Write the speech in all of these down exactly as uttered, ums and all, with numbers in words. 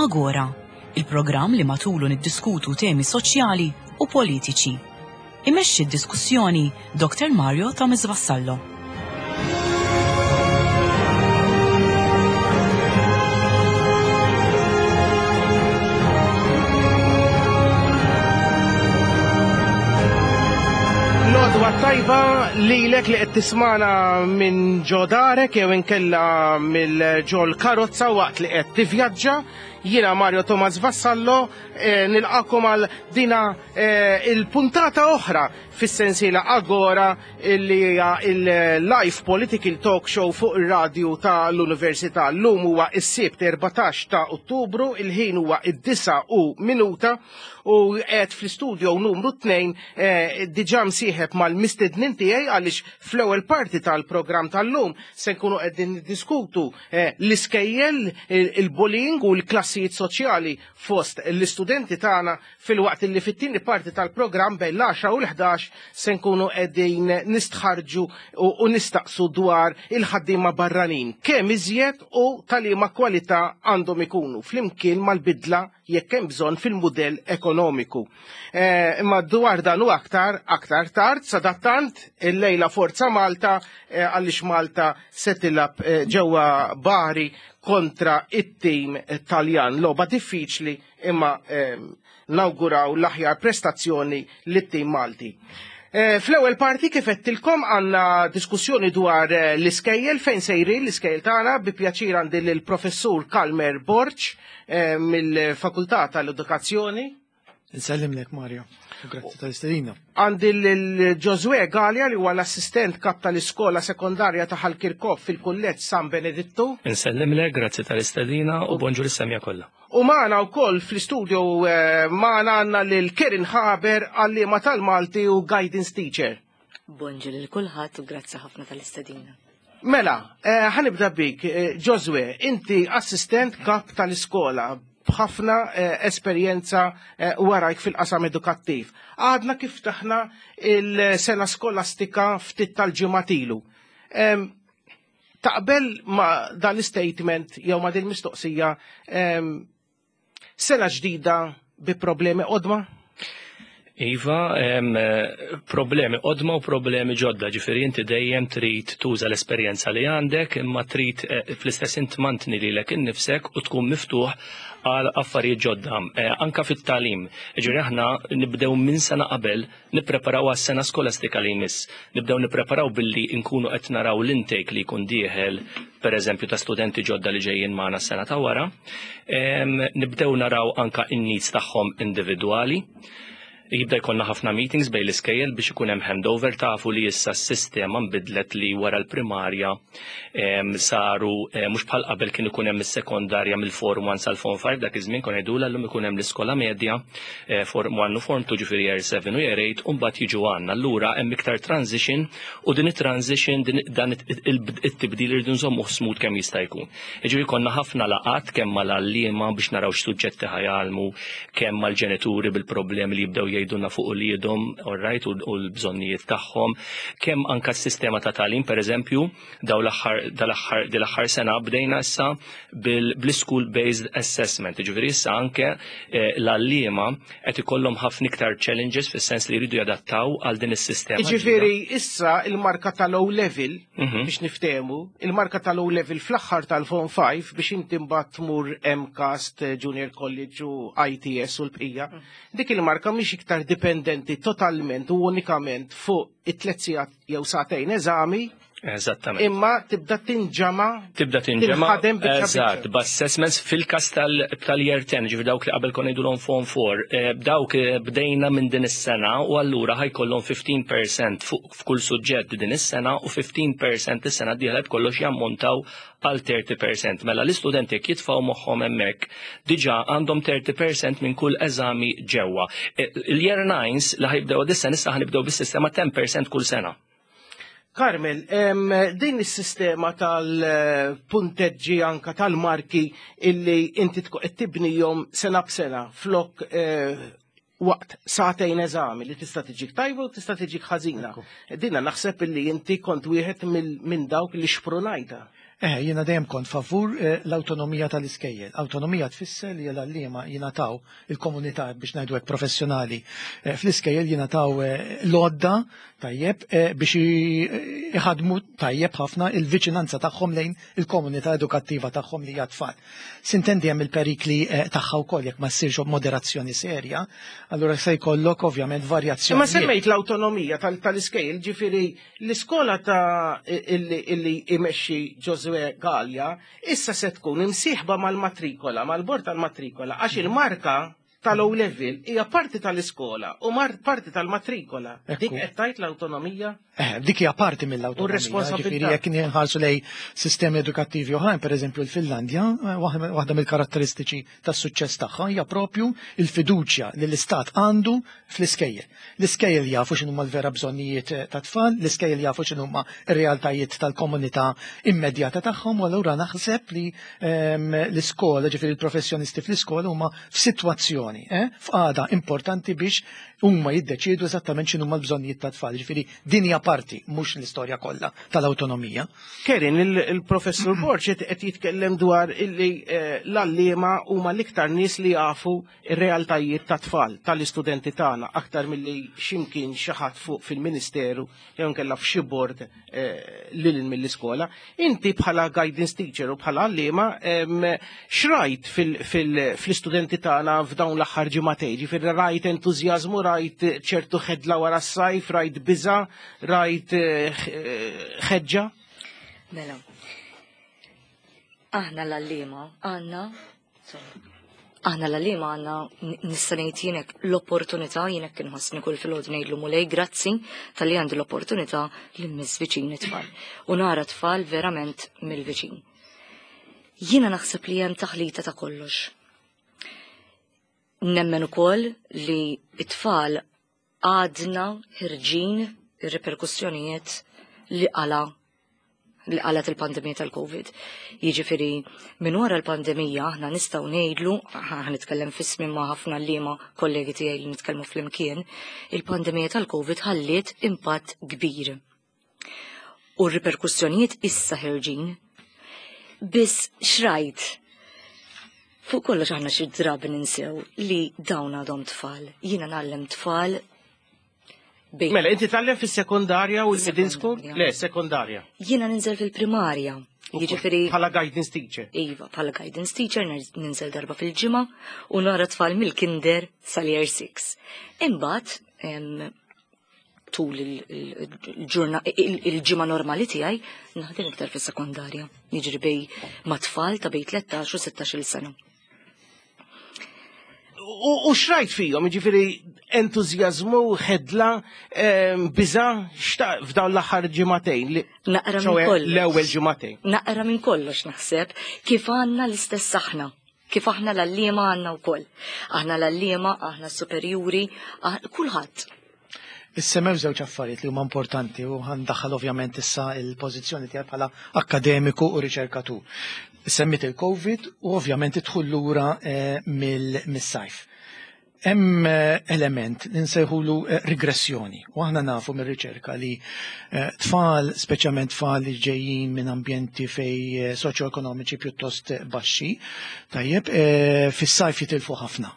Agora, il-programm li matulu niddiskutu temi soċjali u politiċi. Imexxi d-diskussjoni Doktor Mario Thomas Vassallo. L-għodwa tajba lilek li qed tismana minn ġo darek jew inkella mill-ġol karozza waqt li qed tivvjaġġa. Jiena Mario Thomas Vassallo, eh, nilqakom għal dina eh, il-puntata oħra fis-sensiela Agora li hija il-live political talk show fuq ir-radju tal-Università. Llum huwa s-Sibt erbatax ta' Ottubru, il-ħin huwa id-disa u minuta u qed fl-istudio numru tnejn eh, diġà msieħeb mal-mistednin tiegħi għaliex fl-ewwel parti tal-programm tal-lum se nkunu qegħdin niddiskutu eh, l-iskejjel, il-bullying u l-klassijiet soċjali fost l-istudenti tagħna, filwaqt li fit-tieni parti tal-programm bejn l-għaxra u l-ħdax se nkunu qegħdin nistħarġu u nistaqsu dwar il-ħaddiema barranin, kemm iżjed u tal-liema kwalità għandhom ikunu flimkien mal-bidla jekk hemm bżonn fil-mudell ekonomiku. Imma dwar dan u aktar aktar tard, sadattant illejla Forza Malta għaliex Malta se tilgħab ġewwa Bari kontra it-tim Taljan. Logħba diffiċli imma nawguraw l-aħjar prestazzjoni lit-tim Malti. Fl-ewwel parti kif qedtilkom għandna diskussjoni dwar l-iskejjel fejn sejrin l-iskejjel tagħna. Bi pjaċir għandi lill-Professur Kalmer Borg mill-Fakultà tal-Edukazzjoni. Nsellimlek Mario, grazzi tal-istedina. Għandi l-Ġożwè Galea li huwa l-assistent kap tal-iskola sekondarja ta' Ħal Kirkop fil-Kulleġġ San Benedittu. Nsellimlek, grazzi tal-istedina u bonġur is-semja kollha. U magħna wkoll fl-istudio magħna għandna lil Kerin Haber, għalliema tal-Malti u guidance teacher. Bonġu lil kulħadd u grazzi ħafna tal-istedina. Mela, ħanibda bik, Ġożwè, inti assistent kap tal-iskola b'ħafna esperjenza warajk fil-qasam edukattiv. Għadna kif taħna il-sena skolastika ftit tal-ġimgħat ilu. Taqbel ma dan l-statement jew ma din mistoqsija, sena ġdida bi problemi qodma? Iva, problemi qodma u problemi ġodda, ġifieri inti dejjem trid tuża l-esperjenza li għandek, imma trid fl-istess int mantni lilek innifsek u tkun miftuħ għal affarijiet ġodda, anka fit-tagħlim. Ġifieri aħna nibdew minn sena qabel nippreparaw għas-sena skolastika li jmiss. Nibdew nippreparaw billi nkunu qed naraw l-intake li jkun dieħel, pereżempju ta' studenti ġodda li ġejjin magħna s-sena ta' wara. Nibdew naraw anka in-needs tagħhom individwali. Jibda jkollna ħafna meetings bejn l-iskejjel biex ikun hemm handover. Tafu li issa s-sistema nbidlet li wara l-primarja saru mhux bħal qabel kien ikun hemm is-sekondarja mill-Form one sal-Form five, dak iż-żmien kien jgħidulha llum ikun hemm l-iskola medja Form one u Form two, ġifieri Year seven u Year eight, u mbagħad jiġu għandna. Allura hemm iktar transition u din it-transition dan it-tibdil irridu nżommuh smooth kemm jista' jkun. Jiġifieri konna ħafna laqgħat kemm mal-għalliema biex naraw x'suġġetti ħajalmu, kemm mal-ġenituri bil-problemi li jibdew jgħidulna fuq uliedhom, all right, u l-bżonnijiet tagħhom, kemm anka s-sistema ta' tagħlim, pereżempju, daw l-aħħar dil-aħħar sena bdejna issa bil-school based assessment. Ġifieri issa anke l-għalliema qed ikollhom ħafna iktar challenges fis-sens li jridu jadattaw għal din is-sistema. Ġifieri issa il-marka tal-O level, biex niftehmu, il-marka tal-O level fl-aħħar tal-Form five biex inti mbagħad tmur MCAST, Junior College u I T S u l-bqija, dik il-marka mhix iktar dipendenti totalment u unikament fuq it-tliet sigħat jew sagħtejn eżami. Eżattament. Imma tibda tinġama, Tibda tinġama, tinħadem biċċa biċċa. Eżatt, b'assessments fil-każ tal-year ten, ġifieri dawk li qabel konna ngħidulhom Form four, dawk bdejna minn din is-sena u allura ħajkollhom fifteen percent fuq f'kull suġġett din is-sena u fifteen percent is-sena d-dieħla b'kollox jammontaw għal thirty percent. Mela l-istudenti jekk jitfgħu moħħhom hemmhekk diġà għandhom thirty percent minn kull eżami ġewwa. Il-year nines li ħajbdew dis-sena issa ħanibdew bis-sistema ten percent kull sena. Carmel, din is-sistema tal-punteġġi anka tal-marki illi inti tkun qed tibnihom sena b'sena flok waqt sagħtejn eżami li tista' tiġik tajba u tista' tiġik ħażina. Dinna naħseb illi inti kont wieħed minn dawk li xprunajta. Eh, jiena dejjem kont favur eh, l-awtonomija tal-iskejjel. Awtonomija tfisser li l-għalliema jingħataw il-komunità, biex ngħidu hekk, professjonali eh, fl-iskejjel jingħataw eh, l-għodda tajjeb eh, biex i- iħadmu tajjeb ħafna il-viċinanza tagħhom lejn il-komunità edukattiva tagħhom li hija tfal. Sintendi, hemm il-perikli eh, tagħha wkoll jekk ma ssirx moderazzjoni serja, allura se jkollok ovvjament varjazzjoni. Imma semmejt l-awtonomija tal- tal-iskejjel, ġifieri l-iskola ta' illi, illi imexxi Josué Gallia, issa se tkun imsieħba mal-matrikola, mal-bord tal-matrikola, għax il-marka tal-O level hija parti tal-iskola u mar parti tal-matrikola. Ekku. Dik qed tgħid l-awtonomija? Eh, dik hija parti U mill-awtonomija. responsabilità. Ġifieri jekk nħarsu lej sistemi edukattivi oħrajn, pereżempju l-Finlandja, eh, waħda waħda mill-karatteristiċi tas-suċċess tagħha hija propju il-fiduċja li l-istat għandu fl-iskejjel. L-iskejjel jafu x'inhuma l-vera bżonnijiet eh, ta' tfal, l-iskejjel jafu x'inhuma r-realtajiet tal-komunità immedjata tagħhom, u allura naħseb li ehm, l-iskola, ġifieri l-professjonisti fl-iskola, huma f'sitwazzjoni, eh, f'qagħda importanti biex huma jiddeċiedu eżattament x'inhuma l-bżonnijiet tat-tfal. Ġifieri din hija parti, mhux l-istorja kollha tal-awtonomija. Kerin, il- il-professur Borg qed qed jitkellem dwar illi eh, l-għalliema huma l-iktar nies li jafu ir-realtajiet ta' tfal tal-istudenti tagħna aktar milli x'imkien xi ħadd fuq fil-Ministeru jew inkella f'xi bord eh, lil mill-iskola. Inti bħala guidance teacher u bħala għalliema em, x'rajt fil- fil- fl-istudenti tagħna f'dawn l-aħħar ġimagħtejn? Ġifieri rajt entużjażmu, rajt ċertu ħedla wara s-sajf, rajt biża, rajt eh, ħeġġa? Mela, aħna l-għalliema għandna, sorry, aħna l-għalliema għandna, nista' ngħid jienek l-opportunità, jienek inħossni kull filgħodu ngħidlu: "Mulej, grazzi talli għandi l-opportunità li mmiss viċin it-tfal. U nara tfal verament mill-viċin." Jiena naħseb li hemm taħlita ta' kollox. Nemmen ukoll li it-tfal għadna ħerġin ir-reperkussjonijiet li qala li qalat il-pandemija tal-Covid. Jiġifieri minn wara l-pandemija aħna nistgħu ngħidlu, ħa nitkellem f'ismi ma' ħafna għalliema kollegi tiegħi li nitkellmu flimkien, il-pandemija tal-Covid ħalliet impatt kbir. U r-riperkussjonijiet issa ħerġin. Biss xrajt, fuq kollox aħna xi drabi ninsew li dawn għadhom tfal. Jiena ngħallem tfal bejn Mela, inti tgħallem fis-sekondarja u l-middle school? Sekondarja. Le, sekondarja. Jiena ninżel fil-primarja. Jiġifieri Bħala guidance teacher. Iva, bħala guidance teacher ninżel darba fil-ġimgħa u nara tfal mill-kinder sal-year six. Imbagħad em, tul il-ġurna il-ġimgħa normali tiegħi naħdem iktar fis-sekondarja. Jiġri bej ma' tfal ta' bej tlettax u sittax-il sena. U u xrajt fihom, ġifieri entużjażmu, ħedla, em, biża, xta f'dawn l-aħħar ġimagħtejn. li- Naqra minn ċoè, kollox. l-ewwel ġimagħtejn. Naqra minn kollox naħseb, kif għandna l-istess aħna. Kif aħna l-għalliema għandna wkoll. Aħna l-għalliema, aħna s-superjuri, aħ- kulħadd. Issemmew żewġ affarijiet li huma importanti u ħa ndaħħal ovvjament issa il-pożizzjoni tiegħek bħala akkademiku u riċerkatur. Semmit il-Covid u ovvjament idħul lura eh, mill- mis-sajf. Hemm eh, element li nsejħulu eh, regressjoni u aħna nafu mir-riċerka li eh, tfal, speċjalment tfal li ġejjin minn ambjenti fej eh, soċjoekonomiċi pjuttost eh, baxxi, tajjeb, eh, fis-sajf jitilfu ħafna.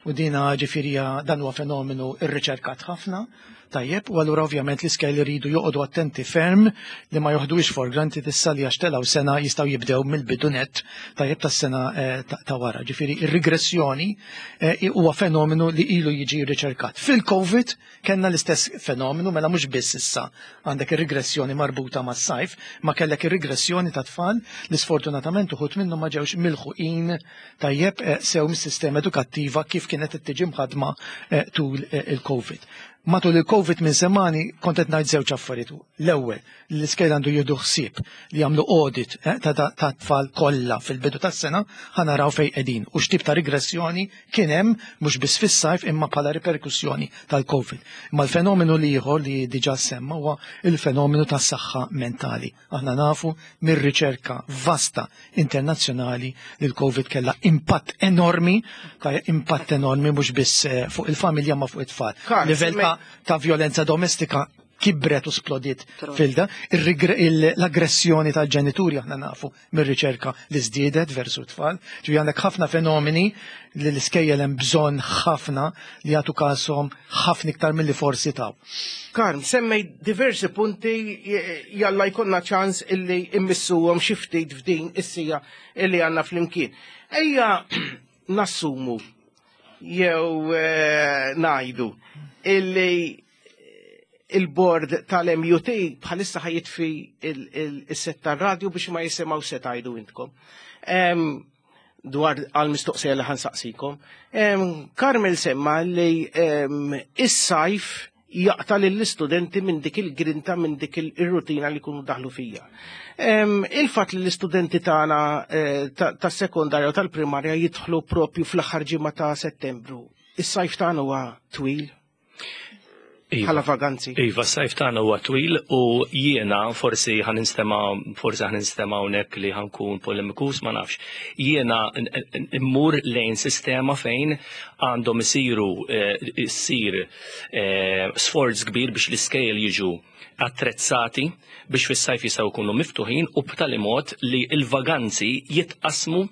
U dina ġifieri dan huwa fenomenu irriċerkat ħafna, tajjeb, u allura ovvjament l-iskejjel iridu joqogħdu attenti ferm li ma joħduhiex for granted issa li għax telgħu sena jistgħu jibdew mill-bidu net tajjeb tas-sena eh, ta' ta' wara. Ġifieri ir-regressjoni eh, huwa fenomenu li ilu jiġi riċerkat. Fil-Covid kellna l-istess fenomenu, mela mhux biss issa għandek ir-regressjoni marbuta mas-sajf, ma kellek ir-regressjoni ta' tfal li sfortunatament uħud minnhom ma ġewx milħuqin tajjeb eh, sew mis-sistema edukattiva kif kienet tiġi mħadma eh, tul eh, il-Covid. Matul il-Covid minn semani kont qed ngħid żewġ affarijiet. L-ewwel, l-iskejjel għandu jieħdu ħsieb li jagħmlu audit eh, ta' ta' ta' tfal kollha fil-bidu tas-sena, ħa naraw fejn qegħdin u x'tip ta' regressjoni kien hemm mhux biss fis-sajf imma bħala riperkussjoni tal-Covid. Imma l-fenomenu li ieħor li diġà semma huwa il-fenomenu tas-saħħa mentali. Aħna nafu mir-riċerka vasta internazzjonali li l-Covid kellha impatt enormi, ta' impatt enormi mhux biss eh, fuq il-familja ma fuq it-tfal. Karl, Livell ta' ta' violenza domestika Kibret u splodiet fil-da. L-aggressjoni tal-ġenituri aħna nafu mir-riċerka li żdiedet versu tfal. Ġifieri għandek ħafna fenomeni li l-iskejjel hemm bżonn ħafna li jagħtu kashom ħafna iktar milli forsi taw. Karm, semmej diversi punti, jalla jkollna ċans illi immissuhom xi ftit f'din is-sija illi għandna flimkien. Ejja nassumu jew eh, ngħidu illi il-board tal-M U T bħalissa ħa jitfi il-set tar-radju biex ma jisimgħu se tgħidu intkom dwar għal-mistoqsija li ħa nsaqsikom. Carmel semma li is-sajf jaqta lill-istudenti minn dik il-grinta, minn dik il-rutina li kunu daħlu fija. Il-fat li l-istudenti tagħna eh, tas-sekondarja u tal-primarja jidħlu propju fl-aħħar ġimgħa ta' Settembru. Is-sajf tagħna huwa twil Iva. bħala vaganzi. Iva, s-sajf tagħna huwa twil u jiena forsi ħa ninstema' forsi ħa ninstema' hawnhekk li ħa nkun polemikus, ma nafx. Jiena immur lejn sistema fejn għandhom isiru eh, issir eh, sforz kbir biex l-iskejjel jiġu attrezzati biex fis-sajf jistgħu jkunu miftuħin u b'tali mod li l-vaganzi jitqasmu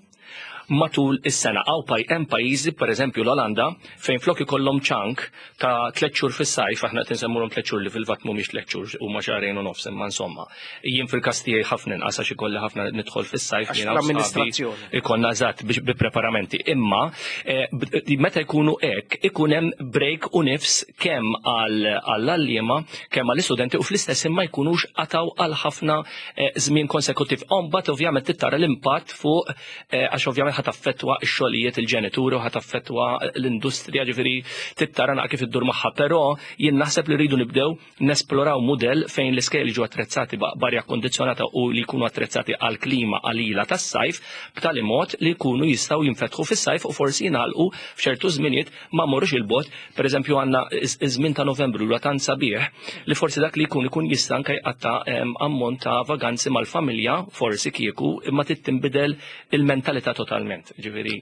matul is-sena. Għaw paj hemm pajjiżi, pereżempju l-Olanda, fejn flok ikollhom chunk ta' tliet xhur fis-sajf, aħna qed insemmulhom tliet xhur li fil-fatt mhumiex tliet xhur, huma xahrejn u nofs, imma insomma. Jien fil-każ tiegħi ħafna inqas għax ikolli ħafna nidħol fis-sajf Għax jiena u sħabi l-amministrazzjoni. Ikonna eżatt biex bi preparamenti. Imma eh, b- meta jkunu hekk ikun hemm break u nifs kemm għall-għalliema kemm għall-istudenti u fl-istess imma jkunux qataw għal ħafna eh, żmien konsekutiv. Mbagħad ovvjament tittara l-impatt fuq eh, għax ovvjament ħa taffettwa x-xogħlijiet il-ġenituri u ħa taffettwa l-industrija, ġifieri tittara naqra kif iddur magħha, però jien naħseb li rridu nibdew nesploraw mudell fejn l-iskejjel jiġu attrezzati b'arja kondizjonata u li jkunu attrezzati għal klima qalila tas-sajf b'tali mod li jkunu jistgħu jinfetħu fis-sajf u forsi jingħalqu f'ċertu żminijiet, ma mmorrux il-bogħod. Pereżempju, għandna iż-żmien ta' Novembru li tant sabiħ li forsi dak li jkun ikun jista' anke jqatta' ammont ta' vaganzi mal-familja forsi kieku, imma trid tinbidel il-mentalità totalment. Ġifieri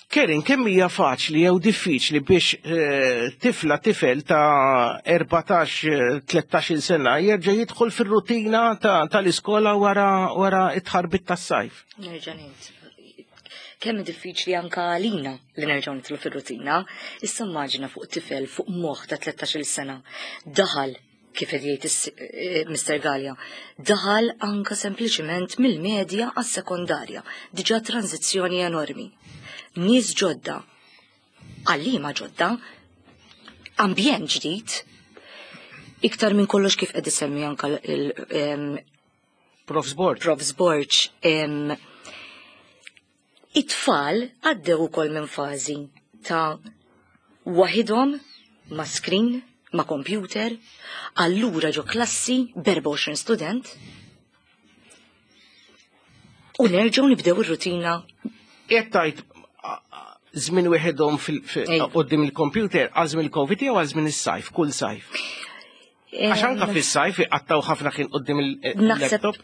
Kerin, kemm hija faċli jew diffiċli biex eh, tifla, tifel ta' erbatax tlettax-il sena jerġa' jidħol fir-rutina tal-iskola wara wara it-tħarbit tas-sajf? Nerġa' ngħid. Kemm diffiċli anka għalina li nerġgħu nidħlu fir-rutina, issa immaġina fuq tifel, fuq moħħ ta' tlettax-il sena. Daħal, kif qed jgħid eh, Mister Gallia, daħal anka sempliċiment mill-medja għas-sekondarja, diġà tranzizzjoni enormi. Nies ġodda, għalliema ġodda, ambjent ġdid, iktar minn kollox kif qed isemmi anka il Profs Borg. Profs Borg, it-tfal għaddew ukoll minn fażi ta' waħidhom ma' screen, ma' computer, allura ġo klassi b'erbgħa u għoxrin student u nerġgħu nibdew ir-rutina. Qed tgħid żmien wieħedhom quddiem il-computer għal żmien il-Covid jew għal żmien is-sajf, kull sajf? Għax anka fis-sajf iqattaw ħafna ħin quddiem il-laptop.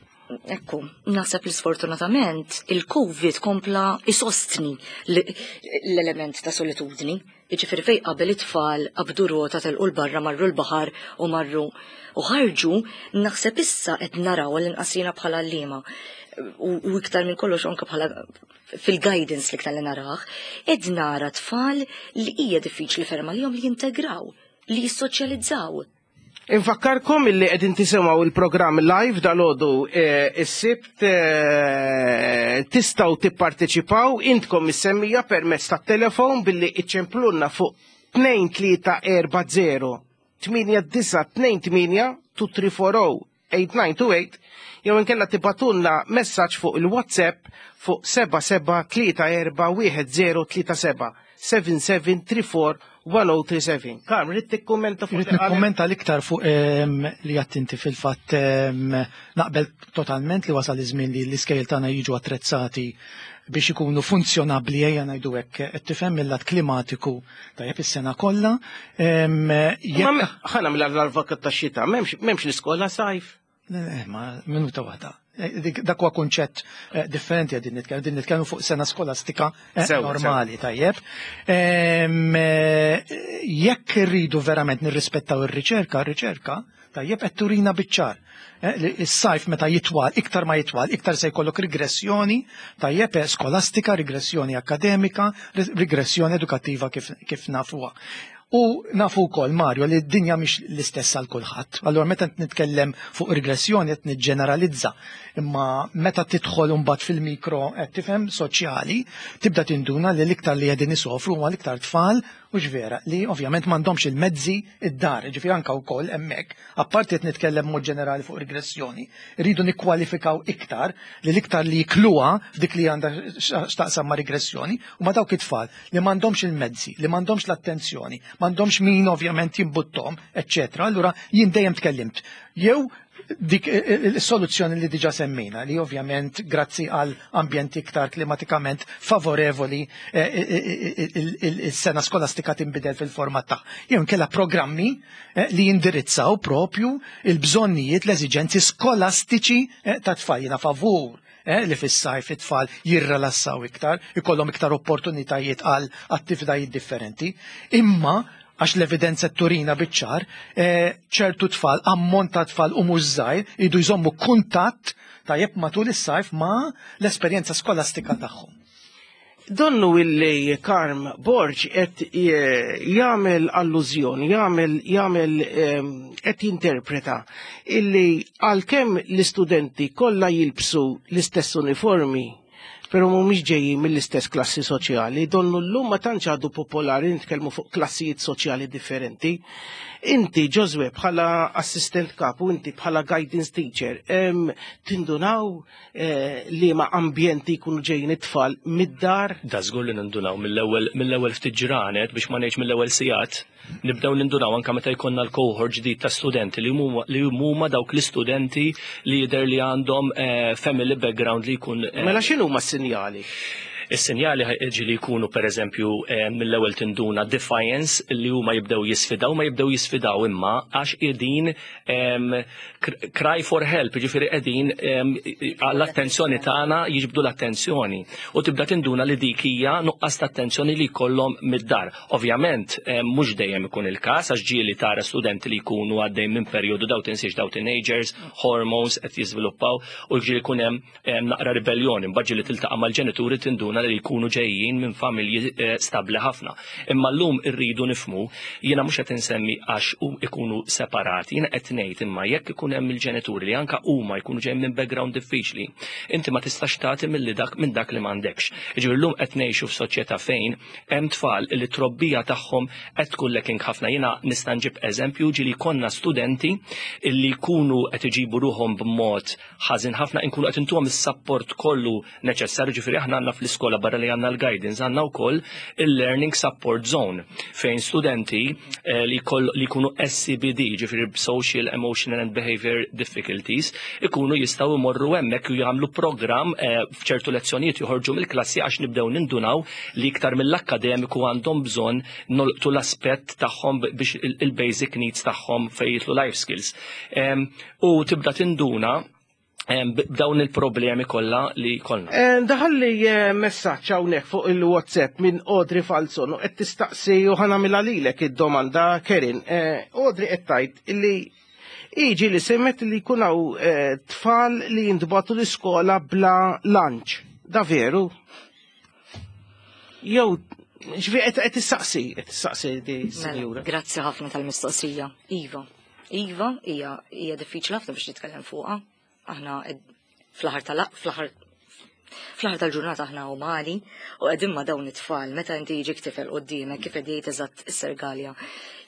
Ekku, naħseb li sfortunatament il-Covid kompla isostni l-element ta' solitudni. Jiġifieri fej qabel it-tfal qabdu rota, telqu l-barra, marru l-baħar u marru u ħarġu, naħseb issa qed naraw l-inqas jiena bħala għalliema u u iktar minn kollox anke bħala fil-guidance li iktar li narah, qed nara tfal li hija diffiċli ferm għalihom li jintegraw, li jissoċjalizzaw. Infakkarkom illi qegħdin tisimgħu il-programm live dalgħodu eh, is-Sibt eh, tistgħu tipparteċipaw intkom is-semmija permezz tat-telefon billi iċċemplunna fuq tnejn tlieta erba' żero tmienja disgħa tnejn tmienja tnejn tlieta erba' żero tmienja disgħa tnejn tmienja jew inkella tibagħtulna messaġġ fuq il-WhatsApp fuq seba' seba' tlieta erba' wieħed żero tlieta seba' seba' seba' tlieta erba' wieħed żero tlieta seba'. Karm, rrid tikkummenta fuq Irrid nikkummenta l-iktar fuq ehm, li għattinti fil-fatt ehm, naqbel totalment li wasal iż-żmien li l-iskejjel tagħna jiġu attrezzati biex ikunu funzjonabbli, ejja ngħidu hekk, qed tifhem, mill-lat klimatiku tajjeb is-sena kollha. Ehm, jekk- Ma ħa nagħmel l-avukat tax-xitan, m'hemmx m'hemmx l-iskola sajf. Le, le, ma minuta waħda. Eh, dik- Dak huwa kunċett eh, differenti qegħdin nitkellmu, din nitkellmu fuq sena skolastika eh, Sewa, normali, tajjeb. Ehm, eh, Jekk irridu verament nirrispettaw ir-riċerka, ir-riċerka tajjeb qed turina biċ-ċar. Is-sajf meta jitwal, iktar ma jitwal, iktar se jkollok regressjoni, tajjeb skolastika, regressjoni akademika, regressjoni edukattiva kif, kif nafuha. U nafu wkoll, Mario, li d-dinja mhix l-istess għal kulħadd. Allura meta nitkellem fuq regressjoni qed niġġeneralizza. Imma meta tidħol imbagħad fil-mikro qed tifhem soċjali, tibda tinduna li l-iktar li qegħdin isofru huma l-iktar tfal u vera li ovvjament m'għandhomx il-mezzi id-dar, ġifieri anke wkoll hemmhekk, apparti qed nitkellem mod ġenerali fuq regressjoni, rridu nikkwalifikaw iktar li l-iktar li jikluha f'dik li għandha x'taqsam ma' regressjoni huma dawk it-tfal li m'għandhomx il-mezzi, li m'għandhomx l-attenzjoni, m'għandhomx min ovvjament jimbuttom, eċċetera. Allura jien dejjem tkellimt. Jew dik il-soluzzjoni li diġa semmejna, li ovvjament grazzi għal ambjent iktar klimatikament favorevoli il-sena skolastika tinbidel fil-format ta' jew inkella programmi li jindirizzaw propju il-bżonnijiet, l-eżiġenzi skolastiċi ta' tfal. Jiena favur li fis-sajf it-tfal jirrelassaw iktar, ikollhom iktar opportunitajiet għal attivitajiet differenti, imma għax l-evidenza turina biċ-ċar, ċertu tfal, ammont ta' tfal u mhux żgħir, idu jżommu kuntatt tajjeb matul is-sajf ma' l-esperjenza skolastika tagħhom. Donnu illi Karm Borg qed jagħmel allużjoni, jagħmel jagħmel qed jinterpreta illi għalkemm l-istudenti kollha jilbsu l-istess uniformi, pero mhumiex ġejjin mill-istess klassi soċjali, donnu llum ma tantx għadu popolari nitkellmu fuq klassijiet soċjali differenti. Inti, Josue, bħala assistent kap u inti bħala guidance teacher, em, tindunaw eh, li ma ambjenti jkunu ġejjin it-tfal mid-dar? Da żgur li nindunaw mill-ewwel mill-ewwel ftit ġranet, biex ma ngħidx mill-ewwel sigħat, nibdew nindunaw anke meta jkollna l-cohort ġdid ta' studenti li huma li huma dawk l-istudenti li jidher li għandhom eh, family background li jkun eh, Mela x'inhu ma sinjali? Is-sinjali ġili jkunu, per eżempju, eh, mill-ewwel tinduna defiance, li huma jibdew jisfidaw, ma jibdew jisfidaw imma għax qegħdin em, cr- cry for help, ġifieri qegħdin em, għall-attenzjoni tagħna, jiġbdu l-attenzjoni. U tibda tinduna li dik hija nuqqas ta' attenzjoni li jkollhom mid-dar. Ovvjament, em, mhux dejjem ikun il-każ, għax ġieli tara studenti li jkunu għaddej minn perjodu, daw tinsiex daw teenagers, hormones qed jiżviluppaw u ġieli jkun hemm em, naqra ribellioni, mbagħad ġieli tiltaqa' mal-ġenituri, tinduna li jkunu ġejjin minn familji eh, stabli ħafna. Imma llum irridu nifmu, jiena mhux qed insemmi għax u ikunu separati, jiena qed ngħid imma jekk ikun hemm il-ġenituri li anka huma jkunu ġejjin minn background diffiċli, inti ma tistax tagħti milli dak minn dak li m'għandekx. Jiġifieri llum qed ngħixu f'soċjetà fejn hemm tfal li trobbija tagħhom qed tkun lacking ħafna. Jiena nista' nġib eżempju, ġieli konna studenti illi jkunu qed iġibu ruħhom b'mod ħażin ħafna, inkunu qed intuhom is-support kollu neċessarju, ġifieri aħna għandna fl-iskola, barra li għandna l-guidance, għandna wkoll il-learning support zone fejn studenti eh, li koll, li jkunu S E B D, ġifieri social, emotional and behavior difficulties, ikunu jistgħu imorru hemmhekk u jagħmlu programm eh, f'ċertu lezzjonijiet joħorġu mill-klassi, għax nibdew nindunaw li iktar mill-akkademiku għandhom bżonn nolqtu l-aspett tagħhom biex il- il-basic needs tagħhom fejn jidħlu life skills. Em, U tibda tinduna em, b'dawn il-problemi kollha li kollna. Eh, Daħalli eh, messaġġ hawnhekk fuq il-WhatsApp minn Audrey Falzon u qed tistaqsi, u ħa nagħmilha lilek id-domanda, Kerin. Eh, Audrey qed tgħid illi iġi li semmet li jkun hawn eh, tfal li jintbagħtu l-iskola bla lunch. Da veru? Jew ġvi qed qed tistaqsi, qed tistaqsi di Mela, sinjura. grazzi ħafna tal-mistoqsija. Iva, Iva, hija hija diffiċli ħafna biex nitkellem fuqha. Aħna ed- fl-aħħar tal fl-aħħar fl-aħħar tal-ġurnata aħna umani u qegħdin ma' dawn it-tfal. Meta inti jiġik tifel quddiemek, kif qed jgħid eżatt is-Sergalja,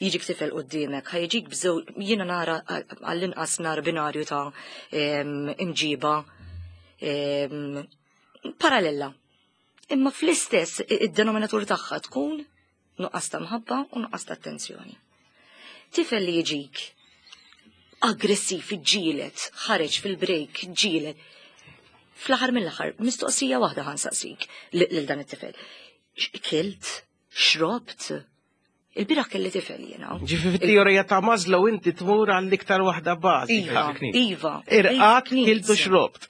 jiġik tifel quddiemek, ħa jiġik bżew, jiena nara għall-inqas nara binarju ta' em, imġiba em, parallela. Imma fl-istess id-denominatur tagħha tkun nuqqas ta' mħabba u nuqqas ta' attenzjoni. Tifel li jiġik aggressiv, ġielet, ħareġ fil-break, ġielet. Fl-aħħar mill-aħħar, mistoqsija waħda ħa nsaqsik lil dan it-tifel. X- Kilt, xrobt, il-bieraħ kelli tifel jiena. Ġifi fit-teorija ta' Maslow inti tmur għall-iktar waħda bażika. Iva, iva. Irqadt, Basic needs. kilt u xrobt.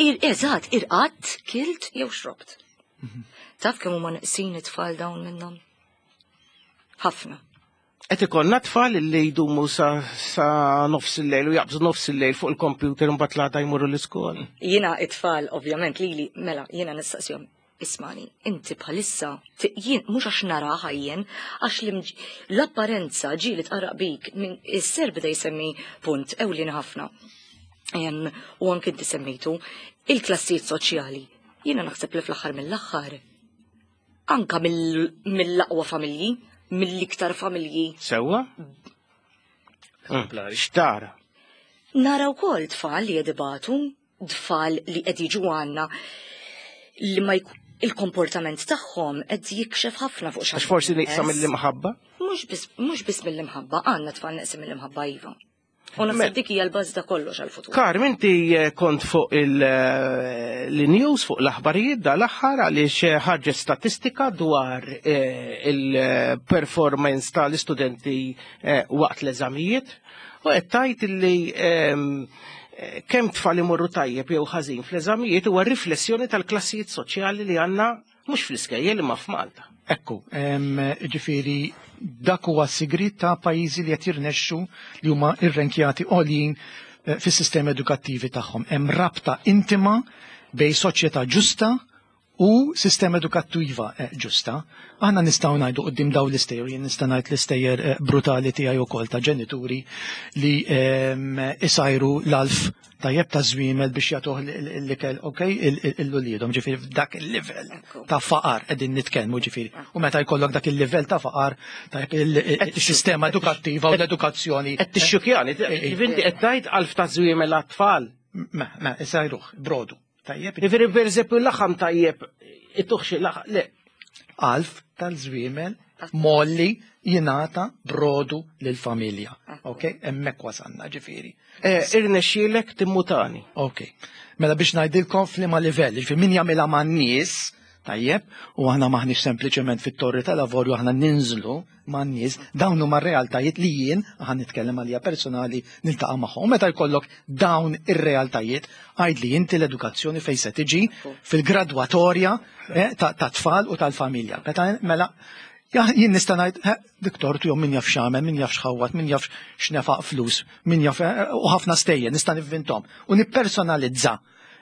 Ir, eżatt, irqadt, kilt jew xrobt. Taf kemm huma neqsin it-tfal dawn minnhom? Ħafna. Qed ikollna tfal li jdumu sa, sa nofs il-lejl u jaqbżu nofs il-lejl fuq il-computer u mbagħad l-għada jmorru l-iskola. Jiena it-tfal, ovvjament, lili, mela, jiena nistaqsihom, ismagħni, inti bħalissa, ti- jien, mhux għax naraha jien, għax l-imġ- l-apparenza ġieli tqarraq bik, minn is-ser beda jsemmi punt ewlien ħafna. Em, U anke inti semmejtu, il-klassijiet soċjali. Jiena naħseb li fl-aħħar mill-aħħar, anka mill- mill-aqwa familji, mill-iktar familji. Sewwa? Eżemplari. Xtara? Nara wkoll tfal li qed ibatu, tfal li qed jiġu għandna li ma jk- il-komportament tagħhom qed jikxef ħafna fuq xi Għax forsi nieqsa mill-imħabba? Mhux biss mhux biss mill-imħabba, għandna tfal neqsin mill-imħabba iva. U Me- naħseb dik hija l-bażi ta' kollox għall-futur. Karm, inti eh, kont fuq il-news, fuq l-aħbarijiet dal-aħħar għaliex eh, ħarġet statistika dwar eh, il-performance tal-istudenti eh, waqt l-eżamijiet u qed tgħid li ehm, eh, kemm tfal imorru tajjeb jew ħażin fl-eżamijiet huwa riflessjoni tal-klassijiet soċjali li għandna mhux fl-iskejjel imma f'Malta. Ekku, em, ġifieri, dak huwa sigrit ta' pajjiżi li qed jirnexxu li huma irrenkjati għoljin eh, fis-sistemi edukattivi tagħhom. Hemm rabta intima bejn soċjetà ġusta u sistema edukattiva eh, ġusta. Aħna nistgħu ngħidu quddiem dawn l-istejjer, jien nista' ngħid l-istejjer eh, brutali tiegħi wkoll ta' ġenituri li em, isajru l-għalf tajjeb ta' żwiemel biex jagħtuh l-ikel, ok, lil uliedhom, ġifieri f'dak il-livell Ekku. ta' faqar qegħdin nitkellmu ġifieri. U meta jkollok dak il-livell ta' faqar tajjeb il-sistema edukattiva u l-edukazzjoni. Qed tixxukjani, inti qed tgħid għalf ta' żwiemel għat-tfal. Ma, ma, isajruh, brodu. Tajjeb, Jiġifieri pereżempju l-laħam tajjeb, ittuh xi laħam, le, għalf tal-żwiemel molli jingħata brodu lill-familja. Ok, hemmhekk wasanna ġifieri. Eh, irnexxielek timmutani. Ok. Mela biex ngħidilkom f'liema livell, ġifieri min jagħmilha man-nies, tajjeb, u aħna maħniex sempliċement fit-torri tal-avorju aħna ninżlu man-nies, dawn huma realtajiet li jien aħna nitkellem għalija personali niltaqa' magħhom. U meta jkollok dawn ir-realtajiet, għid li inti l-edukazzjoni fejn se tiġi fil-gradwatorja eh, ta' ta' tfal u tal-familja. Meta mela Ja, jien nista' ngħid, eh, dik tortu jew min jaf x'għamel, min jaf x'ħawat, min jaf x'nefaq flus, min jaf eh, u ħafna stejjer nista' nivvintom u nippersonalizza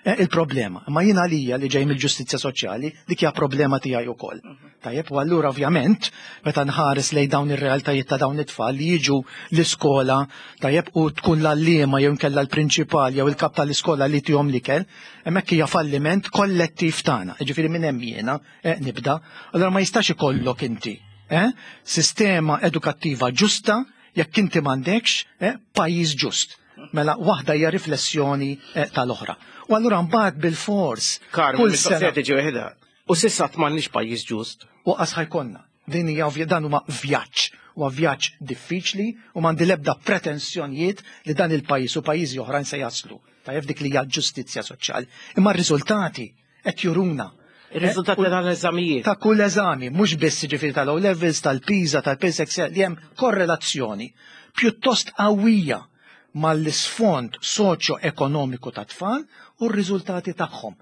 eh, il-problema. Ma jien għalija li ġej mill-ġustizzja soċjali, dik hija problema tiegħi wkoll. Tajjeb, u allura ovvjament meta nħares lejn dawn ir-realtajiet ta' dawn it-tfal li jiġu l-iskola, tajjeb, u tkun l-għalliema jew inkella l-prinċipal jew il-kap tal-iskola li tihom l-ikel, hemmhekk hija falliment kollettiv tagħna. Ġifieri minn hemm jiena eh, nibda. Allura ma jistax ikollok inti eh, sistema edukattiva ġusta jekk inti m'għandekx eh, pajjiż ġust. Mela waħda hija riflessjoni eh, tal-oħra. U allura mbagħad bil-fors Karm, kull mistoqsija sena tiġi waħedha. U s'issa m'għandniex pajjiż ġust. u qas ħa jkollna. Din hija ovvja dan huma vjaġġ, huwa vjaġġ diffiċli u m'għandi l-ebda pretensjonijiet li dan il-pajjiż u pajjiżi oħrajn se jaslu. Tajjeb dik li hija ġustizzja soċjali. Imma r-riżultati qed juruna. Ir-riżultati Eh, u- tal-eżamijiet. ta' kull eżami, mhux biss ġifieri tal-O levels, tal-PISA, tal-PSEX, li hemm korrelazzjoni pjuttost qawwija mal-isfond soċjo-ekonomiku ta' tfal u r-riżultati tagħhom.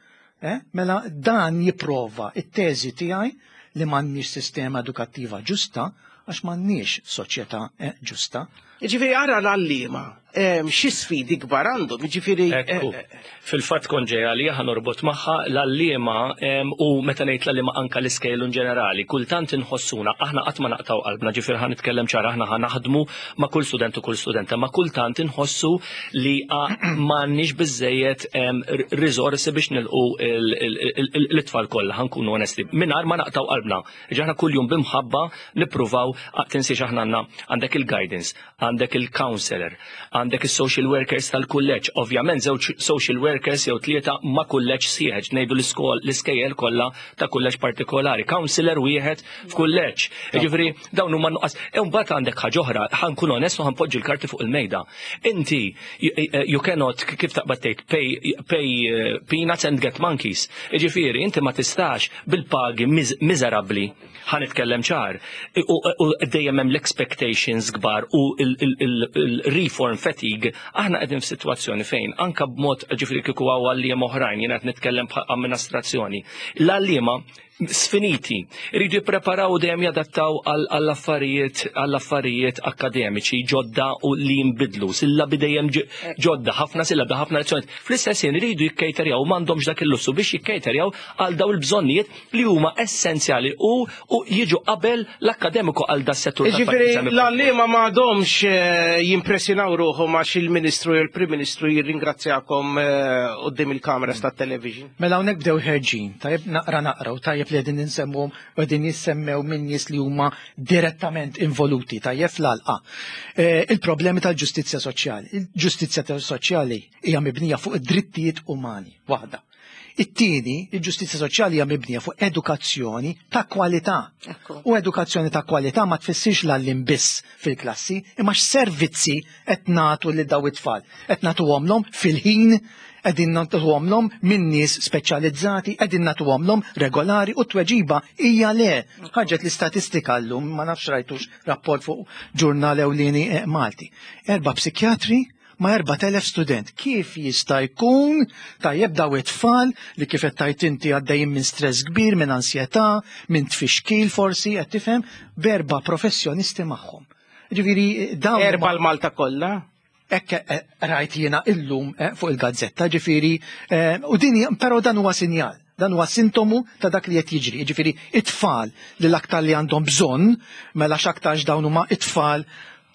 Eh? Mela dan jipprova it-teżi tiegħi li m'għandniex sistema edukattiva ġusta għax m'għandniex soċjetà eh, ġusta. Ġifieri ara l-għalliema, em, xi sfidi kbar għandhom, ġifieri. Ekku, eh, eh, fil-fatt kont ġej għalija ħa norbot magħha l-għalliema em, u meta ngħid l-għalliema anka l-iskejjel in ġenerali, kultant inħossuna aħna qatt ma naqtaw qalbna, ġifieri ħa nitkellem ċara aħna ħa naħdmu ma' kull student u kull studenta, ma' kultant inħossu li m'għandniex biżejjed em, r- riżorsi biex nilqu il- il- il- il- l-itfal kollha ħa nkunu onesti. Mingħajr ma naqtaw qalbna. Ġaħna kuljum bimħabba nippruvaw tinsiex aħna għandna għandek il-guidance, għandek il-counselor, għandek il-social workers tal-kulleġġ. Ovvjament żewġ social workers jew tlieta ma' kulleġġ sieħ, ngħidu l-iskol l-iskejjel kollha ta' kulleġġ partikolari. Counselor wieħed f'kulleġġ. Jiġifieri dawn huma nuqqas. E mbagħad għandek ħaġa oħra, ħa nkun onest u ħa npoġġi l-karti fuq il-mejda. Inti you cannot kif taqbad tgħid pay, pay eh, peanuts and get monkeys. Jiġifieri inti ma tistax bil-pagi miż- miżerabbli ħa nitkellem ċar. U u dejjem hemm l-expectations kbar u il-reform fatigue, aħna qegħdin f'sitwazzjoni fejn anka b'mod ġifieri kieku hawn għalliema oħrajn, jiena qed nitkellem bħal amministrazzjoni. L-għalliema sfiniti. Iridu jippreparaw u dejjem jadattaw għall-affarijiet għall-affarijiet akademiċi ġodda u li jinbidlu, sillabi dejjem ġodda, ħafna sillabi, ħafna lezzjonijiet. Fl-istess ħin iridu jikkejterjaw, m'għandhomx dak il-lussu biex jikkejterjaw għal daw il-bżonnijiet li huma essenzjali u u jiġu qabel l-akkademiku għal da settur. Ġifieri l-għalliema m'għadhomx eh, jimpressjonaw ruħhom għax il-Ministru jew il-Prim Ministru jirringrazzjakom eh, quddiem il-kameras tat-television. Mela hawnhekk bdew ħerġin, tajjeb naqra naqra u tajjeb li qegħdin insemmuhom u qegħdin jissemmew minn nies li huma direttament involuti, tajjeb fl-għalqa. Eh, il-problemi tal-ġustizzja soċjali. Il-ġustizzja soċjali hija mibnija fuq id-drittijiet umani, waħda. It-tieni, il-ġustizzja soċjali hija mibnija fuq edukazzjoni ta' kwalità. Ekku. U edukazzjoni ta' kwalità ma tfissirx l-għalliem biss fil-klassi, imma x'servizzi qed nagħtu lil daw it-tfal. Qed nagħtuhomlhom fil-ħin, qegħdin nagħtuhomlhom minn nies speċjalizzati, qegħdin nagħtuhomlhom regolari u t-tweġiba hija le. Ħarġet l-istatistika llum, ma nafx rajtux rapport fuq ġurnal ewlieni eh, Malti. Erba' psikjatri ma' erbat elef student. Kif jista' jkun tajjeb daw it-tfal li kif qed tajt inti għaddejjin minn stress kbir, minn ansjetà, minn tfixkil forsi, qed tifhem, b'erba' professjonisti magħhom. Ġifieri dawn Erba' l-Malta kollha? Ekk eh, rajt jiena illum eh, fuq il-gazzetta, ġifieri, eh, u din hija- però dan huwa sinjal, dan huwa sintomu ta' dak li qed jiġri. Ġifieri it-tfal li l-aktar li għandhom bżonn, mela x'aktarx dawn huma it-tfal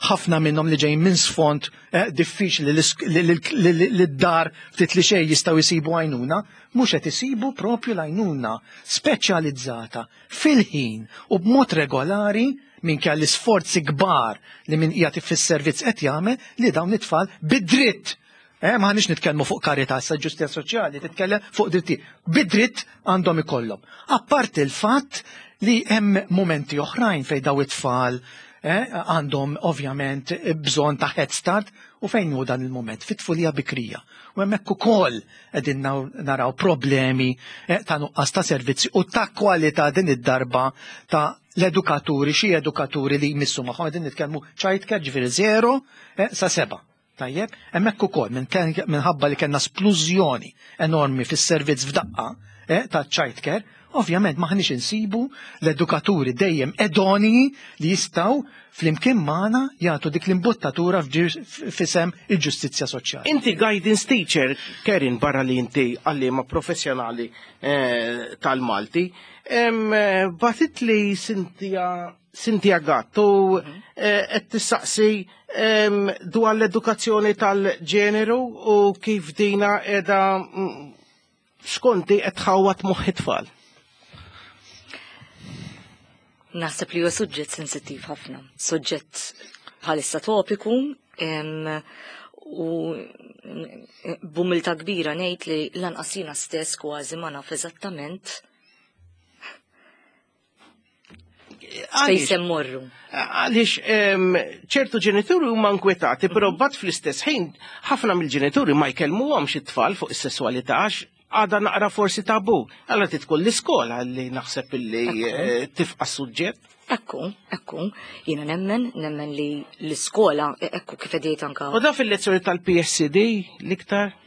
ħafna minnhom li ġejjin minn sfond eh, diffiċli li li- li- li- li d-dar ftit li xejn jistgħu jsibu għajnuna, mhux qed isibu propju l-għajnuna speċjalizzata fil-ħin u b'mod regolari minkejja l-isforzi kbar li min qiegħed fis-servizz qed jagħmel li dawn it-tfal bid-dritt. Eh, ma ħanix nitkellmu fuq karità, sa ġustizzja soċjali, titkellem fuq dritti. Bid-dritt għandhom ikollhom. Apparti il-fatt li hemm momenti oħrajn fejn daw it-tfal eh, għandhom ovvjament bżonn ta' head start u fejn hu dan il-moment fit-tfulija bikrija. U hemmhekk ukoll qegħdin naraw problemi eh, ta' nuqqas ta' servizzi u ta' kwalità din id-darba ta' l-edukaturi, xi edukaturi li jmissu magħhom qegħdin nitkellmu child care ġifieri zero eh, sa seba'. Tajjeb, hemmhekk ukoll minħabba li kellna splużjoni enormi fis-servizz f'daqqa eh, ta' child care, ovvjament maħniex insibu l-edukaturi dejjem idonei li jistgħu flimkien magħna jagħtu dik l-imbuttatura f'isem il-ġustizzja soċjali. Inti guidance teacher, Kerin, barra li inti għallima professjonali eh, tal-Malti, bagħtet li Cynthia Cynthia Gatt u eh, qed tistaqsi dwar l-edukazzjoni tal-ġeneru u kif dina qiegħda mm, skonti qed tħawwad moħħ it-tfal. Naħseb li huwa suġġett sensittiv ħafna, suġġett bħalissa topiku u b'umiltà kbira ngħid li lanqas jiena stess kważi ma naf eżattament fejn se mmorru. Għaliex ċertu ġenituri huma nkwetati, però bat fl-istess ħin ħafna mill-ġenituri ma jkellmuhomx it-tfal fuq is-sesswalità għax għada naqra forsi tabu. Allora titkun l-iskola li naħseb illi eh, tifqa' suġġett. Ekku, ekku, jiena nemmen, nemmen li l-iskola, ekku kif għedt anka. U da fil-lezzjoni tal-P S C D l-iktar?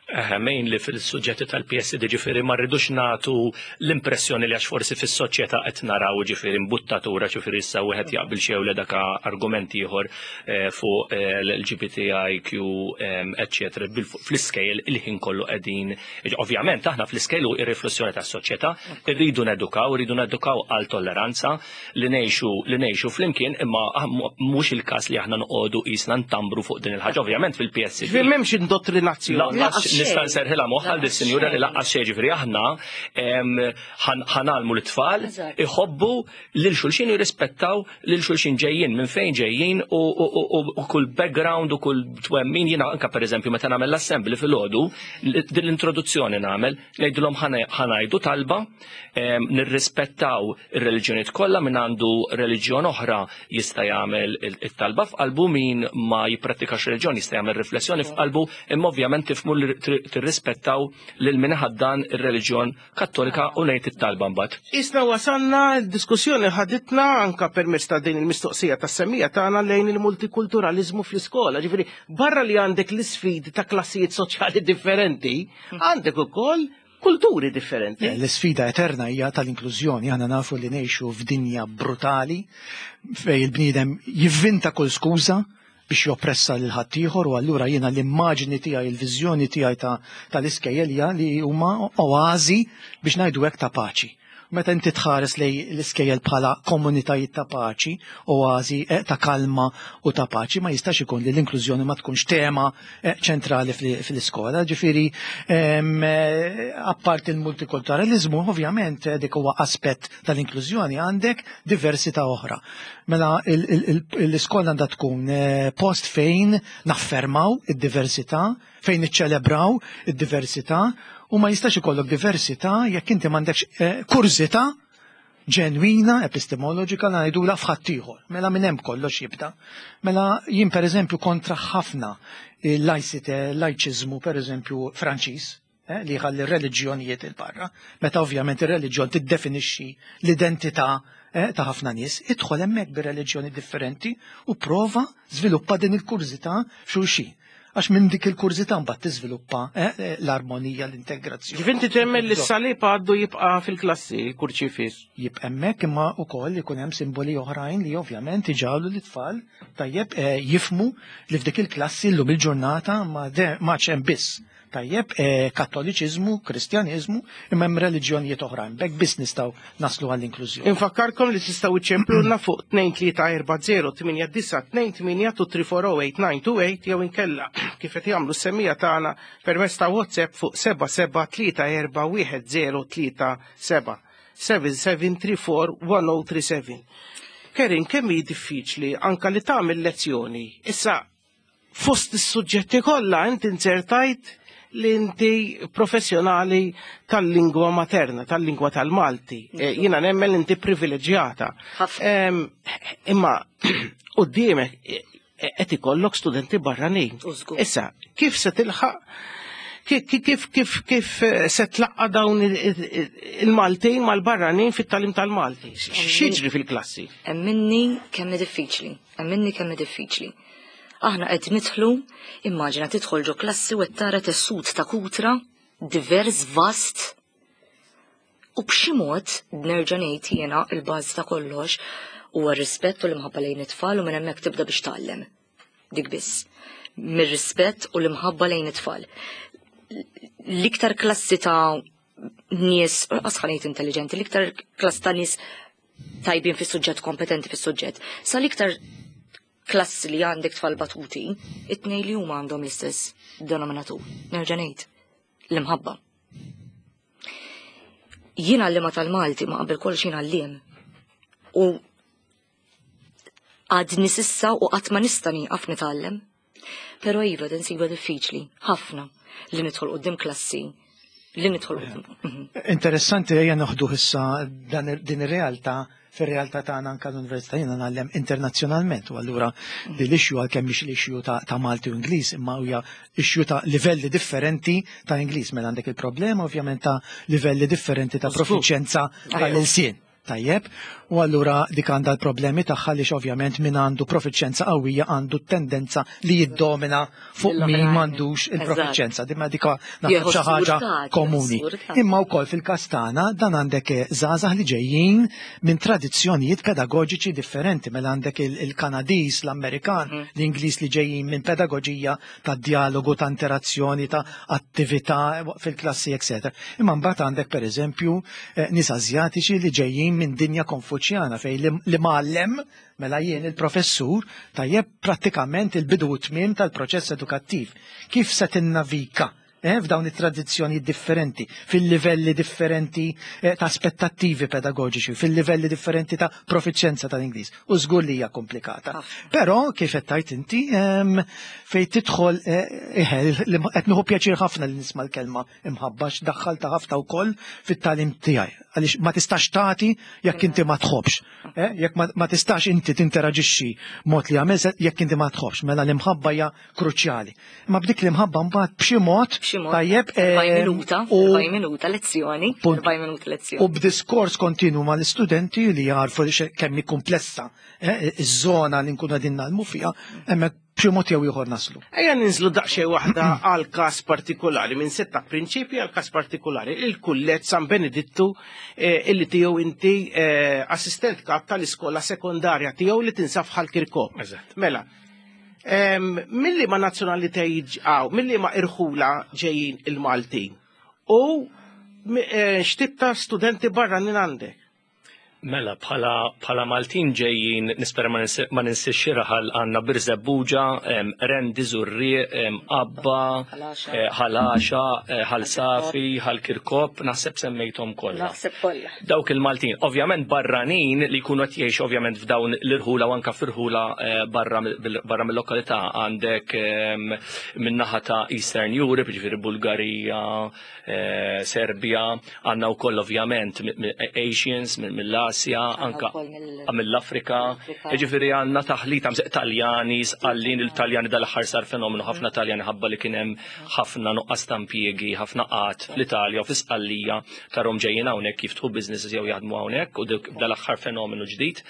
Mainly li fil-suġġetti tal-P S D, ġifieri ma rridux nagħtu l-impressjoni li għax forsi fis-soċjetà qed naraw ġifieri imbuttatura, ġifieri issa wieħed jaqbel xew le dak argument ieħor eh, fuq eh, l-L G B T I Q, eccetera. Fl-iskejjel il-ħin kollu qegħdin, ovvjament aħna fl-iskejjel hu ir-riflessjoni tas-soċjetà, irridu nedukaw, irridu nedukaw għal tolleranza li ngħixu li ngħixu flimkien, imma ah, mhux il-każ li aħna noqogħdu qisna ntambru fuq din il-ħaġa, ovvjament fil-P S C D. Ġifieri m'hemmx indottrinazzjoni. Lanqas nista' nserħilha moħħha lis-sinjura li lanqas xejn, ġifieri aħna ħa ngħallmu l-tfal iħobbu lil xulxin, jirrispettaw lil xulxin, ġejjin minn fejn ġejjin u kull background u kull twemmin. Jiena anka pereżempju meta nagħmel l-assembly filgħodu, din l-introduzzjoni nagħmel, ngħidulhom ħa ngħidu talba, nirrispettaw ir-reliġjonijiet kollha, min għandu reliġjon oħra jista' jagħmel it-talba f'qalbu, min ma jipprattikax reliġjon jista' jagħmel riflessjoni f'qalbu, imma ovvjament tifhmu li tirrispettaw lil min ħaddan ir-reliġjon Kattolika, u ngħid it-talba mbagħad. Isna wasalna, l-diskussjoni ħaditna anka permezz ta' din il-mistoqsija tas-semmija tagħna lejn il-multikulturalizmu fl-iskola. Ġifieri barra li għandek l-isfidi ta' klassijiet soċjali differenti, għandek ukoll kulturi differenti. L-sfida eterna hija tal-inklużjoni. Aħna nafu li ngħixu f'dinja brutali fejn il-bniedem jivvinta kull skuża biex joppressa lil ħaddieħor, u allura jiena l-immaġni tiegħi, il-viżjoni tiegħi tal-iskejjel hija li huma oażi, biex ngħidu hekk, ta' paċi. Meta inti tħares lejn l-iskejjel bħala komunitajiet ta' paċi, oażi eh, ta' kalma u ta' paċi, ma jistax ikun li l-inklużjoni ma tkunx tema eh, ċentrali fl-iskola. Ġifieri, eh, apparti il-multikulturalizmu, ovvjament dik huwa aspett tal-inklużjoni, għandek diversità oħra. Mela l-iskola għandha tkun post fejn naffermaw id-diversità, fejn niċċelebraw id-diversità, u ma jistax ikollok diversità jekk inti m'għandekx eh, kurżità ġenwina, epistemoloġika, ngħidula, f'ħaddieħor. Mela minn hemm kollox jibda. Mela jien, pereżempju, kontra ħafna il-laicite, lajċiżmu, pereżempju Franċiż, eh, li jħalli r-reliġjonijiet il-barra, meta ovvjament ir-reliġjon tiddefinixxi l-identità eh, ta' ħafna nies, idħol hemmhekk bir-reliġjoni differenti u prova żviluppa din il-kurżità f'xulxin. Għax minn dik il-kurżità mbagħad tiżviluppa eh, eh, l-armonija, l-integrazzjoni. Ġifinti temmen li s-salib għaddu jibqa' fil-klassi, il-kurċifis? Jibqa' hemmhekk, imma wkoll ikun hemm simboli oħrajn li ovvjament iġagħlu l-tfal tajjeb eh, jifhmu li f'dik il-klassi llum il-ġurnata ma ma hemm biss tajjeb eh, kattoliċiżmu, kristjaniżmu, imma hemm reliġjonijiet oħrajn. B'hekk biss nistgħu naslu għall-inklużjoni. Infakkarkom li tistgħu iċċemplulna fuq tnejn tlieta erba' żero tmienja disgħa tnejn tmienja tnejn tlieta erba' żero tmienja disgħa tnejn tmienja jew inkella, kif qed jagħmlu s-semmiegħa tagħna, permezz ta' WhatsApp fuq seba' seba' tlieta erba' wieħed żero tlieta seba', seba' seba' tlieta erba' wieħed żero tlieta seba. Kerin, kemm hi diffiċli anka li tagħmel lezzjoni? Issa, fost is-suġġetti kollha inti inzertajt li inti professjonali tal-lingwa materna, tal-lingwa tal-Malti. Eh, Jiena nemmen li inti privileġġjata. Ħafna. Em, Imma quddiemek eh, qed ikollok studenti barranin. U żgur. Issa, kif se tilħaq kif kif kif kif eh, se tlaqqa dawn il- il- il-Maltin mal-barranin fit-tagħlim tal-Malti? X'jiġri fil-klassi? Emminni kemm hi diffiċli, emminni kemm hi diffiċli. Aħna qed nidħlu, immaġina tidħol ġo klassi u qed tara tessut ta' kutra, divers, vast, u b'xi mod, nerġa' ngħid jiena, il-bażi ta' kollox huwa r-rispett u l-imħabba lejn it-tfal, u minn hemmhekk tibda biex tgħallem. Dik biss. Mir-rispett u l-imħabba lejn it-tfal. L-iktar klassi ta' nies, asħanejt intelligenti, l-iktar klassi ta' nies tajbin fis-suġġett, kompetenti fis-suġġett, sa l-iktar klassi li għandek tfal batuti, it-tnejn li huma għandhom l-istess denominatur. Nerġa' ngħid, l-imħabba. Jien għallima tal-Malti, ma qabel kollox jien għalliem. U għadni s'issa u qatt ma nista' nieqaf nitgħallem. Però iva, din siba diffiċli, ħafna, li nidħol quddiem klassi, li nidħol quddiem. Mhm. Interessanti, ejja noħdu issa dan din ir-realtà fir-realtà tagħna anke l-università. Jiena ngħallem internazzjonalment u allura din l-issue, għalkemm mhix l-issue ta', ta' Malti u Ingliż, imma hija issue ta' livelli differenti ta' Ingliż, mela għandek il-problema ovvjament ta' livelli differenti ta' Żgur. profiċenza tal-ilsien. Tajjeb, u allura dik għandha l-problemi tagħha li ovvjament min għandu profiċenza qawwija għandu tendenza li jiddomina fuq min Mill-oħrajn. m'għandux il-profiċenza. Dimma dik naħseb Jieħu xi ħaġa surtat, komuni. surtat. Imma wkoll fil-każ tagħna dan għandek eh, żgħażagħ li ġejjin minn tradizzjonijiet pedagoġiċi differenti, mela għandek il- il-Kanadiż, l-Amerikan, l-Ingliż li ġejjin minn pedagoġija ta' dialogu, ta' interazzjoni, ta' attività fil-klassi, eċċetera. Imma mbagħad għandek, pereżempju, eh, nies Asjatiċi li ġejjin minn dinja konfuċjana fejn li, li mgħallem, mela jien il-professur, tajjeb, prattikament il-bidu u tmiem tal-proċess edukattiv. Kif se tinnavika eh, f'dawn it-tradizzjoni differenti, fil-livelli differenti eh, ta' aspettattivi pedagogiċi, fil-livelli differenti ta' profiċenza tal-Ingliż? U żgur li hija komplikata. Ħafna. Però kif qed tgħid inti, em, fejn tidħol eh, eħe, li qed nieħu pjaċir ħafna li nisma' l-kelma imħabba, x'daħħalta ħafna wkoll fit-tagħlim tiegħi. Għaliex ma tistax tagħti jekk inti ma tħobbx. Eh, jekk ma, ma tistax inti tinteraġixxi mod li għamel jekk inti ma tħobbx, mela l-imħabba hija kruċjali. Imma b'dik l-imħabba mbagħad b'xi mod B'xi mod, tajjeb erbgħin em, minuta, u erbgħin minuta lezzjoni, Punt. erbgħin minuta lezzjoni. U b'diskors kontinu ma l-istudenti li jarfu li xe- kemm hi komplessa eh, iż-żona li nkunu qegħdin nagħmlu fiha, hemmhekk B'xi mod jew ieħor naslu. Ejja ninżlu daqsxejn waħda għal każ partikolari, minn setta prinċipji għal każ partikolari, il-Kulleġġ San Benedittu eh, illi tiegħu inti eh, assistent kap tal-iskola sekondarja tiegħu li tinsab Ħal Kirkop. Eżatt. Mela, em, milli ma nazzjonalitajiet għaw, milli ma irħula ġejjin il-Maltin u mi- eh, x'tip ta' studenti barranin għandek? Mela, bħala, bħala Maltin ġejjin, nispera ma ninsi- ma ninsiex xi raħal għandna Birżebbuġa, em, Qrendi, Żurrieq, em, Qabba, Ħal Għaxaq. eh, Ħal Għaxaq, eh, Ħal Safi, Ħal Kirkop, naħseb semmejthom kollha. Naħseb kollha. Dawk il-Maltin, ovvjament barranin li jkunu qed jgħixu ovvjament f'dawn l-irħula u anka f'irħula eh, barra mill- barra mill-lokalità għandek em, min-naħa ta' Eastern Europe, ġifieri Bulgarija, eh, Serbia, għandna wkoll ovvjament mi- mi- Asians mill- mill-Asja, anka wkoll mill- mill-Afrika, mill-Afrika. ġifieri għandna taħlita mseq Taljani, Sqallin, il-Taljani dal-aħħar sar fenomenu ħafna Taljani ħabba li kien hemm ħafna nuqqas ta' impjiegi, ħafna qgħad fl-Italja u fl-Isqallija tarhom ġejjin hawnhekk jiftħu businesses jew jaħdmu hawnhekk u dik dal-aħħar fenomenu ġdid.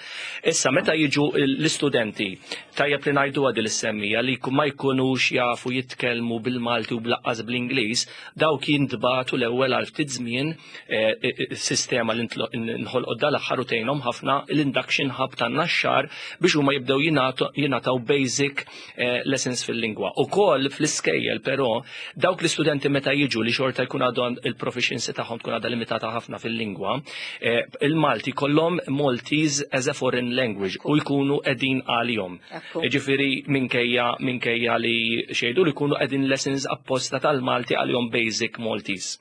Issa meta jiġu l-istudenti tajjeb li ngħidu għadi l-semmija li ma jkunux jafu jitkellmu bil-Malti u bl-aqqas bl-Ingliż, dawk jintbagħtu l-ewwel għal ftit żmien eh, eh, sistema li ntlo- nħolqot dal-aħħar u tgħinhom ħafna l-induction hub tan-Naxxar biex huma jibdew jingħatu- jingħataw basic eh, lessons fil-lingwa. Ukoll fl-iskejjel però dawk l-istudenti meta jiġu li xorta jkun għadhom il-proficiency tagħhom tkun għadha limitata ħafna fil-lingwa, eh, il-Malti kollhom Maltese as a foreign language u jkunu qegħdin għalihom. Ekku. Ġifieri minkejja minkejja li xejdu li jkunu qegħdin lessons apposta tal-Malti għalihom basic Maltese.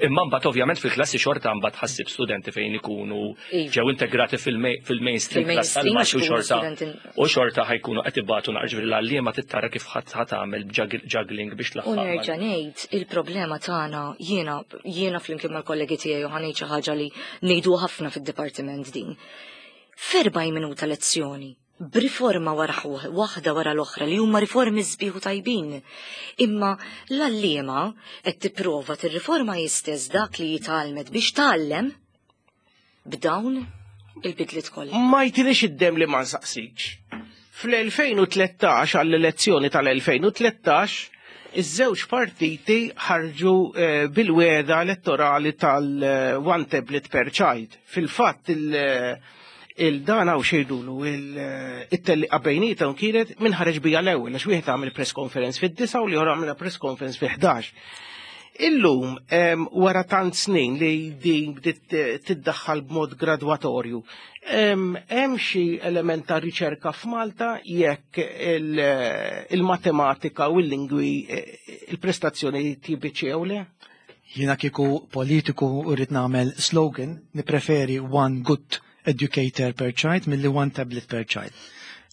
Imma mbagħad ovvjament fil-klassi xorta mbagħad ħassib studenti fejn ikunu Iva. ġew integrati fil-ma- fil-mainstream class Fil-mainstream tal-Malti u għax ikunu xorta studenti- u xorta ħa jkunu qed ibatu naqra ġifieri l-għalliema tittara kif ħadd ħa tagħmel juggling biex U tlaħħaq. nerġa' ngħid il-problema tagħna jiena jiena flimkien mal-kollegi tiegħi u ħa ngħid xi ħaġa li ngħidu ħafna fid-dipartiment din. F'erbgħin minuta lezzjoni, b'riforma wara ħu- waħda wara l-oħra li huma riformi sbieħ u tajbin. Imma l-għalliema qed tipprova tirriforma jistess dak li jitgħallmet biex tgħallem b'dawn il-bidliet kollha. Ma jtinix id-dem li ma nsaqsikx. Fl-elfejn u tlettax, għall-elezzjoni tal-elfejn u tlettax, iż-żewġ partiti ħarġu eh, bil-wegħda elettorali tal-one tablet per child. Fil-fatt il- il-dan għaw xejdulu it-telliqa bejniethom kienet min ħareġ bija l-ewwel, għax wieħed għamel press conference fid-disgħa u l-ieħor għamel press conference fi ħdax. Illum, em, wara tant snin li din bdiet tiddaħħal b'mod gradwatorju, em, hemm xi element ta' riċerka f'Malta jekk il- il-matematika u l-lingwi eh, il-prestazzjoni tibiċi jew le? Jiena kieku politiku u rrid nagħmel slogan, nipreferi "one good educator per child" milli "one tablet per child".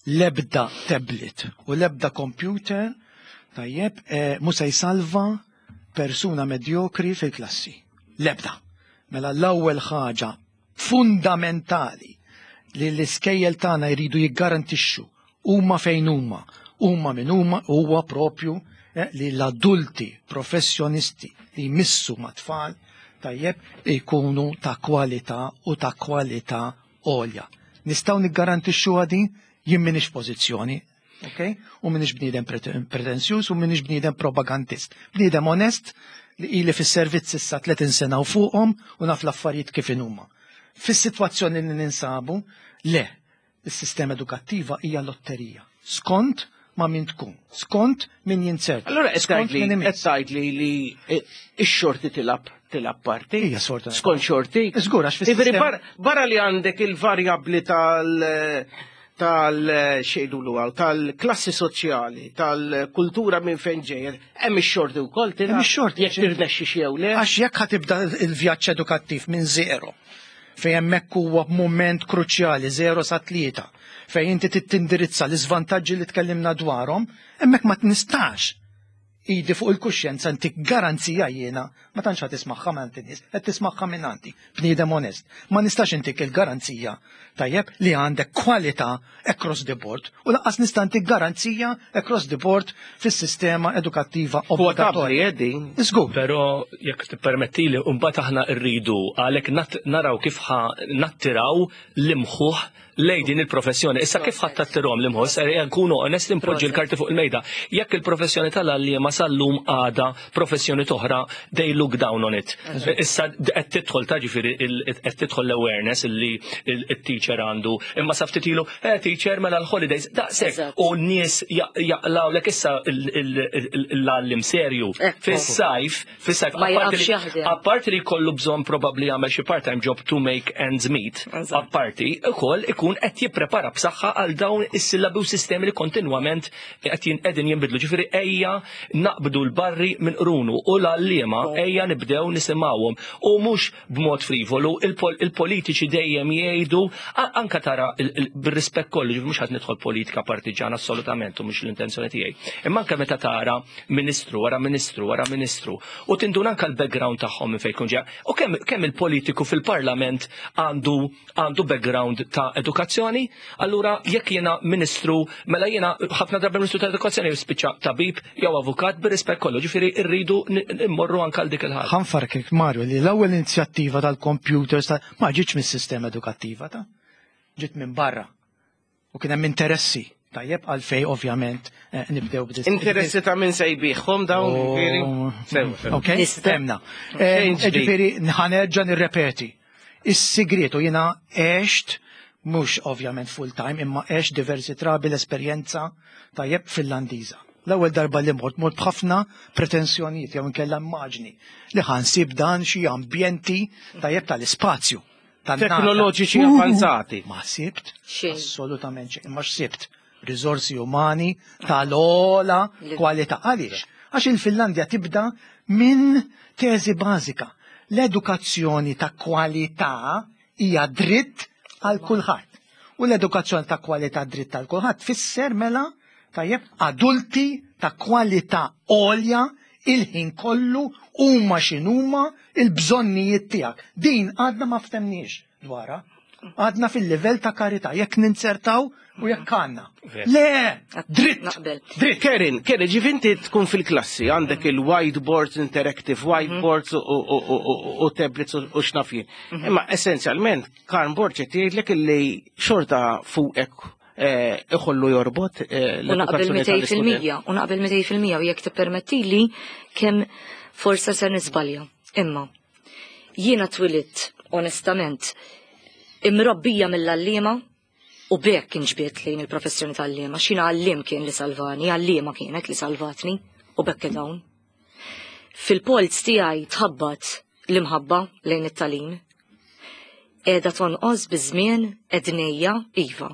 Lebda tablet u lebda computer tajjeb eh, mhu se jsalva persuna medjokri fil-klassi. Lebda. Mela l-ewwel ħaġa fundamentali li l-iskejjel tagħna jridu jiggarantixxu huma fejn huma, huma min huma huwa propju eh, li l-adulti professjonisti li jmissu ma' tfal tajjeb jkunu ta' kwalità u ta' kwalità għolja. Nistgħu niggarantixxu din jien m'iniex pożizzjoni, ok? U m'iniex bniedem pretenzjuż u m'iniex bniedem propagandist. Bniedem onest li ili fis-servizz issa tletin sena u fuqhom u naf l-affarijiet kif inhuma. Fis-sitwazzjoni li ninsabu, le, is-sistema edukattiva hija lotterija. Skont ma' min tkun, skont min jinzerta. Allora qed skont tgħidli min qed imiss. tgħidli li x-xorti tilgħab tilgħab parti. Hija sfortunatament. Skont xorti. Żgur, għax Jiġifieri fis-sistema- bar- barra li għandek il-varjabbli tal tal xejdulu għaw, tal-klassi soċjali, tal-kultura minn fejn ġejjer, hemm ix-xorti wkoll tilgħab. Hemm ix-xorti, Jekk tirnexxi xi jew le. Għax jekk ħa tibda il-vjaġġ edukattiv minn zero, fejn hemmhekk huwa moment kruċjali, zero sa tlieta, fejn inti tindirizza l-iżvantaġġi li tkellimna dwarhom, hemmhekk ma nistax idi fuq il-kuxjenza ntik garanzija jiena, ma tantx ħa tismagħha minn nies, qed tismagħha minn għandi, bniedem onest. Ma nistax intik il-garanzija tajjeb li għandek kwalità across the board u lanqas nista' ntik garanzija across the board fis-sistema edukattiva Kwotabbli obbligatorja. eh, din. Żgur. Però jekk tippermettili, mbagħad aħna rridu għalhekk nat- naraw kif ħa nattiraw l-imħuħ Lejn din il-professjoni. Issa kif ħadd tattirhom l-imħoss, eh, nkunu onest, impoġġi l-karti fuq il-mejda. Jekk il-professjoni tal-għalliema sal-lum għada professjoni toħra, they look down on it. Issa qed tidħol ta' ġifieri qed tidħol l-awareness illi il-teacher għandu. Imma sa ftit ilu, eh, teacher mela l-holidays, daqshekk. U n-nies jaqlawlek issa l-għallim serju. Fis-sajf, fis-sajf, apparti li kollu bżonn probabbli jagħmel xi part-time job to make ends meet, apparti ukoll ikun qed jipprepara b'saħħa għal dawn is-sillabi u sistemi li kontinwament qed qegħdin jinbidlu. Ġifieri ejja naqbdu l-barri minn qrunu u l-għalliema ejja nibdew nisimgħuhom u mhux b'mod frivolu. Il-politiċi dejjem jgħidu, anka tara bir-rispett kollu, mhux ħadd nidħol politika partiġana assolutament u mhux l-intenzjoni tiegħi. Imma anke meta tara ministru wara ministru wara ministru u tinduna anka l-background tagħhom minn fejn jkun ġej. U kemm kemm il-politiku fil-parlament għandu għandu background ta' edukazzjoni, allura jekk jiena ministru, mela jiena ħafna drabi ministru ta' edukazzjoni jispiċċa tabib jew avukat, bir-rispett kollu, ġifieri rridu immorru anke għal dik il-ħaġa. Ħa nfakkrek, Mario, li l-ewwel inizjattiva tal-computers ma ġietx mis-sistema edukattiva, ta' ġiet minn barra. U kien hemm interessi. Tajjeb, għalfej ovvjament eh, nibdew b'dis. Interessi ta' min se jbigħhom dawn, ġifieri. Ok, temna. Eh, ġifieri ħa nerġa' nirrepeti. Is-sigriet, u jiena għext mhux ovvjament full time, imma għext diversi drabi l-esperjenza, tajjeb, Finlandiża. L-ewwel darba li mort, mort b'ħafna pretensjonijiet jew inkella immaġni li ħa nsib dan xi ambjenti, tajjeb, tal-ispazju. Teknoloġiċi avanzati. Ma sibt assolutament xejn, imma x'sibt? Riżorsi umani tal-ogħla kwalità. Għaliex? Għax il-Finlandja tibda minn teżi bażika. L-edukazzjoni ta' kwalità hija dritt għal kulħadd. U l-edukazzjoni ta' kwalità dritt għal kulħadd fisser mela, tajjeb, adulti ta' kwalità għolja il-ħin kollu, huma x'inhuma il-bżonnijiet tiegħek. Din għadna ma ftemniex dwarha. Għadna fil-livell ta' karità, jekk ninzertaw u jekk għandna. Le, dritt. Dritt. Karen, Karen, ġifinti tkun fil-klassi, għandek il-whiteboards, interactive whiteboards u tablets u x'naf jien. Mhm. Imma essenzjalment, Karm Borg qed jgħidlek li xorta fuqek eh, iħollu jorbot eh, U naqbel mitejn fil-mija, u naqbel mitejn fil-mija, u jekk tippermetti li kemm forsa ser niżbalja. Imma jiena twilidt, onestament, imrobbija mill-għalliema u b'hekk inġbidt lejn il-professjoni tal-għalliema. Xina għallim kien li salvani, għalliema kienet li salvatni u b'hekk dawn. Fil-polz tiegħi tħabbat l-imħabba lejn it-tagħlim. Qiegħda tonqos biż-żmien ednejja, iva.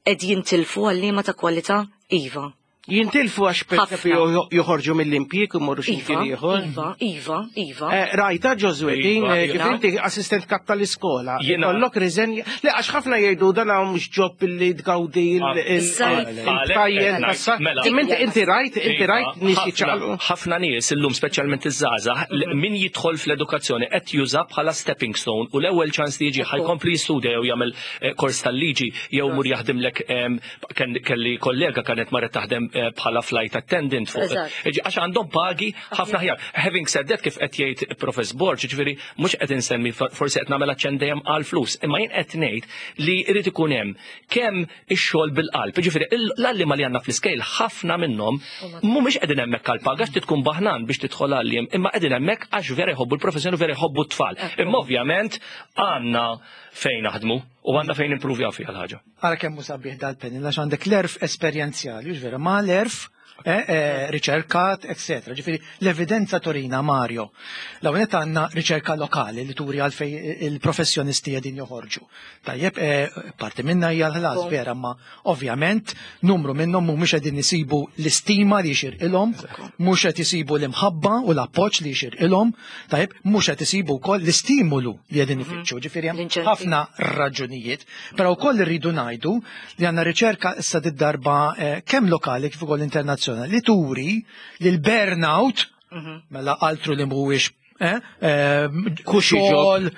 Qed jintilfu għalliema ta' kwalità, iva. Jintilfu għax per esempio joħorġu mill-impjieg u morru xi Iva, ieħor. Iva, iva, iva. Eh, Rajta Ġożwedin, Iva, eh, kif iva. inti assistent kap tal-iskola, Jiena- kollok riżenja. Le, għax ħafna jgħidu dan mhux job li tgawdi Issa- il-tajjen tas Mela. Inti inti rajt, inti Iva, rajt nies ħafna- jiċċaqalqu. Ħafna nies illum, speċjalment iż-żgħażagħ, l- min jidħol fl-edukazzjoni qed juża bħala stepping stone u l-ewwel ċans li jiġi ħa jkompli jistudja jew jagħmel eh, kors tal-liġi jew mur jaħdimlek em, ken- kelli kollega kienet marret taħdem eh, bħala flight attendant fuq. Eżatt. Ġi, għax għandhom pagi ħafna ħjar. Having said that, kif qed jgħid Profess Borg, ġifieri mhux qed insemmi, forsi qed nagħmel aċċenn dejjem għal flus, imma jien qed ngħid li jrid ikun hemm kemm ix-xogħol bil-qalb. Ġifieri l-għalliema li għandna fl-iskejl, ħafna minnhom mhumiex qegħdin hemmhekk għal paga, għax tkun baħnan biex tidħol għalliem, imma qegħdin hemmhekk għax vera jħobbu l-professjoni u vera jħobbu t-tfal. Imma ovvjament għandna fejn naħdmu u għandna fejn improvjaw fiha l-ħaġa. Ara kemm hu sabiħ dal-panel, għax għandek l-għerf esperjenzjali, hux vera, ma l-għerf eh, eh, riċerkat, eccetera. Ġifieri l-evidenza turina, Mario. L-ewwel għandna riċerka lokali li turi għalfej il-professjonisti qegħdin joħorġu. Tajjeb, eh, parti minna hija l-ħlas vera, ma ovvjament numru minnhom mhumiex qegħdin isibu l-istima li jixirqilhom, mhux qed isibu l-imħabba u l-appoġġ li jixirqilhom, tajjeb, mhux qed isibu wkoll l-istimulu li qegħdin ifittxu. Ġifieri hemm L-inċentiv. ħafna raġunijiet, però wkoll irridu ngħidu li għandna riċerka issa did-darba eh, kemm lokali kif ukoll internazzjonali li turi li l-burnout, mela altru li mhuwiex eh, eh, Cushy xogħol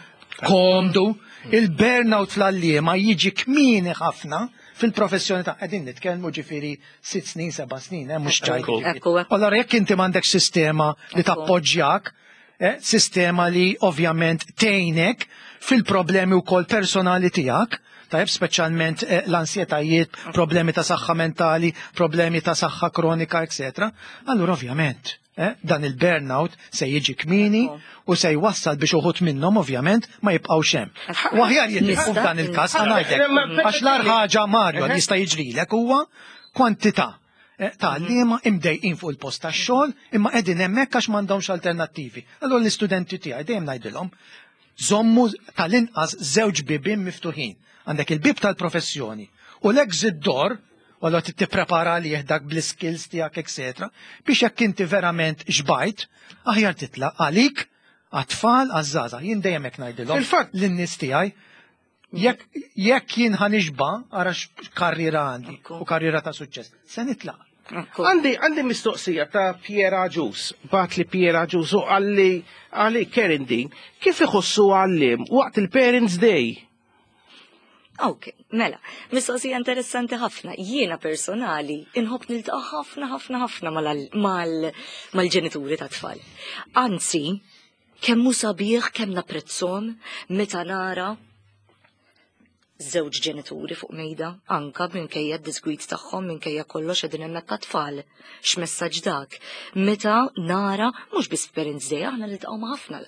komdu, il-burnout fl-għalliema jiġi kmieni ħafna fil-professjoni ta' qegħdin nitkellmu ġifieri sitt snin, seba' snin, eh, mhux ċajt. Ekku. Ekku, ekku. Allora jekk inti m'għandek sistema li Ekku. tappoġġjak, eh, sistema li ovvjament tgħinek fil-problemi wkoll personali tiegħek, Tajjeb, speċjalment eh, l-ansjetajiet, problemi ta' saħħa mentali, problemi ta' saħħa kronika, eċetera. Allura ovvjament, eh, dan il-burnout se jiġi kmieni u se jwassal biex uħud minnhom ovvjament ma jibqgħux hemm. U aħjar jitilqu f'dan il-każ, ħa ngħidlek, għax l-agħar ħaġa, Mario, li jista' jiġrilek huwa kwantità eh, ta' għalliema imdejqin fuq il-post tax-xogħol imma qegħdin hemmhekk għax m'għandhomx alternattivi. Allura l-istudenti tiegħi dejjem ngħidilhom: żommu tal-inqas żewġ bibien miftuħin. Għandek il-bib tal-professjoni u l-exit door, u allura trid tipprepara għalih dak bl-skills tiegħek, eċetera, biex jekk inti verament xbajt, aħjar titlaq għalik, għat-tfal, għaż-żgħażagħ. Jien dejjem hekk ngħidilhom Fil-fatt- lin-nies tiegħi, jekk jekk jien ħa nixba', ara x'karriera għandi Ekku. u karriera ta' suċċess. Se nitlaq. Ekku. Għandi għandi mistoqsija ta' Piera Ġus, bagħat li Piera Ġus u għalli għalli Karen din, kif iħossu għalliem waqt il-Parents Day? Ok, mela, mistoqsija interessanti ħafna. Jiena personali inħobb niltaqa' ħafna ħafna ħafna mal- mal- mal-ġenituri ta' tfal. Anzi, kemm hu sabiħ, kemm napprezzhom meta nara żewġ ġenituri fuq mejda, anka minkejja d-disgwid tagħhom, minkejja kollox, qegħdin hemmhekk tfal. X'messaġġ dak? Meta nara mhux biss Parents Day, aħna niltaqgħu ma' ħafna.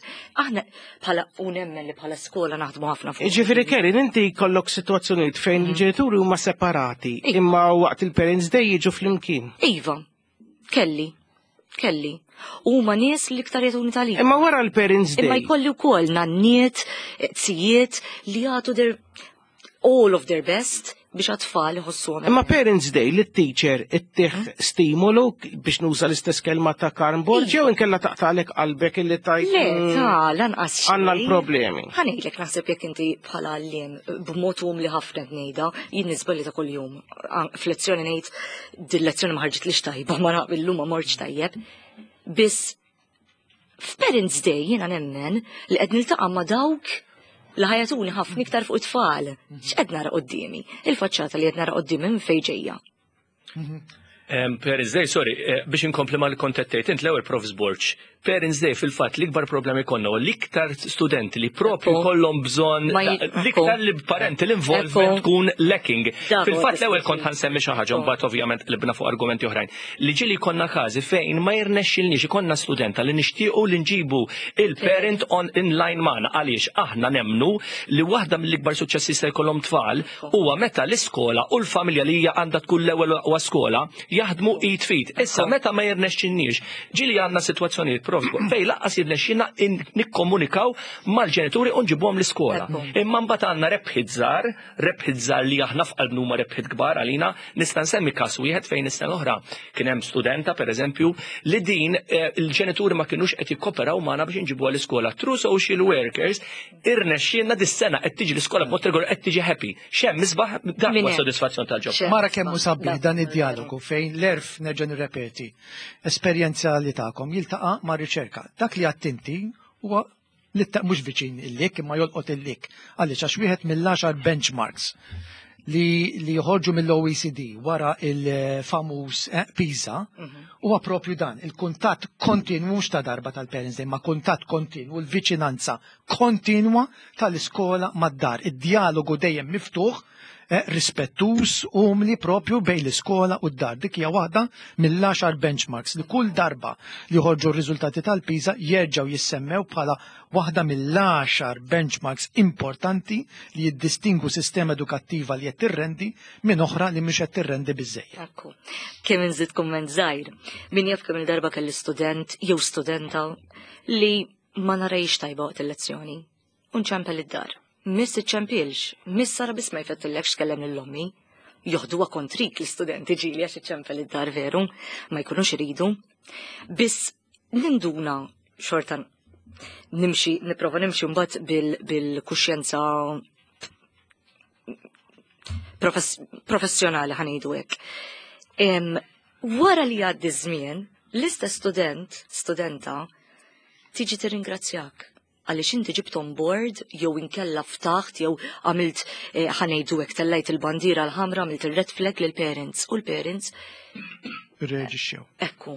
Aħna bħala u nemmen li bħala skola naħdmu ħafna fuq. Ġifieri Karen, inti kollok situazzjonijiet fejn il-ġenituri huma separati, Iva. imma waqt il-Parents Day jiġu flimkien. Iva, kelli, kelli. Huma nies li iktar jagħtuni tagħlim. Imma wara l-Parents Imma Day, jkolli wkoll nanniet, zijiet li jagħtu their all of their best biex għat-tfal iħossuhom. Imma Parents Day li t-teacher ittih stimolu, biex nuża l-istess kelma ta' Karm Borg, Iva. jew inkella taqtalek qalbek illi tajt Le, mm, ta' lanqas xejn. għandna l-problemi. Ħa ngħidlek, naħseb jekk inti bħala għalliem b'mod umli ħafna ngħidha, jien niżbalja ta' kuljum. An- F'lezzjoni ngħid din lezzjoni ma ħarġitlix tajba, ma naqbel ma mortx tajjeb. Biss f'Parents Day jiena nemmen li qed niltaqa' ma' dawk li ħa jagħtuni ħafna iktar fuq it-tfal. X'qed nara quddiemi? Il-faċċata li qed nara quddiemi minn fejn ġejja? Um, Parents Day, sorry, eh, biex inkompli ma l-kontettejt, int l-ewwel Profs Borg. Parents Day fil-fatt l-ikbar problemi konna u l-iktar studenti li propju Ekku. kollhom bżonn Ma ji- l-iktar li parental involvement Ekku. tkun lacking. Dak huwa Fil-fatt l-ewwel diskorsi. kont ħa nsemmi xi ħaġa, mbagħad ovvjament qlibna fuq argumenti oħrajn. Li ġieli konna każi fejn ma jirnexxilniex ikollna studenta li nixtiequ li nġibu il-parent on in line magħna, għaliex aħna nemnu li waħda mill-ikbar suċċessi se jkollhom tfal huwa meta l-iskola u l-familja, li hija għandha tkun l-ewwel aqwa skola, jaħdmu id f'id. Issa meta ma jirnexxinniex, ġieli għandna sitwazzjonijiet, Prof, fejn lanqas jirnexxina in- nikkomunikaw mal-ġenituri u nġibuhom l-iskola. Ekku. Imma mbagħad għandna rebħiet żgħar, rebħiet żgħar li aħna f'qalbna huma rebħiet kbar għalina. Nista' nsemmi każ wieħed fejn is-sena l-oħra kien hemm studenta, pereżempju, li din eh, il-ġenituri ma kinux qed jikkoperaw magħna biex inġibuha l-iskola. Through social workers irnexxielna dis-sena qed tiġi l-iskola b'mod regolari, qed tiġi happy. X'hemm isbaħ dak Min huwa hemm? sodisfazzjon tal-ġob. X'hemm Mara kemm hu isbaħ. sabiħ Dak dan huwa id-dialogu fejn l-għerf, nerġa' nirrepeti, esperjenza li tagħkom jiltaqa' ma' riċerka. Dak li għedt inti huwa li ta' mhux viċin il-lik imma jolqot il-lik. Għaliex għax wieħed mill-għaxar benchmarks li, li joħorġu mill-O E C D wara il-famuż eh, PISA huwa propju dan, il-kuntatt kontinwu, mhux ta' darba tal-Parents Day, ma kuntatt kontinwu, l-viċinanza kontinwa tal-iskola mad-dar, id-dialogu dejjem miftuħ, eh, rispettus, umli propju bejn l-iskola u d-dar. Dik hija waħda mill-għaxar benchmarks li kull darba li joħorġu r-riżultati tal-PISA jerġgħu jissemmew bħala waħda mill-għaxar benchmarks importanti li jiddistingu sistema edukattiva li qed tirrendi minn oħra li mhux qed tirrendi biżejjed. Ekku. Kemm inżid kumment żgħir. Min jaf kemm il-darba kelli student jew studenta li ma narajx tajba waqt il-lezzjoni. U nċempel id-dar. Miss iċċempilx, miss sara biss ma jfettillekx tkellem lil ommi. Joħduha kontrik l-istudenti ġieli għax iċċempel id-dar, veru, ma jkunux iridu. Biss ninduna xorta nimxi, nipprova nimxi mbagħad bil-kuxjenza profess professjonali, ħa ngħidu hekk. Em, Wara li għaddi żmien, l-istess student, studenta, tiġi tirringrazzjak għaliex inti ġibt on board jew inkella ftaħt jew għamilt, eh, ħa ngħidu hekk, tellajt il-bandiera l-ħamra, għamilt il-red flag lil parents u l-parents Irreaġixxew. Ekku.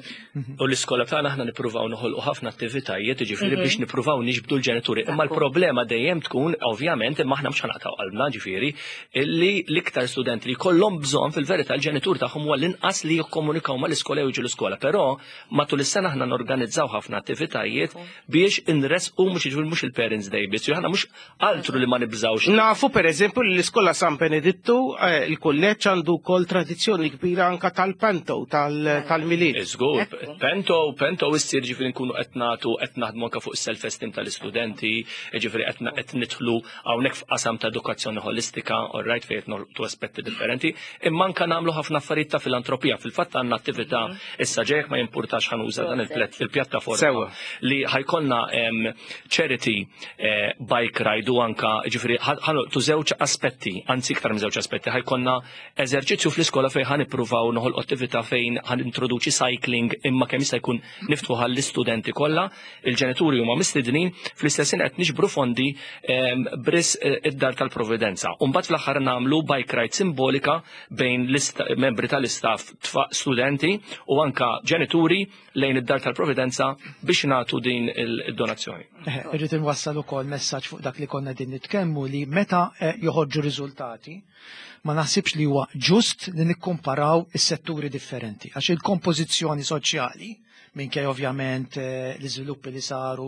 U l-iskola tagħna aħna nippruvaw noħolqu ħafna attivitajiet, ġifieri biex nippruvaw niġbdu l-ġenituri. Imma Ekku. l-problema dejjem tkun, ovvjament, imma aħna mhux ħa naqtgħu qalbna, ġifieri, illi l-iktar studenti li kollhom bżonn fil-verità l-ġenitur tagħhom huwa l-inqas li jikkomunikaw mal-iskola jew jiġu l-iskola. Però matul is-sena aħna norganizzaw ħafna attivitajiet biex inresqu mhux jiġifieri mhux il-Parents Day biss, aħna mhux altru li ma nibżawx. Nafu per eżempju li l-iskola San Benedittu, eh, il-kulleġġ għandu kol tradizzjoni kbira anka tal-panto, tal- tal-Milied. Żgur, Ekku. panto, panto issir ġifieri nkunu qed nagħtu qed naħdmu anke fuq is-self-esteem tal-istudenti, ġifieri qed na- qed nidħlu hawnhekk f'qasam ta' edukazzjoni holistika, all right, fejn qed nolqtu aspetti differenti, imma anke nagħmlu ħafna affarijiet ta' filantropija. Fil-fatt għandna attività issa ġejjek ma jimpurtax ħa nuża dan il-plet- il-pjattaforma Sewwa. li ħa jkollna em, charity eh, bike ride u anka ġifieri ħa nolqtu żewġ aspetti, anzi iktar minn żewġ aspetti, ħa jkollna eżerċizzju fl-iskola fejn ħa nippruvaw noħolqu attività fejn ħa nintroduċi cycling imma kemm jista' jkun niftħu għall-istudenti kollha, il-ġenituri huma mistednin, fl-istess ħin qed niġbru fondi em, b'risq eh, id-dar tal-Providenza. U mbagħad fl-aħħar nagħmlu bike ride simbolika bejn l-ista- membri tal-istaff tfa- studenti u anka ġenituri lejn id-dar tal-Providenza biex nagħtu din il-donazzjoni. Eh, Irrid inwassal ukoll messaġġ fuq dak li konna din nitkellmu li meta eh, joħorġu riżultati ma naħsibx li huwa ġust li nikkumparaw is-setturi differenti għax il-kompożizzjoni soċjali minkej ovvjament eh, l-iżviluppi li saru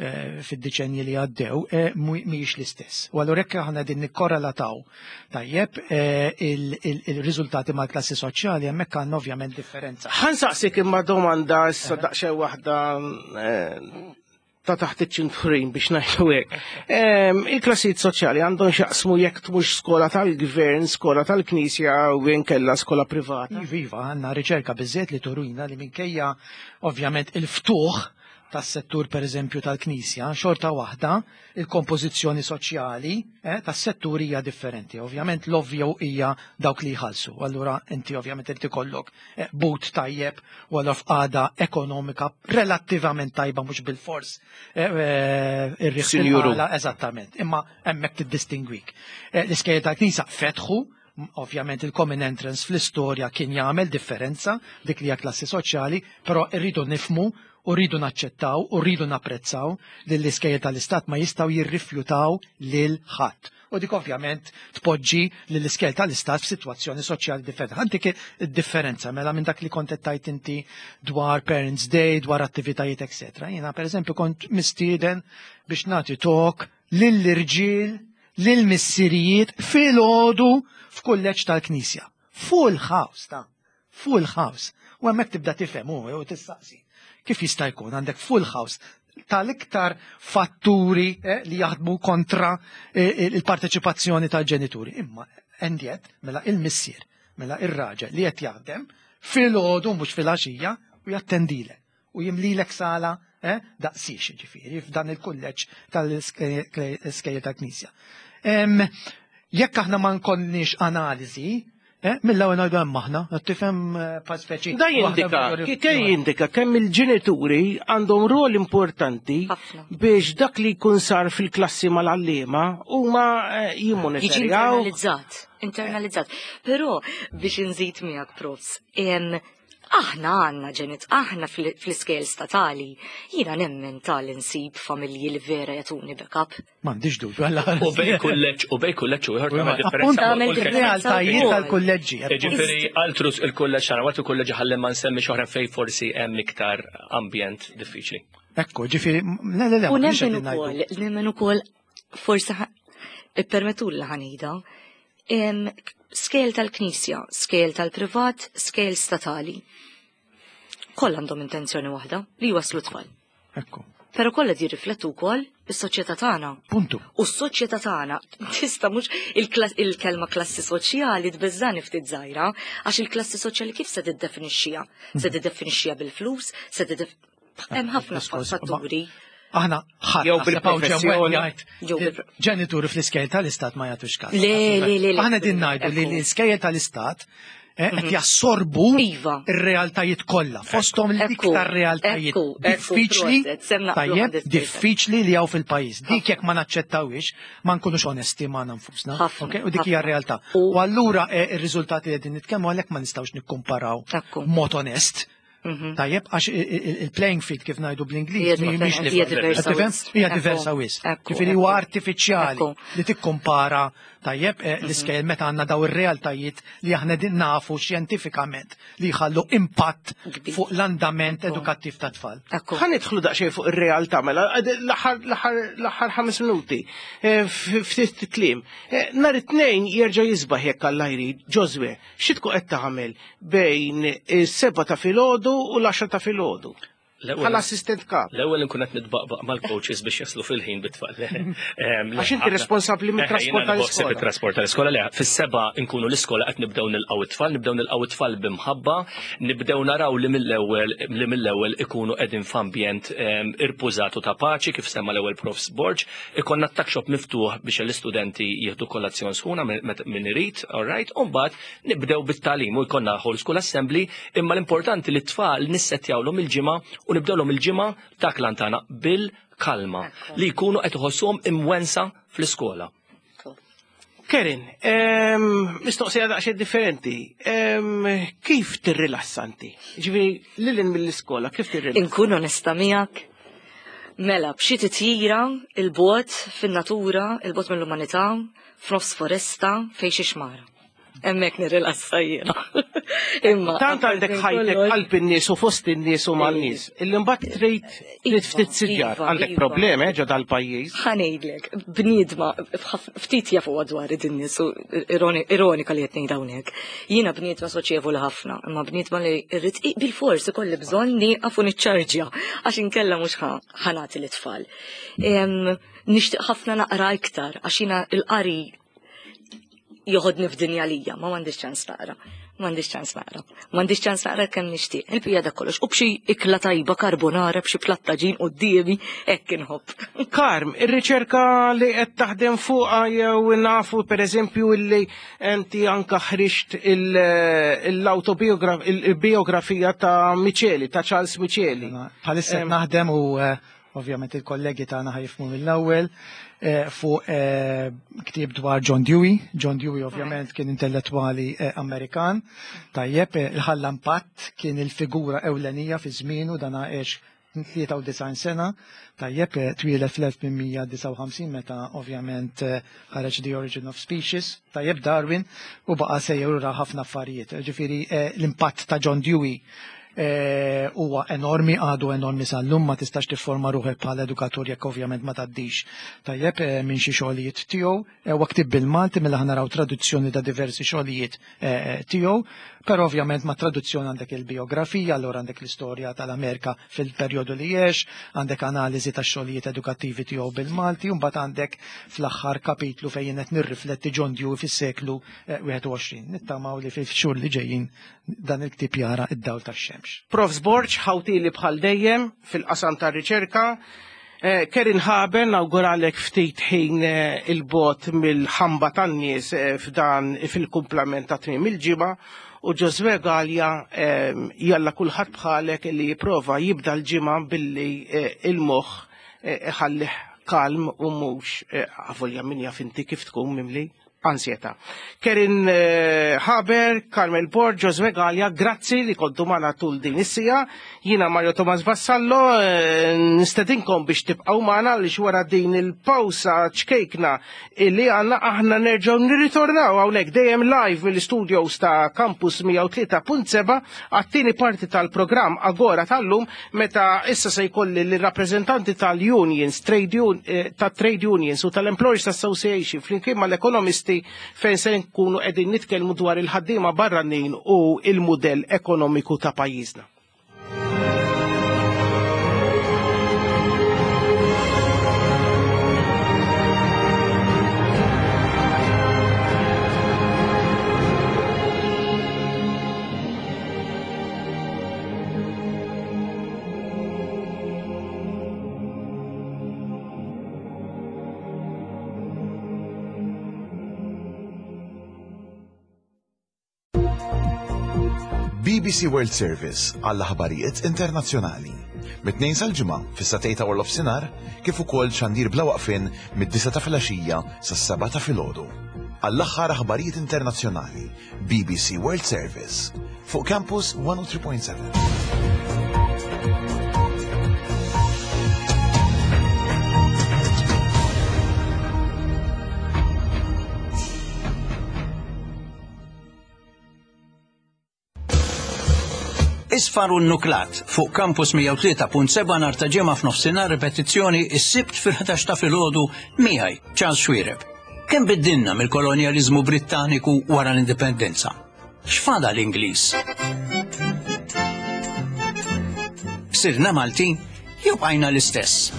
eh, fid-deċenji li għaddew eh, mhu- mhijiex l-istess. U allura jekk aħna din nikkorrelataw tajjeb eh, il- il- il-riżultati mal-klassi soċjali hemmhekk għandna ovvjament differenza. Ħa nsaqsik imma domanda issa daqsxejn waħda eh, ta' taħt iċ-ċinturin biex ngħidu hekk. Em, Il-klassijiet soċjali għandhom x'jaqsmu jekk tmux skola tal-gvern, skola tal-knisja u inkella skola privata. Iva, iva, għandna riċerka biżżejjed li turina li minkejja ovvjament il-ftuħ tas-settur per eżempju tal-Knisja, xorta waħda il-kompożizzjoni soċjali eh, tas-settur hija differenti. Ovvjament l-ovvju hija dawk li jħallsu. Allura inti ovvjament inti kollok eh, but tajjeb u allura f'qagħda ekonomika relattivament tajba mhux bil-fors eh, eh, ir-riħ Sinjuru. fil-qala, Eżattament. Imma hemmhekk tiddistingwik. Eh, L-iskejjel tal-Knisja fetħu ovvjament il-common entrance fl-istorja kien jagħmel differenza dik li hija klassi soċjali, però rridu nifhmu u rridu naċċettaw u rridu napprezzaw li l-iskejjel tal-istat ma jistgħu jirrifjutaw lil ħadd. U dik ovvjament tpoġġi lill iskejjel tal-istat f'sitwazzjoni soċjali differenti. Għandik id-differenza mela minn dak li kont qed tajt inti dwar Parents Day, dwar attivitajiet, etc. Jiena pereżempju kont mistieden biex nagħti talk lill-irġiel, lill-missirijiet filgħodu f'kulleġġ tal-Knisja. Full house ta' full house. U hemmhekk tibda tifhem u u tistaqsi. Kif jista' jkun għandek full house tal-iktar fatturi eh, li jaħdmu kontra eh, il-parteċipazzjoni tal-ġenituri. Imma and yet, mela il-missier, mela ir-raġel li qed jaħdem filgħodu mhux filgħaxija u jattendilek u jimlilek sala eh, daqsix ġifieri f'dan il-kulleġġ tal-iskejjel tal-Knisja. Em, Jekk aħna ma nkollniex analiżi, eh, mill-ewwel ngħidu hemm aħna, qed tifhem eh, pa speċi. Da jindika, waħda ke jindika kemm il-ġenituri għandhom rol importanti Ħafna. biex dak li jkun sar fil-klassi mal-għalliema huma eh, Jiġi jimmonitorjaw. internalizzat, internalizzat. Però biex nżid miegħek profs, em, aħna għandna ġenit, aħna fl- fl-iskejjel statali, jiena nemmen tal-insib familji li vera jagħtuni backup. M'għandix dubju għalla. U bejn kulleġġ u bejn kulleġġ u ieħor tagħmel differenza. Tagħmel U l- differenza. Realtajiet wkoll. tal-kulleġġi. Ġifieri altrus il-kulleġġ tagħna waqt il-kulleġġ ħalli ma nsemmi oħra fejn forsi hemm iktar ambjent diffiċli. Ekku, ġifieri, le, le, le, U ma kienx nemmen qegħdin ngħidu. ukoll, nemmen ukoll, forsi ħa- ippermettu li ħa ngħidha, em, skejjel tal-Knisja, skejjel tal-privat, skejjel statali. Kollha għandhom intenzjoni waħda li jwaslu tfal. Ekku, Però kollha jirriflettu wkoll is-soċjetà tagħna. puntu. U s-soċjetà tagħna tista' mhux il-klas- il-kelma klassi soċjali tbeżżani ftit żgħira, għax il-klassi soċjali kif se tiddefinixxiha? Se tiddefinixxiha bil-flus, se tiddef hemm ħafna Diskors, fatturi. Aħna ħadd Jew naħseb hawn ġew bil-professjoni. jgħid Jew li bil- ġenituri fl-iskejjel tal-istat ma jagħtux każ. Le, le, le, le. Aħna din ngħidu li Ekku. l-iskejjel tal-istat Qed jassorbu Iva. ir-realtajiet kollha, fosthom l-iktar realtajiet Ekku, ekku, diffiċli, proset, sem naqblu tajjeb, hundred percent. diffiċli li hawn fil-pajjiż. Dik jekk ma naċċettawhiex, ma nkunux onesti ma nfusna. Ħafna, ok? U dik hija ħafna. r-realtà. U- U allura eh, ir-riżultati li qegħdin nitkellmu għalhekk ma nistgħux nikkumparaw Ekku. b'mod onest. Mhm. Tajjeb, għax il-playing field kif ngħidu Hija bl-Ingliż mhijiex hija diversa Tifhem? wisq. Hija Ekku, diversa wisq. ekku, Ġifieri huwa ekku. artifiċjali Ekku. li tikkumpara tajjeb eh, l-iskejjel meta għandna daw ir-realtajiet li aħna din nafu xjentifikament li jħallu impatt Kbir. fuq l-andament Ekku. edukattiv tat-tfal. Ekku. Ħa nidħlu daqsxejn fuq ir-realtà mela l-aħħar l-aħħar l-aħħar ħames minuti eh, f- ftit kliem. Eh, Nhar it-tnejn jerġa' jisbaħ jekk Alla jrid, Ġożwe, xi tkun qed tagħmel bejn is-seba' ta' filgħodu u l-għaxra ta' filgħodu? L-ewwel- Bħala assistent kap. L-ewwel nkun qed nitbaqbaq mal-coaches biex jaslu fil-ħin bit-tfal. Għax inti responsabbli mit-trasport tal-iskola. Mit-trasport tal-iskola, le, fis-seba nkunu l-iskola qed nibdew nilqgħu it-tfal, nibdew nilqgħu it-tfal b'imħabba, nibdew naraw li mill-ewwel li mill-ewwel ikunu qegħdin f'ambjent em, irpużat u ta' paċi kif semma l-ewwel Profs Borg, ikollna tuck shop miftuħ biex l-istudenti jieħdu kolazzjon sħuna minn min irid, all right, u mbagħad nibdew bit-tagħlim u jkollna whole school assembly, imma l-importanti li t-tfal nissettjawlhom il-ġimgħa u nibdewlhom il-ġimgħa dak lantana bil-kalma li jkunu qed iħossuhom imwensa fl-iskola. Kerin, em, mistoqsija daqsxejn differenti. Em, Kif tirrilassa inti? Ġifieri, lil hinn mill-iskola, kif tirrilassa? Inkun onesta miegħek. Mela, b'xi titjira 'il bogħod fin-natura, 'il bogħod mill-umanità, f'nofs foresta fejn xi xmara. Hemmhekk nirrilassa jiena. Imma Tant għandek ħajtek qalb in-nies u fost in-nies u man-nies. Illi mbagħad trid trid ftit siġar. Iva, Għandek iva. problemi eh, ġo dal-pajjiż. Ħa ngħidlek, bniedma, ftit jafu dwar id-nies u ironi- ironika li qed ngħid hawnhekk. Jiena bniedma soċjevoli ħafna, imma bniedma li rrid bil-fors ikolli bżonn nieqaf u niċċarġja għax inkella mhux ħa nagħti lit-tfal. Em, Nixtieq ħafna naqra iktar għax jiena il-qari joħodni f'dinja lija, ma m'għandix ċans naqra. M'għandix ċans naqra. M'għandix ċans naqra kemm nixtieq. Il-bija da kollox. U b'xi ikla tajba carbonara, b'xi platt taġin quddiemi, hekk inħobb. Karm, ir-riċerka li qed taħdem fuqha jew nafu pereżempju illi inti anka ħriġt il-biografija ta' Micheli, ta' Charles Micheli. Bħalissa qed naħdem u eh, ovvjament il-kollegi tagħna ħa jifhmu mill-ewwel eh, fuq eh, ktieb dwar John Dewey. John Dewey ovvjament kien intellettwali eh, Amerikan. Tajjeb, eh, il-ħalla impatt kien il-figura ewlenija fi żmienu dan għex tlieta u disgħin sena, tajjeb, eh, twieled fl-elf tmien mija disgħa u ħamsin meta ovvjament eh, ħareġ The Origin of Species, tajjeb Darwin, u baqa sejjer ra ħafna affarijiet. Ġifieri eh, l-impatt ta' John Dewey eh, huwa enormi, għadu enormi sal-lum, ma tistax tifforma ruħek bħala edukatur jekk ovvjament ma tgħaddix. Tajjeb, eh, minn xi xogħlijiet tiegħu, eh, huwa ktieb bil-Malti mela ħa naraw traduzzjoni ta' diversi xogħlijiet eh, tiegħu, però ovvjament ma' traduzzjoni għandek il-biografija, allura għandek l-istorja tal-Amerika fil-perjodu li għex, għandek analiżi ta' xogħlijiet edukattivi tiegħu bil-Malti, u mbagħad għandek fl-aħħar kapitlu fejn qed nirrifletti John Dewey fis-seklu eh, wieħed u għoxrin. Nittamaw li fix-xhur li ġejjin dan il-ktieb jara id-dawl tax-xemx. Profs Borg, ħawtili bħal dejjem fil-qasam ta' riċerka. Eh, Kerin Haber, nawguralek ftit ħin eh, 'il bogħod mill-ħamba tan-nies eh, f'dan fil-kumplament ta' tmiem il-ġimgħa u Ġożwe Galea eh, jalla kulħadd bħalek li jipprova jibda l-ġimgħa billi eh, il-moħħ eh, iħallih kalm u mhux eh, avolja min jaf inti kif tkun mimli ansjeta. Kerin eh, Haber, Carmel Borg, Ġożwe Galea, grazzi li kontu magħna tul din is-siegħa. Jiena Mario Thomas Vassallo, eh, nistedinkom biex tibqgħu magħna li wara din il-pawsa ċkejkna illi għandna aħna nerġgħu nirritornaw hawnhekk dejjem live mill-studios ta' Campus mija u tlieta punt seba' għat-tieni parti tal-programm Agora tal-lum meta issa se jkolli l-rappreżentanti tal-unions, trade un, eh, ta' trade unions u tal-Employers Association flimkien mal-ekonomisti fejn se nkunu qegħdin nitkellmu dwar il-ħaddiema barranin u il-mudell ekonomiku ta' pajjiżna. B B C World Service għall-aħbarijiet internazzjonali. Mit-Tnejn sal-Ġimgħa fis-sagħtejn ta' waranofsinhar, kif ukoll xandir bla waqfien mid-disgħa ta' filgħaxija sas-sebgħa ta' filgħodu. Għall-aħħar aħbarijiet internazzjonali, B B C World Service fuq Campus one oh three point seven. Isfar u Nuklat fuq Campus one oh three point seven nhar ta' Ġimgħa f'nofsinhar, ripetizzjoni is-Sibt fil-ħdax ta' filgħodu, miegħi Charles Xuereb. Kemm biddilna mill-kolonjaliżmu Brittaniku wara l-indipendenza? X'fadal l-Ingliż? Sirna Maltin jew bqajna l-istess?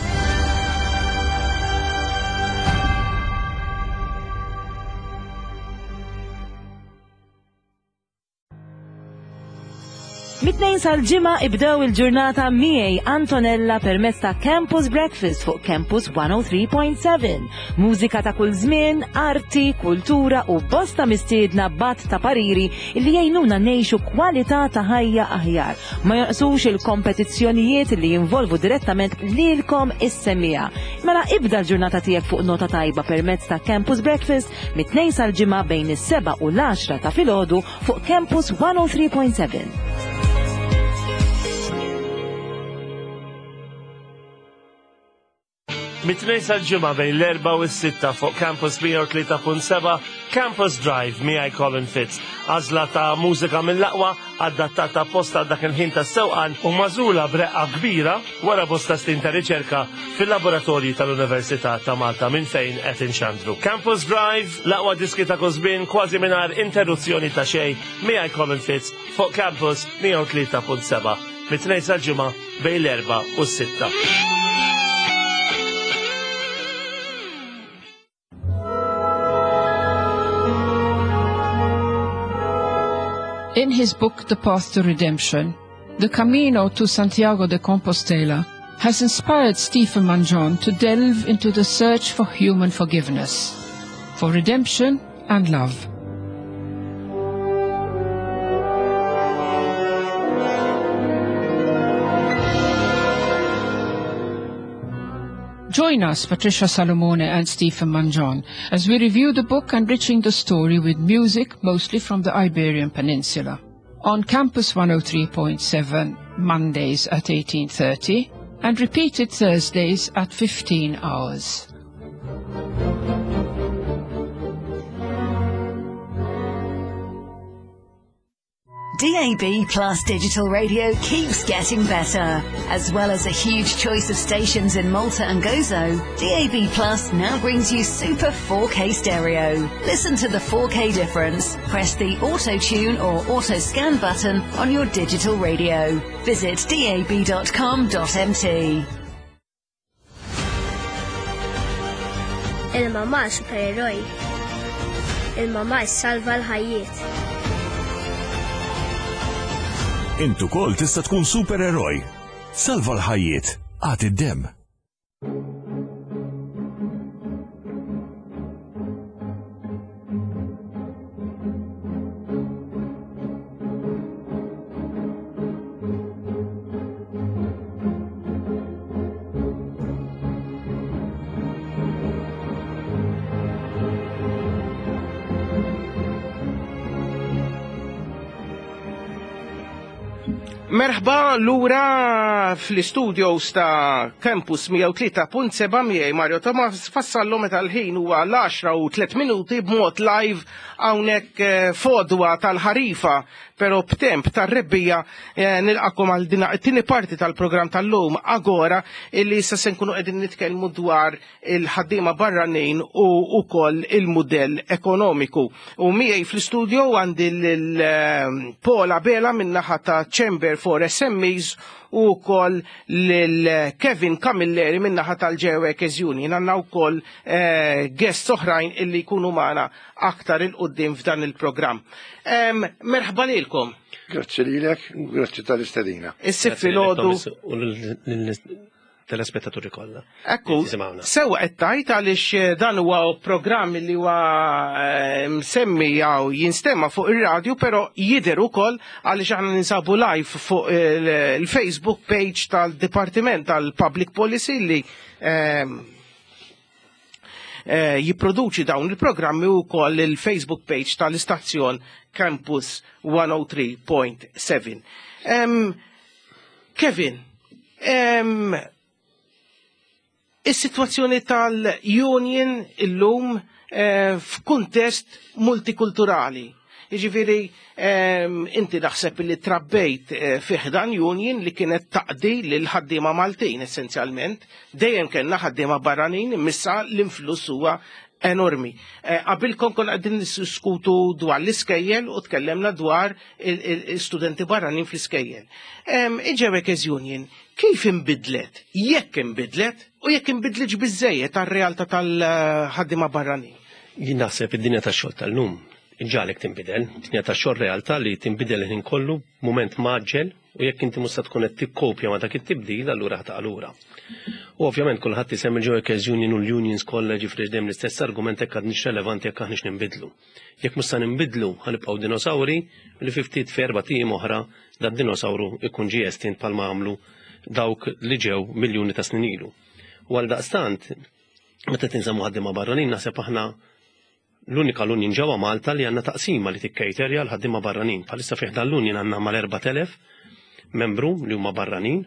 Mit-Tnejn sal-Ġimgħa ibdew il-ġurnata miegħi Antonella permezz ta' Campus Breakfast fuq Campus one oh three point seven. Mużika ta' kull żmien, arti, kultura u bosta mistiedna bat ta' pariri li jgħinuna ngħixu kwalità ta' ħajja aħjar. Ma jonqsux il-kompetizzjonijiet li jinvolvu direttament lilkom is-semmiegħa. Mela ibda l-ġurnata tiegħek fuq nota tajba permezz ta' Campus Breakfast mit-Tnejn sal-Ġimgħa bejn is-seba' u l-għaxra ta' filgħodu fuq Campus one oh three point seven. Mit-Tnejn sal-Ġimgħa bejn l-erba' u s-sitta fuq Campus one oh three point seven, Campus Drive miegħi Colin Fitz. Għażla ta' mużika mill-aqwa adattata apposta dak il-ħin tas-sewqan u magħżula b'reqqa kbira wara bosta snin ta' riċerka fil-laboratorji tal-Università ta' Malta minn fejn qed inxandru. Campus Drive, l-aqwa diski ta' kull żmien kważi mingħajr interruzzjoni ta' xejn, miegħi Colin Fitz fuq Campus one oh three point seven. Mit-Tnejn sal-Ġimgħa bejn l-erba' u s-sitta. In his book, The Path to Redemption, The Camino to Santiago de Compostela has inspired Stephen Mangion to delve into the search for human forgiveness, for redemption and love. Join us, Patricia Salomone and Stephen Mangion, as we review the book, enriching the story with music mostly from the Iberian Peninsula. On Campus one oh three point seven, Mondays at eighteen thirty and repeated Thursdays at fifteen hours. D A B Plus Digital Radio keeps getting better. As well as a huge choice of stations in Malta and Gozo, D A B Plus now brings you Super four K stereo. Listen to the four K difference. Press the Auto Tune or Auto Scan button on your digital radio. Visit D A B dot com dot M T. Il-mama supereroj. Il-mama salva l-ħajjiet. Int ukoll tista' tkun supereroj. Salva l-ħajjiet. Agħti d-demm. Merħba lura fl-studios ta' Campus one oh three point seven miegħi Mario Thomas Vassallo, meta l-ħin huwa l-għaxra u tliet minuti, b'mod live hawnhekk eh, f'għodwa tal-ħarifa pero b'temp tar-rebbiegħa. eh, nilqagħkom għal din it-tieni parti tal-programm tal-lum Agora, illi issa se nkunu qegħdin nitkellmu dwar il-ħaddiema barranin u ukoll il-mudell ekonomiku. U miegħi fl-studio għandi lil Paul Abela min-naħa ta' Chamber for S M Es u wkoll lil Kevin Camilleri min-naħa tal-Ġewek Union. Għandna wkoll eh, guests oħrajn illi jkunu magħna aktar 'il quddiem f'dan il-programm. Em, Merħba lilkom. Grazzi lilek, grazzi tal-istedina. Is-Sibt filgħodu. U Telespettaturi kollha. Ekku, sewa qed tgħid għaliex eh, dan huwa programm li huwa eh, msemmi jew jinstema fuq ir-radju, però jidher ukoll għaliex aħna ninsabu live fuq il-Facebook page tal-Dipartiment tal-Public Policy li ehm, eh, jipproduċi dawn il-programmi u koll il-Facebook page tal-istazzjon Campus mija u tlieta punt seba'. Um, Kevin, um, is-sitwazzjoni tal-union illum eh, f'kuntest multikulturali. Jiġifieri inti naħseb li trabbejt eh, fi ħdan union li kienet taqdi lil ħaddiema Maltin essenzjalment, dejjem kellna ħaddiema barranin, imma l-influss huwa enormi. Eh, qabilkom konna qegħdin niddiskutu dwar l-iskejjel u tkellemna dwar il-studenti barranin fl-iskejjel. Il-J Workers Union, kif imbidlet? Jekk imbidlet u jekk imbidletx biżejjed tar-realtà tal-ħaddiema barranin? Jien naħseb id-dinja tax-xogħol tal-lum ġalek tinbidel, dinja tax-xogħol realtà li tinbidel ħin kollu, moment mgħaġġel, u jekk inti mhux tkun qed tikkopja ma' dak it-tibdil, allura ħa taqa' lura. U ovvjament kulħadd isemmi il-Workers Union u l-unions kollha, ġifieri dejjem l-istess argument, jekk għadniex relevanti, jekk aħniex ninbidlu. Jekk mhux se ninbidlu, ħa nibqgħu dinosawri li fi ftit f'erba' ijiem oħra dad dinosawru ikun ġie estint bħalma għamlu dawk li ġew miljuni ta' snin ilu. U għal daqstant, meta tinżammu ħaddiema barranin, naħseb aħna l-unika l-union ġewwa Malta li għandna taqsima li tikkejterja l-ħaddiema barranin. Bħalissa fih dan l-union għandna mal-erbat elef membru li huma barranin.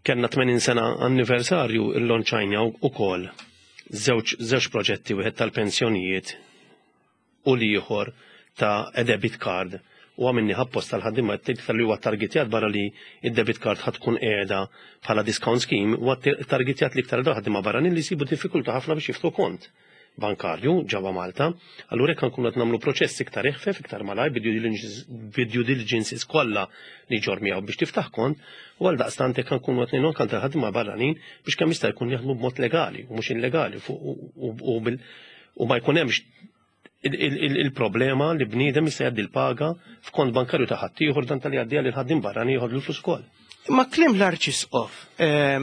Kellna tmenin sena anniversarju, il-lonċajna ukoll żewġ żewġ proġetti, wieħed tal-pensjonijiet u l-ieħor ta' debit card, u għamilnieh apposta l-ħaddiema tal-li huwa targetjat, barra li id-debit card ħa tkun qiegħda bħala discount scheme, huwa targetjat l-iktar dawn ħaddiema barranin li jsibu diffikultà ħafna biex jiftħu kont bankarju ġewwa Malta. Allura jekk nkunu qed nagħmlu proċess iktar eħfef, iktar malaj, bid-due diligences kollha li ġor miegħu biex tiftaħ kont, u għal daqstant jekk nkunu qed ngħinu anke ħaddiema barranin biex kemm jista' jkun jaħdmu b'mod legali u mhux illegali u ma jkun hemmx il-problema li bniedem jista' jgħaddi l-paga f'kont bankarju ta' ħaddieħor, dan tal jgħaddiha lil ħaddiem barrani jieħu l-flus ukoll. Ma kliem l-Arċisqof eh,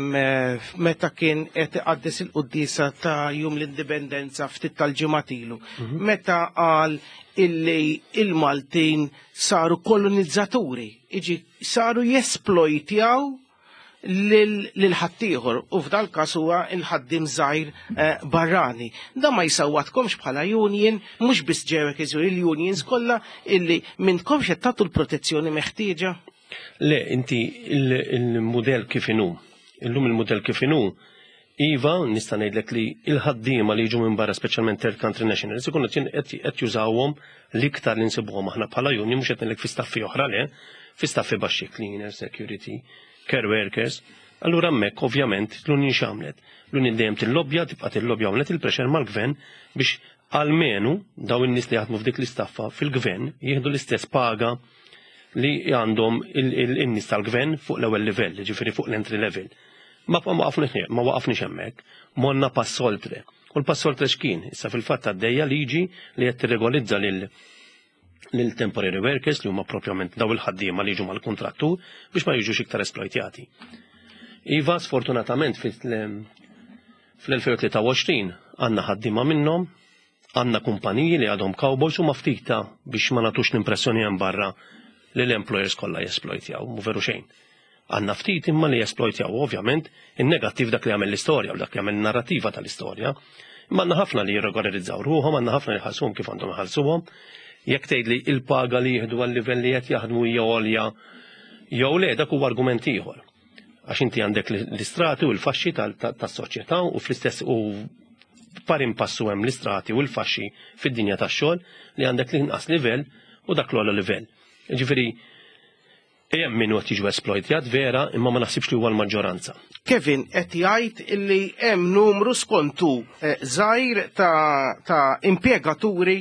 meta kien qed iqaddes il-quddiesa ta' Jum l-Indipendenza ftit tal-ġimgħat ilu, mhm. meta qal illi il-Maltin saru kolonizzaturi, iġi saru jesplojtjaw lil ħaddieħor u f'dal każ huwa il-ħaddiem żgħir eh, barrani. Da ma jsawwatkomx bħala union, mhux biss ġewek il-unions kollha, illi m'intkomx qed tagħtu l-protezzjoni meħtieġa? Le, inti il-modell kif inhu. Illum il-modell kif inhu, iva, nista' ngħidlek li il-ħaddiema li jiġu minn barra, speċjalment third country nationals, ikunu qed jużawhom l-iktar li nsibuhom aħna bħala union, mhux qed ngħidlek fi staffi oħra le, fi staffi baxxi, cleaner, security, care workers. Allura hemmhekk ovvjament l-union x'għamlet? L-union dejjem tillobbja, tibqa' tillobbja, għamlet il-pressure mal-gvern biex almenu daw in-nies li jaħdmu f'dik l-istaffa fil-gvern jieħdu l-istess paga li għandhom il-nies tal-gvern fuq l-ewwel livell, ġifieri fuq l-entry level. Ma ma waqafniex ma waqafniex hemmhekk, morna pass oltre. U l-pass oltre x'kien? Issa fil-fatt għaddejja liġi li qed tirregolizza lil lil temporary workers, li huma propjament daw il-ħaddiema li jiġu mal-kontrattur, biex ma jiġux iktar esploitjati. Iva, sfortunatament fl-elfejn u tlieta u għoxrin għandna ħaddiema minnhom, għandna kumpaniji li għadhom cowboys u ma ftita biex ma nagħtux l-impressjoni hemm barra li l-employers kollha jesplojtjaw, mhu veru xejn. Għandna ftit imma li jesplojtjaw, ovvjament, in-negattiv dak li għamel l-istorja u dak li għamel narrativa tal-istorja. Imma għandna ħafna li jirregolarizzaw ruħhom, għandna ħafna li ħalsuhom kif għandhom iħallsuhom. Jekk tgħid li il-paga li jieħdu għal-livell li qed jaħdmu hija għolja jew le, dak huwa argument ieħor. Għax inti għandek l-istrati u l-faxxi tas-soċjetà u fl-istess u pari passu hemm l-istrati u l-faxxi fid-dinja tax-xogħol, li għandek l-inqas livell u dak l-ogħla livell. Ġifieri hemm min qed jiġu esploitjat vera, imma ma naħsibx li huwa l-maġġoranza. Kevin qed jgħid illi hemm numru skontu eh, żgħir ta', ta impjegaturi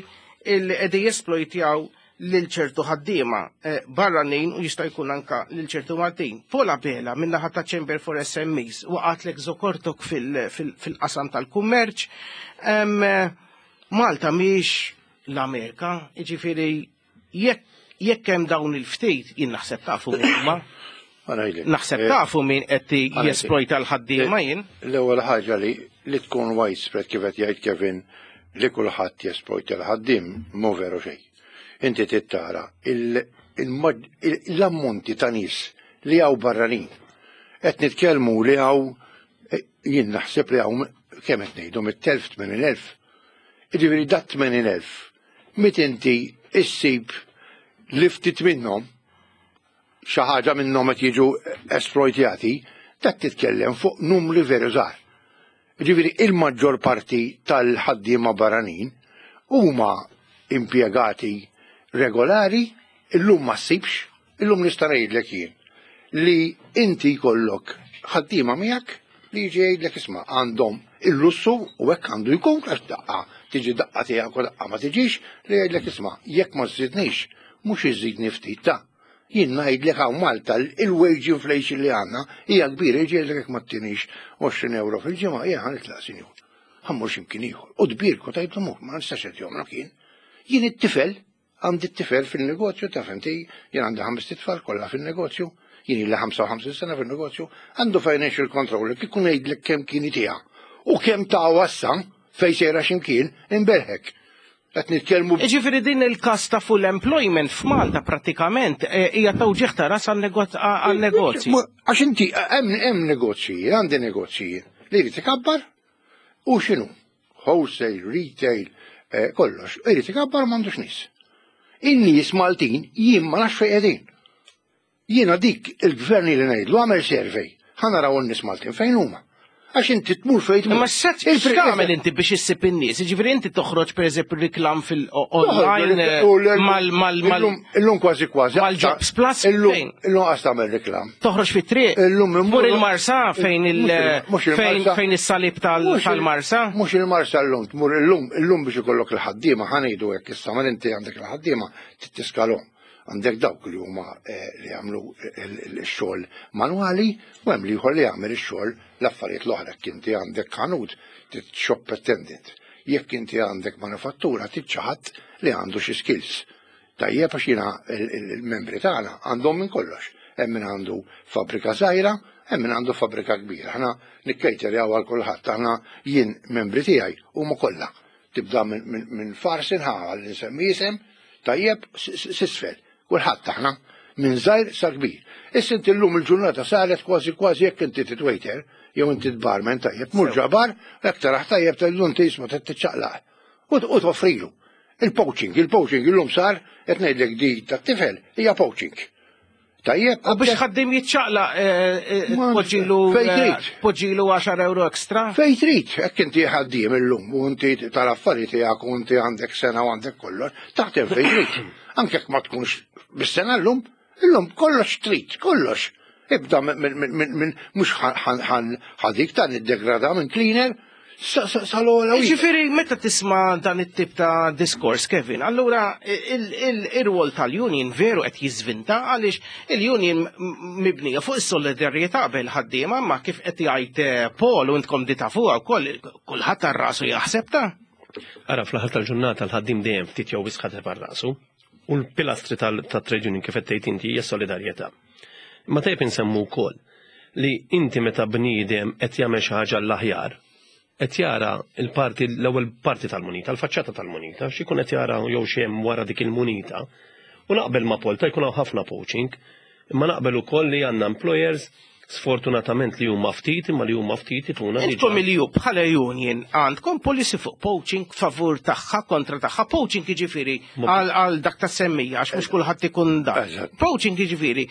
illi qegħdin jesplojtjaw lil ċertu ħaddiema eh, barranin u jista' jkun anka lil ċertu Maltin. Paul Abela min-naħa ta' Chamber for S M Es waqatlek żokortok fil-qasam tal-kummerċ. Eh, Malta mhix l-Amerika, jiġifieri jekk jekk hemm dawn il-ftit, jien naħseb tafu huma. Naħseb tafu min qed jesplojta l-ħaddiema jien. L-ewwel ħaġa li li tkun widespread kif qed jgħid Kevin li kulħadd jesplojta l-ħaddiem mhu veru xejn. Inti tittara l-ammonti ta' nies li hawn barranin. Qed nitkellmu li hawn jien naħseb li hawn kemm qed ngħidu mit-telf tmenin elf. Jiġifieri dat tmenin elf mit inti issib li ftit minnhom xi ħaġa minnhom qed jiġu esploitjati, dak titkellem fuq numri veru żgħar. Jiġifieri il-maġġor parti tal-ħaddiema barranin huma impjegati regolari, illum ma ssibx, illum nista' ngħidlek jien li inti jkollok ħaddiema miegħek li jiġi jgħidlek isma' għandhom il-lussu u hekk għandu jkun għax daqqa tiġi daqqa tiegħek u daqqa ma tiġix li jgħidlek isma' jekk ma żżidnix mhux iżidni ftit ta' jien ngħidlek hawn Malta il-wage inflation li għandna hija kbira, jiġi jgħidlek jekk ma ttinix għoxrin euro fil-ġimgħa jien ħa nitlaq sinjur. Ħa mmur x'imkien ieħor. U tbierku tgħidlu mur, ma nistax qed jomrok jien. Jien it-tifel, għandi t-tifel fil-negozju, taf inti, jien għandi ħames titfal kollha fil-negozju, jien illi ħamsa u ħamsin sena fil-negozju, għandu financial controller kieku ngħidlek kemm kien itiha u kemm ta' wassa fejn sejra x'imkien imberħek. Qed nitkellmu Jiġifieri din il-każ ta' full employment f'Malta prattikament hija tawġieħ ta' ras għan-negozji. Għax inti hemm hemm negozji, għandi negozji li jrid ikabbar u x'inhu? Wholesale, retail, kollox, irid ikabbar m'għandux nies. In-nies Maltin jien ma nafx fejn qegħdin. Jiena dik il-gvern li ngħidlu għamel survey, ħa naraw in-nies Maltin fejn huma. Għax inti tmur fejn tmur. Imma x'tagħmel inti biex issib in-nies? Jiġifieri inti toħroġ pereżempju reklam fil-online mal mal mal Illum kważi kważi. Mal-Jobs Plus fejn? Illum qas tagħmel reklam. Toħroġ fit-triq. Illum Mur il-Marsa fejn il fejn fejn is-salib tal-Marsa. Mhux il-Marsa llum, tmur illum illum biex ikollok il-ħaddiema ħa ngħidu hekk issa ma inti għandek il-ħaddiema tittiskalhom. Għandek dawk li huma li jagħmlu x-xogħol manwali u hemm ieħor li jagħmel ix-xogħol l-affarijiet l-oħra. Jekk inti għandek ħanut shop attendant. Jekk inti għandek manufattura trid xi ħadd li għandu xi skills. Tajjeb għax jiena il-membri tagħna għandhom minn kollox. Hemm min għandu fabbrika żgħira, hemm min għandu fabbrika kbira. Aħna nikkejterjaw għal kulħadd, aħna jien membri tiegħi huma kollha. Tibda minn farsin ħa għal insemmi isem, tajjeb s'isfel. Kulħadd aħna minn żgħir sa kbir. Issa inti llum il-ġurnata saret kważi kważi jekk inti titwaiter jew inti tbarman tajjeb, mur ġabar, jekk taraħ tajjeb tgħidlu inti isma' trid tiċċaqlaq. U toffrilu. Il-poaching, il-poaching illum sar qed ngħidlek di tat-tifel hija poaching. Tajjeb, u biex ħaddim jiċċaqlaq poġġilu poġġilu għaxar euro ekstra. Fejn trid, hekk inti ħaddiem illum u inti tal-affarijiet tiegħek u inti għandek sena u għandek kollox, taħdem fejn trid. Anke jekk ma tkunx bis-sena llum, illum kollox trid, kollox. Ibda minn mhux ħadik ta' niddegrada minn cleaner sal-ogħla. Jiġifieri meta tisma' dan it-tip ta' diskors, Kevin, allura ir-rwol tal-union veru qed jiżvinta għaliex il-union mibnija fuq is-solidarjetà bejn il-ħaddiema, ma kif qed jgħid Paul u intkom di tafuha wkoll kulħadd għar-rasu jaħseb ta'. Ara fl-aħħar tal-ġurnata l-ħaddiem dejjem ftit jew wisq ħadeb għar-rasu u l-pilastri tat-trade union kif qed tgħid inti hija solidarjetà. Ma tajjeb insemmu wkoll li inti meta bniedem qed jagħmel xi ħaġa l-aħjar, qed jara l-parti l-ewwel parti tal-munita, l-faċċata tal-munita, xi jkun qed jara jew xi hemm wara dik il-munita. U naqbel ma' Paul ta' jkun hawn ħafna poaching, imma naqbel ukoll li għandna employers sfortunatament li huma ftit imma li huma ftit ituna. Intkom il ju bħala union għandkom policy fuq poaching favur tagħha kontra tagħha. Poaching jiġifieri għal dak ta' semmija għax mhux kulħadd ikun dak. Poaching jiġifieri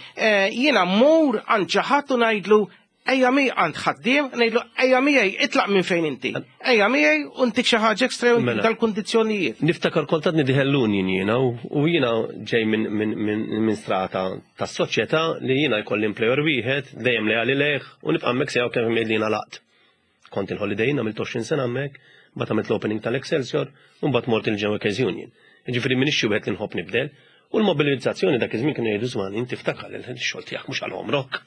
jiena mmur għand xi ħadd u ngħidlu ejja miegħi għand ħaddiem, ngħidlu ejja miegħi itlaq minn fejn inti. Ejja miegħi u ntik xi ħaġa ekstra u ntik dal-kundizzjonijiet. Niftakar kont għadni diħel l-union jiena u jiena ġej minn strata tas-soċjetà li jiena jkolli employer wieħed dejjem leali lejh u nibqa' hemmhekk sejjaw kemm li jiena laqt. Kont il-Holiday Inn għamilt għoxrin sena hemmhekk, mbagħad għamilt l-opening tal-Excelsior u mbagħad mort il-General Union. Jiġifieri m'iniex xi wieħed li nħobb nibdel u l-mobilizzazzjoni dak iż-żmien kienu jgħidu żman inti ftakar il-xogħol tiegħek mhux għal għomrok.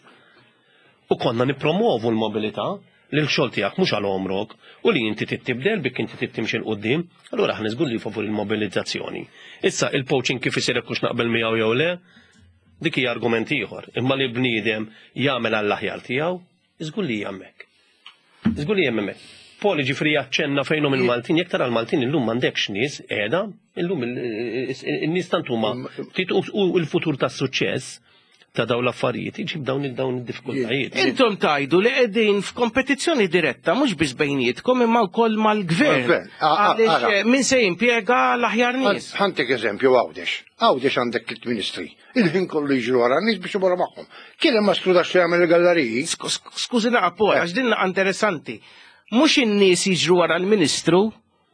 U konna nippromovu l-mobilità li l-xogħol tiegħek mhux għal għomrok u li inti tibdel bik inti timxi 'l quddiem, allura aħna żgur li favur il-mobilizzazzjoni. Issa il-poaching kif isir hekk hux naqbel miegħu jew le, Dik hija argument ieħor, imma li bniedem jagħmel għall-aħjar tiegħu, iżgur li hija hemmhekk. Iżgur li hemm hemmhekk. Poli ġifri jaċċenna fejnhom il-Maltin, jekk tara l-Maltin illum m'għandekx nies qiegħda, illum il-nies tant huma ftit u l-futur tas-suċċess ta' dawn l-affarijiet iġib dawn dawn id-diffikultajiet. Intom tajdu li qegħdin f'kompetizzjoni diretta mhux biss bejnietkom imma wkoll mal-gvern. Għaliex min se jimpjega l-aħjar nies. Ħa ntik eżempju Għawdex. Għawdex għandek tliet ministri. Il-ħin kollu jiġru wara n-nies biex imorru magħhom. Kien hemm mastrudax li jagħmel il-galleriji. Skużi naqa' Paul, għax din interessanti. Mhux in-nies jiġru wara l-ministru,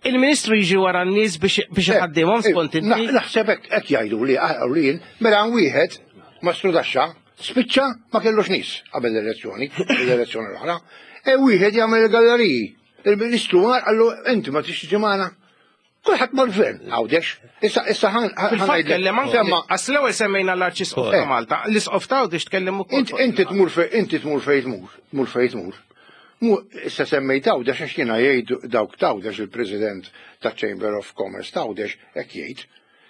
il-ministru jiġri wara n-nies biex iħaddimhom skont inti. Naħseb hekk jgħidu li li mela wieħed mastrudaxxa spiċċa ma kellux nies qabel l-elezzjoni, l-elezzjoni l-oħra. E wieħed jagħmel il-galleriji. Il-ministru mar qallu inti ma tix tiġi magħna. Kulħadd mal-gvern, Għawdex. Issa issa ħan Fil-fatt kellem anke għas l-ewwel semmejna l-Arċisqof ta' Malta, l-Isqof ta' Għawdex tkellem ukoll. Inti tmur fejn inti tmur fejn tmur, tmur fejn tmur. Issa semmejt Għawdex għax jiena jgħid dawk t'Għawdex il-President ta' Chamber of Commerce t'Għawdex hekk jgħid.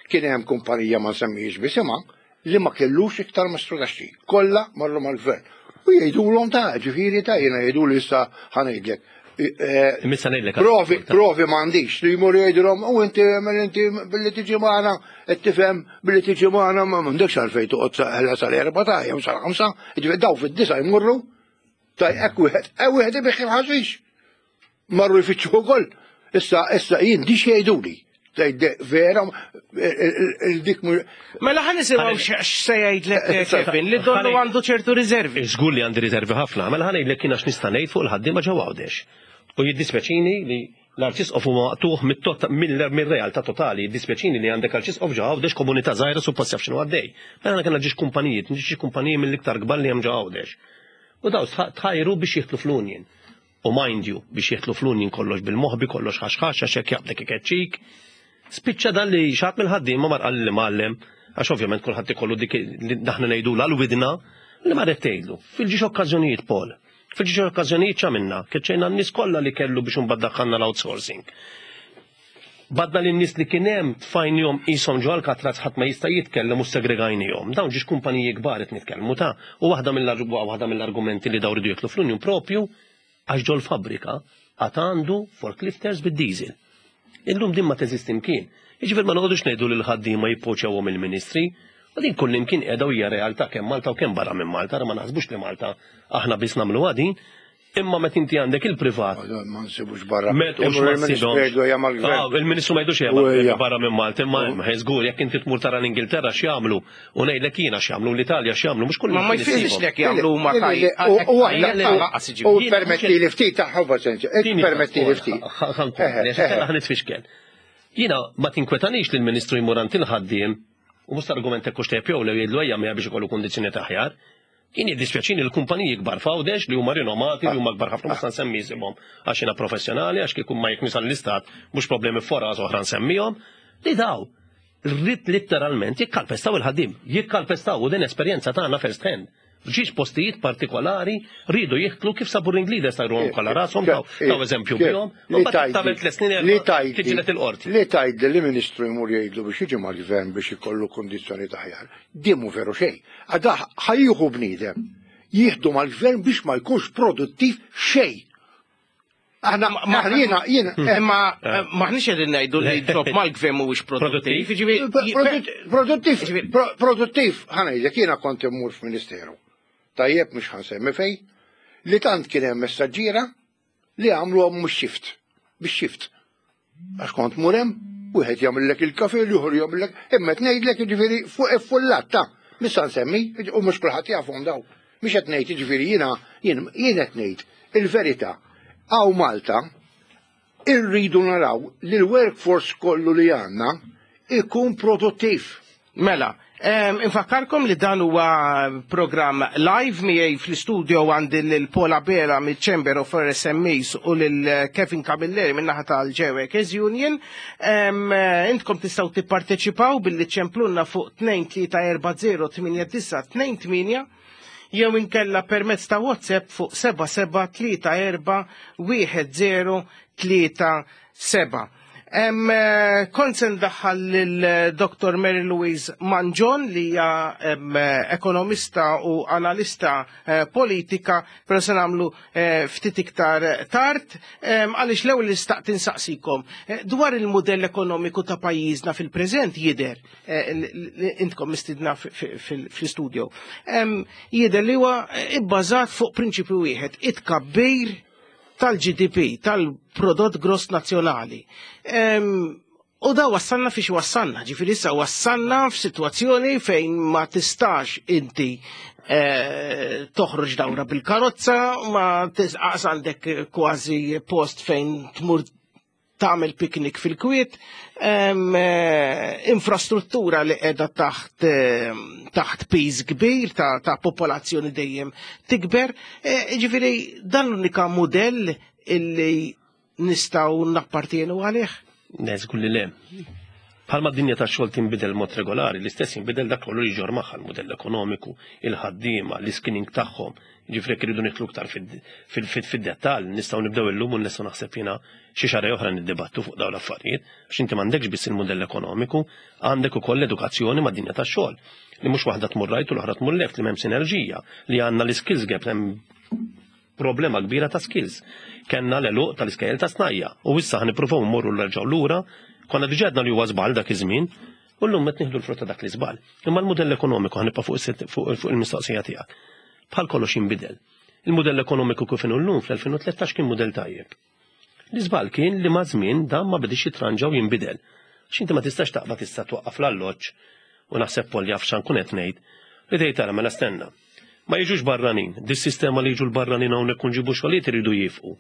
Kien hemm kumpanija ma nsemmihiex bisimha li ma kellux iktar mastrudaxxi. Kollha marru mal-gvern. U jgħidulhom ta' ġifieri ta' jiena jgħidu li issa ħa ngħidlek. Provi, provi m'għandix li jmur jgħidulhom u inti inti billi tiġi magħna qed tifhem billi tiġi magħna ma m'għandekx għalfejn toqgħod ħela sal-erba' ta' jew sal-ħamsa, jiġifieri daw fid-disa' jmorru ta' hekk wieħed, hekk wieħed ibigħ il-ħaxix. Marru jfittxu wkoll. Issa issa jien dix jgħiduli. Vera, il-dik Mela ħa nisimgħu x'se jgħidlek Kevin, li donnu għandu ċertu riservi. Żgur li għandi riservi ħafna, mela ħa ngħidlek kien għax nista' ngħid fuq il-ħaddiema ġewwa Għawdex. U jiddispjaċini li l-Arċisqof huwa maqtugħ mir-realtà totali, jiddispjaċini li għandek Arċisqof ġewwa Għawdex komunità żgħira suppost jaf x'inhu għaddej. Mela aħna kellna ġiex kumpaniji, ġiex kumpaniji mill-iktar kbar li hemm ġewwa Għawdex. U daw tħajru biex jidħlu fl-union. U mind you, biex jidħlu fl-union kollox bil-moħbi, kollox ħaxħax, għax hekk jaqbdek ikeċċik. Spiċċa dan li xaħat mill-ħaddiem ma marqal li mgħallem, għax ovvjament kulħadd ikollu dik li aħna ngħidu l-widna li ma tgħidlu. Fil-ġiex okkażjonijiet Paul, fil-ġiex okkażjonijiet x'għamilna, keċċejna n-nies kollha li kellu biex imbagħad daħħalna l-outsourcing. Badna lin nies li kien hemm tfajnihom qishom ġo Alcatraz ħadd ma jista' jitkellem u segregajnihom. Dawn ġiex kumpaniji kbar qed nitkellmu ta' u waħda waħda mill-argumenti li daw ridu jidħlu fl-union propju għax ġol fabbrika għad għandu forklifters bid-diesel. Illum din ma teżisti mkien. Jiġifieri ma noqogħdux ngħidu lil ħaddiema jippoċjawhom il-ministri, u din kull imkien qiegħda hija realtà kemm Malta u kemm barra minn Malta, ma naħsbux li Malta aħna biss nagħmlu din, imma meta inti għandek il-privat. Ma nsibux barra. Il-Ministru ma jgħidux hija barra minn Malta, imma żgur jekk inti tmur tara l-Ingilterra x'jagħmlu u ngħidlek jiena x'jagħmlu l-Italja x'jagħmlu mhux kull. Ma jfissirx lek jagħmlu huma tajjeb. U permetti li ftit ta' ħobba sensi, permetti li ftit. Ħa nitfixkel. Jiena ma tinkwetanix li l-Ministru jmur għand il-ħaddiem u mhux argument hekk hux tajjeb jew le jgħidlu ejja miegħi biex ikollu kundizzjoni aħjar. Jien jiddispjaċini l-kumpaniji kbar f'Għawdex li huma rinomati li huma kbar ħafna mhux nsemmi isimhom għax jiena professjonali għax kieku ma jekk nisal l-istat mhux problemi fora oħra nsemmihom li daw rrid litteralment jikkalpestaw il-ħaddiem, jikkalpestaw u din esperjenza tagħna first hand. F'ġiex postijiet partikolari rridu jieħdlu kif sabu ring leaders tajruhom kollha rashom daw daw eżempju bihom u mbagħad tagħmel tliet snin tiġilet il-qorti. Li tgħid li ministru jmur jgħidlu biex jiġi mal-gvern biex ikollu kundizzjoni aħjar. Din mhu veru xejn. Għada ħajjuħu bniedem jieħdu mal-gvern biex ma jkunx produttiv xejn. Aħna jiena jiena imma maħniex qegħdin ngħidu li job mal-gvern mhuwiex produttiv. Produttiv, produttiv, ħa ngħidlek jiena kont immur f'ministeru. Tajjeb mhux ħansemmi fej, li tant kien hemm messaġġiera li għamluhom mhux shift, bix shift. Għax kont mur hemm, wieħed jagħmellek il-kafe, l-ieħor jagħmellek, imma qed ngħidlek jiġifieri fuq iffullat ta' mhux nsemmi, u mhux kulħadd jafhom daw. Mhux qed ngħid jiġifieri jiena jien qed ngħid il-verità. Hawn Malta irridu naraw li l-workforce kollu li għandna ikun produttiv. Mela, infakkarkom li dan huwa programm live miegħi fl-istudio għandi lil Paul Abela mill-Chamber of S M Es u lil Kevin Camilleri min-naħa tal-Workers Union. Intkom tistgħu tipparteċipaw billi ċemplunna fuq tnejn tlieta erba' zero tmienja disa' tnejn tmienja jew inkella permezz ta' WhatsApp fuq seba' seba' tlieta erba' wieħed zero tlieta seba'. Em, eh, Kont se ndaħħal lil Dr. Mary Louise Mangion li hija em, ekonomista u analista eh, politika, però se nagħmlu eh, ftit iktar tard, em, għaliex l-ewwel li xtaqt insaqsikom eh, dwar il-modell ekonomiku ta' pajjiżna fil-preżent jidher eh, li- li intkom mistidna fi- fi- fil- fl-studio. Em, Jidher li huwa ibbażat fuq prinċipju wieħed, it-tkabbir tal-GDP, tal-prodott gross nazzjonali. Em, U da wassalna fiex wassalna, ġifieri issa wassalna f'sitwazzjoni fejn ma tistax inti eh, toħroġ dawra bil-karozza, ma tisqas għandek kważi post fejn tmur tagħmel piknik fil-kwiet, em, eh, infrastruttura li qiegħda taħt eh, taħt piż kbir ta', ta' popolazzjoni dejjem tikber, eh, ġifieri dan l-unika mudell illi nistgħu nappartienu għalih. Ne, żgur li le. Bħalma d-dinja ta' xogħol tinbidel mod regolari, l-istess jinbidel dak kollu li jġorr magħha l-mudell ekonomiku, il-ħaddiema, l-iskilling tagħhom. Ġifieri jekk iridu nidħlu iktar fid-dettall, nistgħu nibdew illum u nistgħu naħseb jiena xi xahar oħra niddibattu fuq dawn l-affarijiet, għax inti m'għandekx biss il-mudell ekonomiku, għandek ukoll l-edukazzjoni mad-dinja tax-xogħol. Li mhux waħda tmur right u l-oħra tmur left, li m'hemm sinerġija, li għandna l-skills gap, hemm problema kbira ta' skills. Kenna l-għeluq tal-iskejjel ta' snajja' u issa ħa nippruvaw mmorru nerġgħu lura, konna diġà għedna li huwa żball dak iż-żmien, u llum qed nieħdu l-frott ta' dak l-iżball. Imma l-mudell ekonomiku ħa nibqa' fuq is- fuq fuq il-mistoqsija tiegħek. Bħal kollox jinbidel. Il-mudell ekonomiku kif inhu llum fl-elfejn u tlettax kien mudell tajjeb. L-iżball kien li ma' żmien dan ma bidix jitranġa u jinbidel. Għax inti ma tistax taqbad tista' twaqqaf l-alloġġ u naħseb Paul jaf x'nkun qed ngħid li tgħid tara mela stenna. Ma jiġux barranin, dis-sistema li jiġu l-barranin hawnhekk u nġibu xogħlijiet iridu jifqu.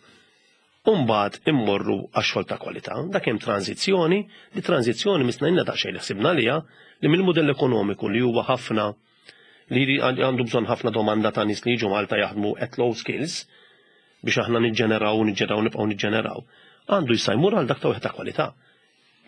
Umbagħad immorru għax-xogħol ta' kwalità, dak hemm tranzizzjoni, li tranzizzjoni missna daqsxejn li ħsibna liha li mill-mudell ekonomiku li huwa ħafna li għandu bżonn ħafna domanda ta' nies li jiġu Malta jaħdmu at low skills biex aħna niġġeneraw, niġġeneraw, nibqgħu niġġeneraw. Għandu jista' jmur għal dak ta' wieħed ta' kwalità.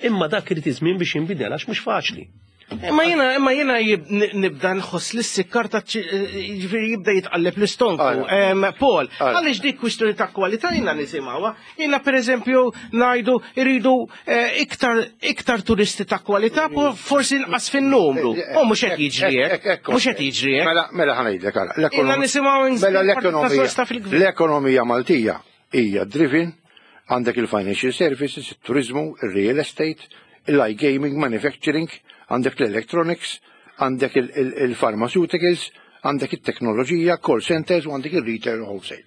Imma dak irid iż-żmien biex jinbidel għax mhux faċli. Imma jena, imma jena jib- nibda nħoss li s-sikkar ta' ġifieri jibda jitqalleb l-istonku. Em, Paul, għaliex dik kwistjoni ta' kwalità jena nisimgħuha. Jena per eżempju ngħidu iridu eh, iktar iktar turisti ta' kwalità, po- forsi nqas fin-numru. U mhux qed jiġri hekk. Mhux qed jiġri hekk. Mela, mela ħa ngħidlek ara. Ilna nisimgħu Mela l-ekonomija. ta' fil-gvern. L-ekonomija Maltija hija driven għandek il-financial services, il-turizmu, il-real estate, il-iGaming, manufacturing, għandek l-electronics, għandek il-pharmaceuticals, għandek il-teknoloġija, call centers u għandek il-retail wholesale.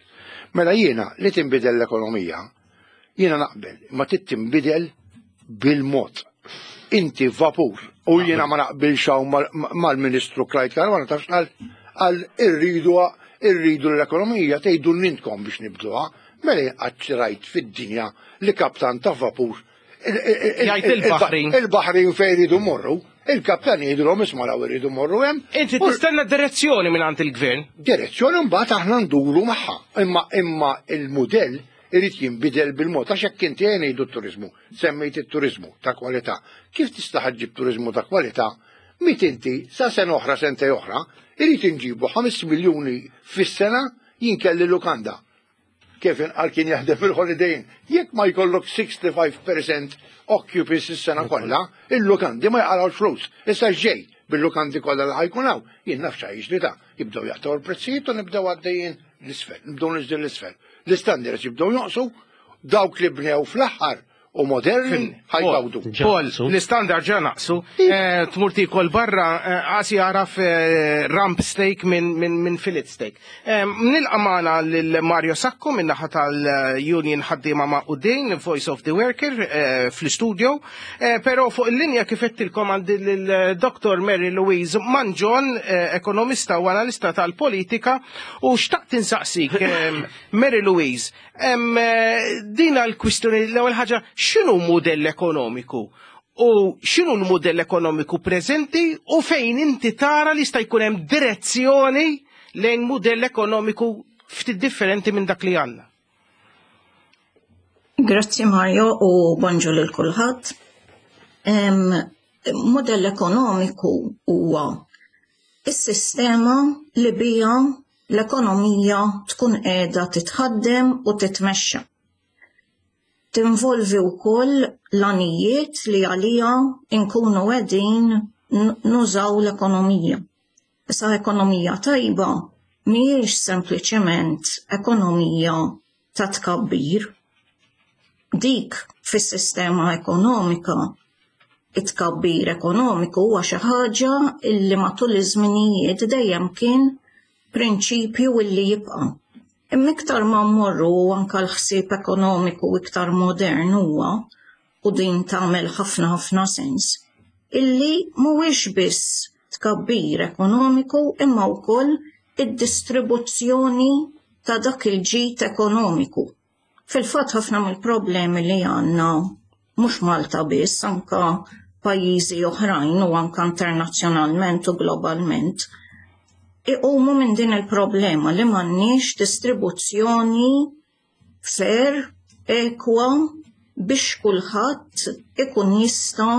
Mela jiena li tinbidel l-ekonomija, jiena naqbel, ma trid tinbidel bil-mod. Inti vapur, u jiena ma naqbilx hawn mal- mal-Ministru Clyde Caruana taf x'qal għal irridu irridu l-ekonomija tgħidu intkom biex nibduha, mela qatt rajt fid-dinja li kaptan ta' vapur Jgħid il-baħrin. Il-baħrin fejn iridu morru, il-kaptan jgħidulhom isma' raw iridu morru hemm. Inti tistenna direzzjoni minn għand il-gvern. Direzzjoni mbagħad aħna nduru magħha. Imma imma il-mudell irid jinbidel bil-mod għax hekk inti ngħidu t-turizmu, semmejt it-turizmu ta' kwalità. Kif tista' ġġib turizmu ta' kwalità? Mit inti sa sena oħra sentej oħra, irid inġibu ħames miljuni fis-sena jinkelli lukanda. Kif inqal kien jaħdem fil-Holiday Inn. Jekk ma jkollok sitta u ħamsin fil-mija occupancy s-sena kollha, il-lukandi ma jaqalgħux flus. Issa ġej bil-lukandi kollha li ħa jkun hawn, jien naf x'ħa ta' jibdew jaqtgħu l-prezzijiet u nibdew għaddejjin l-isfel, nibdew niżdin l-isfel. L-istandards jibdew jonqsu, dawk li bnew fl-aħħar u moderni ħa jgawdu. Paul, l-istandard ġa naqsu, eh, tmur tikol barra, eh, għasi għaraf eh, rump steak minn min, min fillet steak. Eh, Nilqa' magħna lil Mario Sacco minn naħa tal-Union Ħaddiema Magħqudin, Voice of the Worker, eh, fl-studio. Eh, Pero fuq il-linja kif għedtilkom għandi l-Dr. Mary Louise Mangion, eh, ekonomista u analista tal-politika, u xtaqt insaqsik, eh, Mary Louise, em, eh, dina l-kwistjoni l-ewwel ħaġa, x'inhu mudell ekonomiku? U x'inhu l-mudell ekonomiku preżenti u fejn inti tara li jista' jkun hemm direzzjoni lejn mudell ekonomiku ftit differenti minn dak li għandna? Grazzi Mario u bonġu lil kulħadd. Em, Modell ekonomiku huwa is-sistema li bija l-ekonomija tkun qiegħda titħaddem u titmexxa. Tinvolvi wkoll l-għanijiet li għalija nkunu qegħdin nużaw l-ekonomija. Issa ekonomija tajba mhijiex sempliċement ekonomija ta' tkabbir. Dik fis-sistema ekonomika, it-tkabbir ekonomiku huwa xi ħaġa illi matul iż-żminijiet dejjem kien prinċipju illi jibqa'. Imma iktar ma mmorru anke l-ħsieb ekonomiku iktar modern huwa, u din tagħmel ħafna ħafna sens, illi mhuwiex biss tkabbir ekonomiku imma wkoll id-distribuzzjoni ta' dak il-ġid ekonomiku. Fil-fatt ħafna mill-problemi li għandna mhux Malta biss, anka pajjiżi oħrajn u anka internazzjonalment u globalment, iqumu minn din il-problema li m'għandniex distribuzzjoni fair, ekwa, biex kulħadd ikun jista'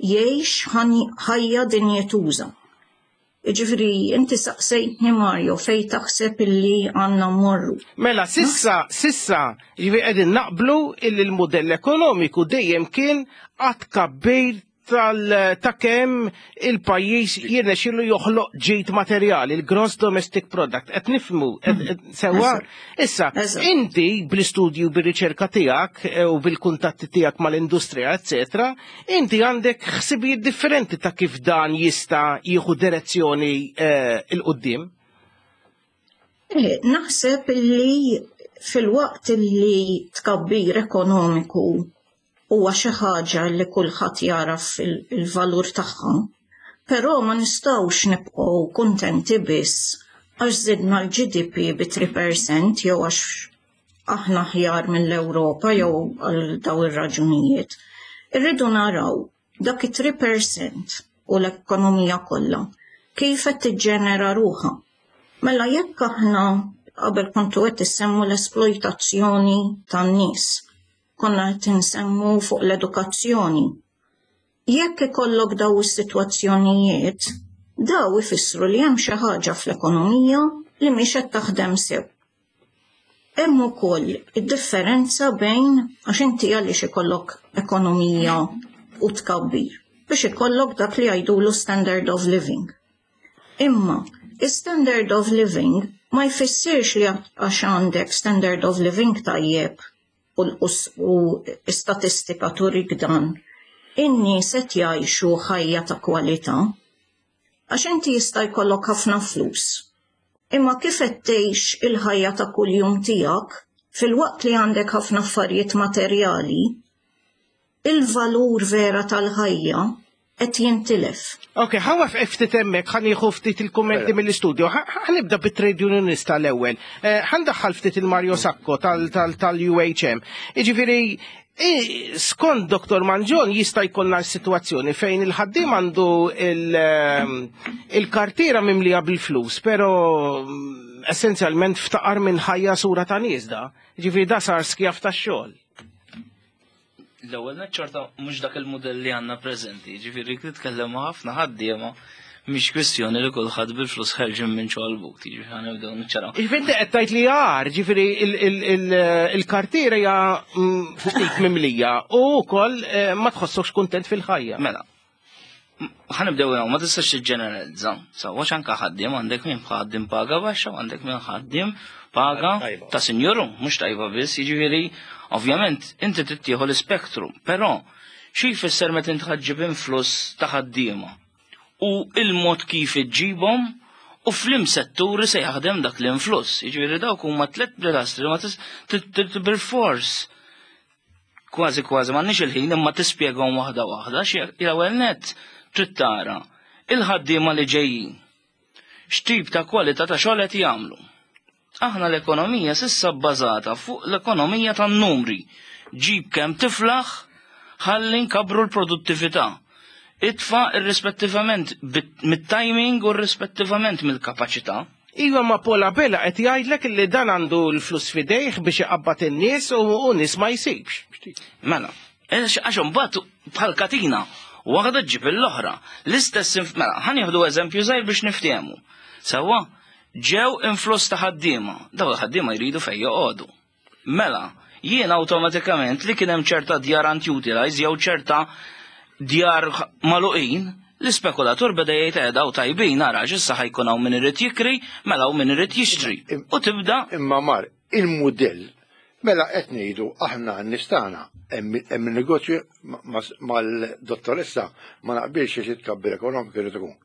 jgħix ħajja dinjetuża. Jiġifieri, inti saqsejtni Mario fejn taħseb illi għandna mmorru. Mela, sissa, sissa, jiġifieri qegħdin naqblu illi l-mudell ekonomiku dejjem kien għad kabbir ta' kemm il-pajjiż jirnexxielu joħloq ġid materjali, il-gross domestic product. Qed nifhmu sewwa. Issa, inti bl-istudju bir-riċerka tiegħek u bil-kuntatti tiegħek mal-industrija, eccetera, inti għandek ħsibijiet differenti ta' kif dan jista' jieħu direzzjoni 'l quddiem. Naħseb illi fil-waqt illi tkabbir ekonomiku huwa xi ħaġa li kulħadd jaraf il-valur tagħha, però ma nistgħux nibqgħu kuntenti biss għax żidna l-G D P bi tlieta fil-mija jew għax aħna aħjar mill-Ewropa jew għal daw ir-raġunijiet. Irridu naraw dak it-tlieta fil-mija u l-ekonomija kollha kif qed tiġġenera ruħha. Mela jekk aħna qabel kontu qed issemmu l-esploitazzjoni tan-nies, konna qed insemmu fuq l-edukazzjoni. Jekk ikollok daw is-sitwazzjonijiet, daw ifissru li hemm xi ħaġa fl-ekonomija li mhix qed taħdem sew. Hemm ukoll id-differenza bejn għax inti għaliex ikollok ekonomija u tkabbir biex ikollok dak li jgħidulu standard of living. Imma standard of living ma jfissirx li għax għandek standard of living tajjeb u statistika turik dan, in-nies qed jgħixu ħajja ta' kwalità. Għax inti jista' jkollok ħafna flus. Imma kif qed tgħix il-ħajja ta' kuljum tiegħek fil-waqt li għandek ħafna affarijiet materjali, il-valur vera tal-ħajja qed jintilef. Ok, ħa nieqaf ftit hemmhekk, ħa nieħu ftit il-kummenti mill-istudio. Ħa nibda bit-trade unionista l-ewwel. Ħa ndaħħal ftit il-Mario Sacco tal-U H M. Jiġifieri, skont Doktor Mangion jista' jkollna situazzjoni fejn il-ħaddiem għandu il-kartiera mimlija bil-flus, pero essenzjalment ftaqar minn ħajja sura ta' nies da. Jiġifieri da sar skjav tax-xogħol. L-ewwel ċerta mhux dak il-mudell li għandna preżenti, ġifieri titkellem ma' ħafna ħaddiema, mhix kwistjoni li kulħadd bil-flus ħerġin minn ġol-but, ġifieri ħa nibdew niċċaraw. Ġifieri qed tgħid li għar, ġifieri il-kartiera hija ftit mimlija u wkoll ma tħossokx kuntent fil-ħajja. Mela, ħa nibdew ma tistax tiġġeneralizza. Sewwa anke ħaddiem għandek min ħaddiem paga baxxa u għandek min ħaddiem paga ta' sinjuru, mhux tajba biss, jiġifieri ovvjament inti tittieħu l-ispektru, però xi jfisser meta inti ħaġġib influss ta' ħaddiema u il-mod kif iġġibhom u f'liema setturi se jaħdem dak l-influss. Jiġifieri dawk huma tliet pilastri ma bil-fors kważi kważi m'għandniex il-ħin imma tispjegahom waħda waħda. Xi l-ewwel nett trid tara il-ħaddiema li ġejjin x'tip ta' kwalità ta' xogħol qed jagħmlu. Aħna l-ekonomija s'issa bbażata fuq l-ekonomija tan-numri. Ġib kemm tiflaħ, ħalli nkabru l-produttività. Itfa irrispettivament mit-timing u irrispettivament mill-kapaċità. Iva, ma Paul Abela qed jgħidlek li dan għandu l-flus fidejh biex iqabbad in-nies u nies ma jsibx. Mela, għax imbagħad bħal katina, waħda ġib l-oħra. L-istess, mela, ħa nieħdu eżempju żgħir biex niftehmu. Sewwa, ġew influss ta' ħaddiema, daw il-ħaddiema jridu fejn joqogħdu. Mela, Jien awtomatikament li kien hemm ċerta djar unutilized jew ċerta djar magħluqin, l-ispekulatur beda jgħid eh daw tajbin ara issa ħa jkun hawn min irid jikri, mela hawn min irid jixtri. U tibda Imma mar, il-mudell, mela qed ngħidu aħna nistana hemm il-negozju mal-dottoressa ma naqbilx xi tkabbir ekonomiku irid ikun.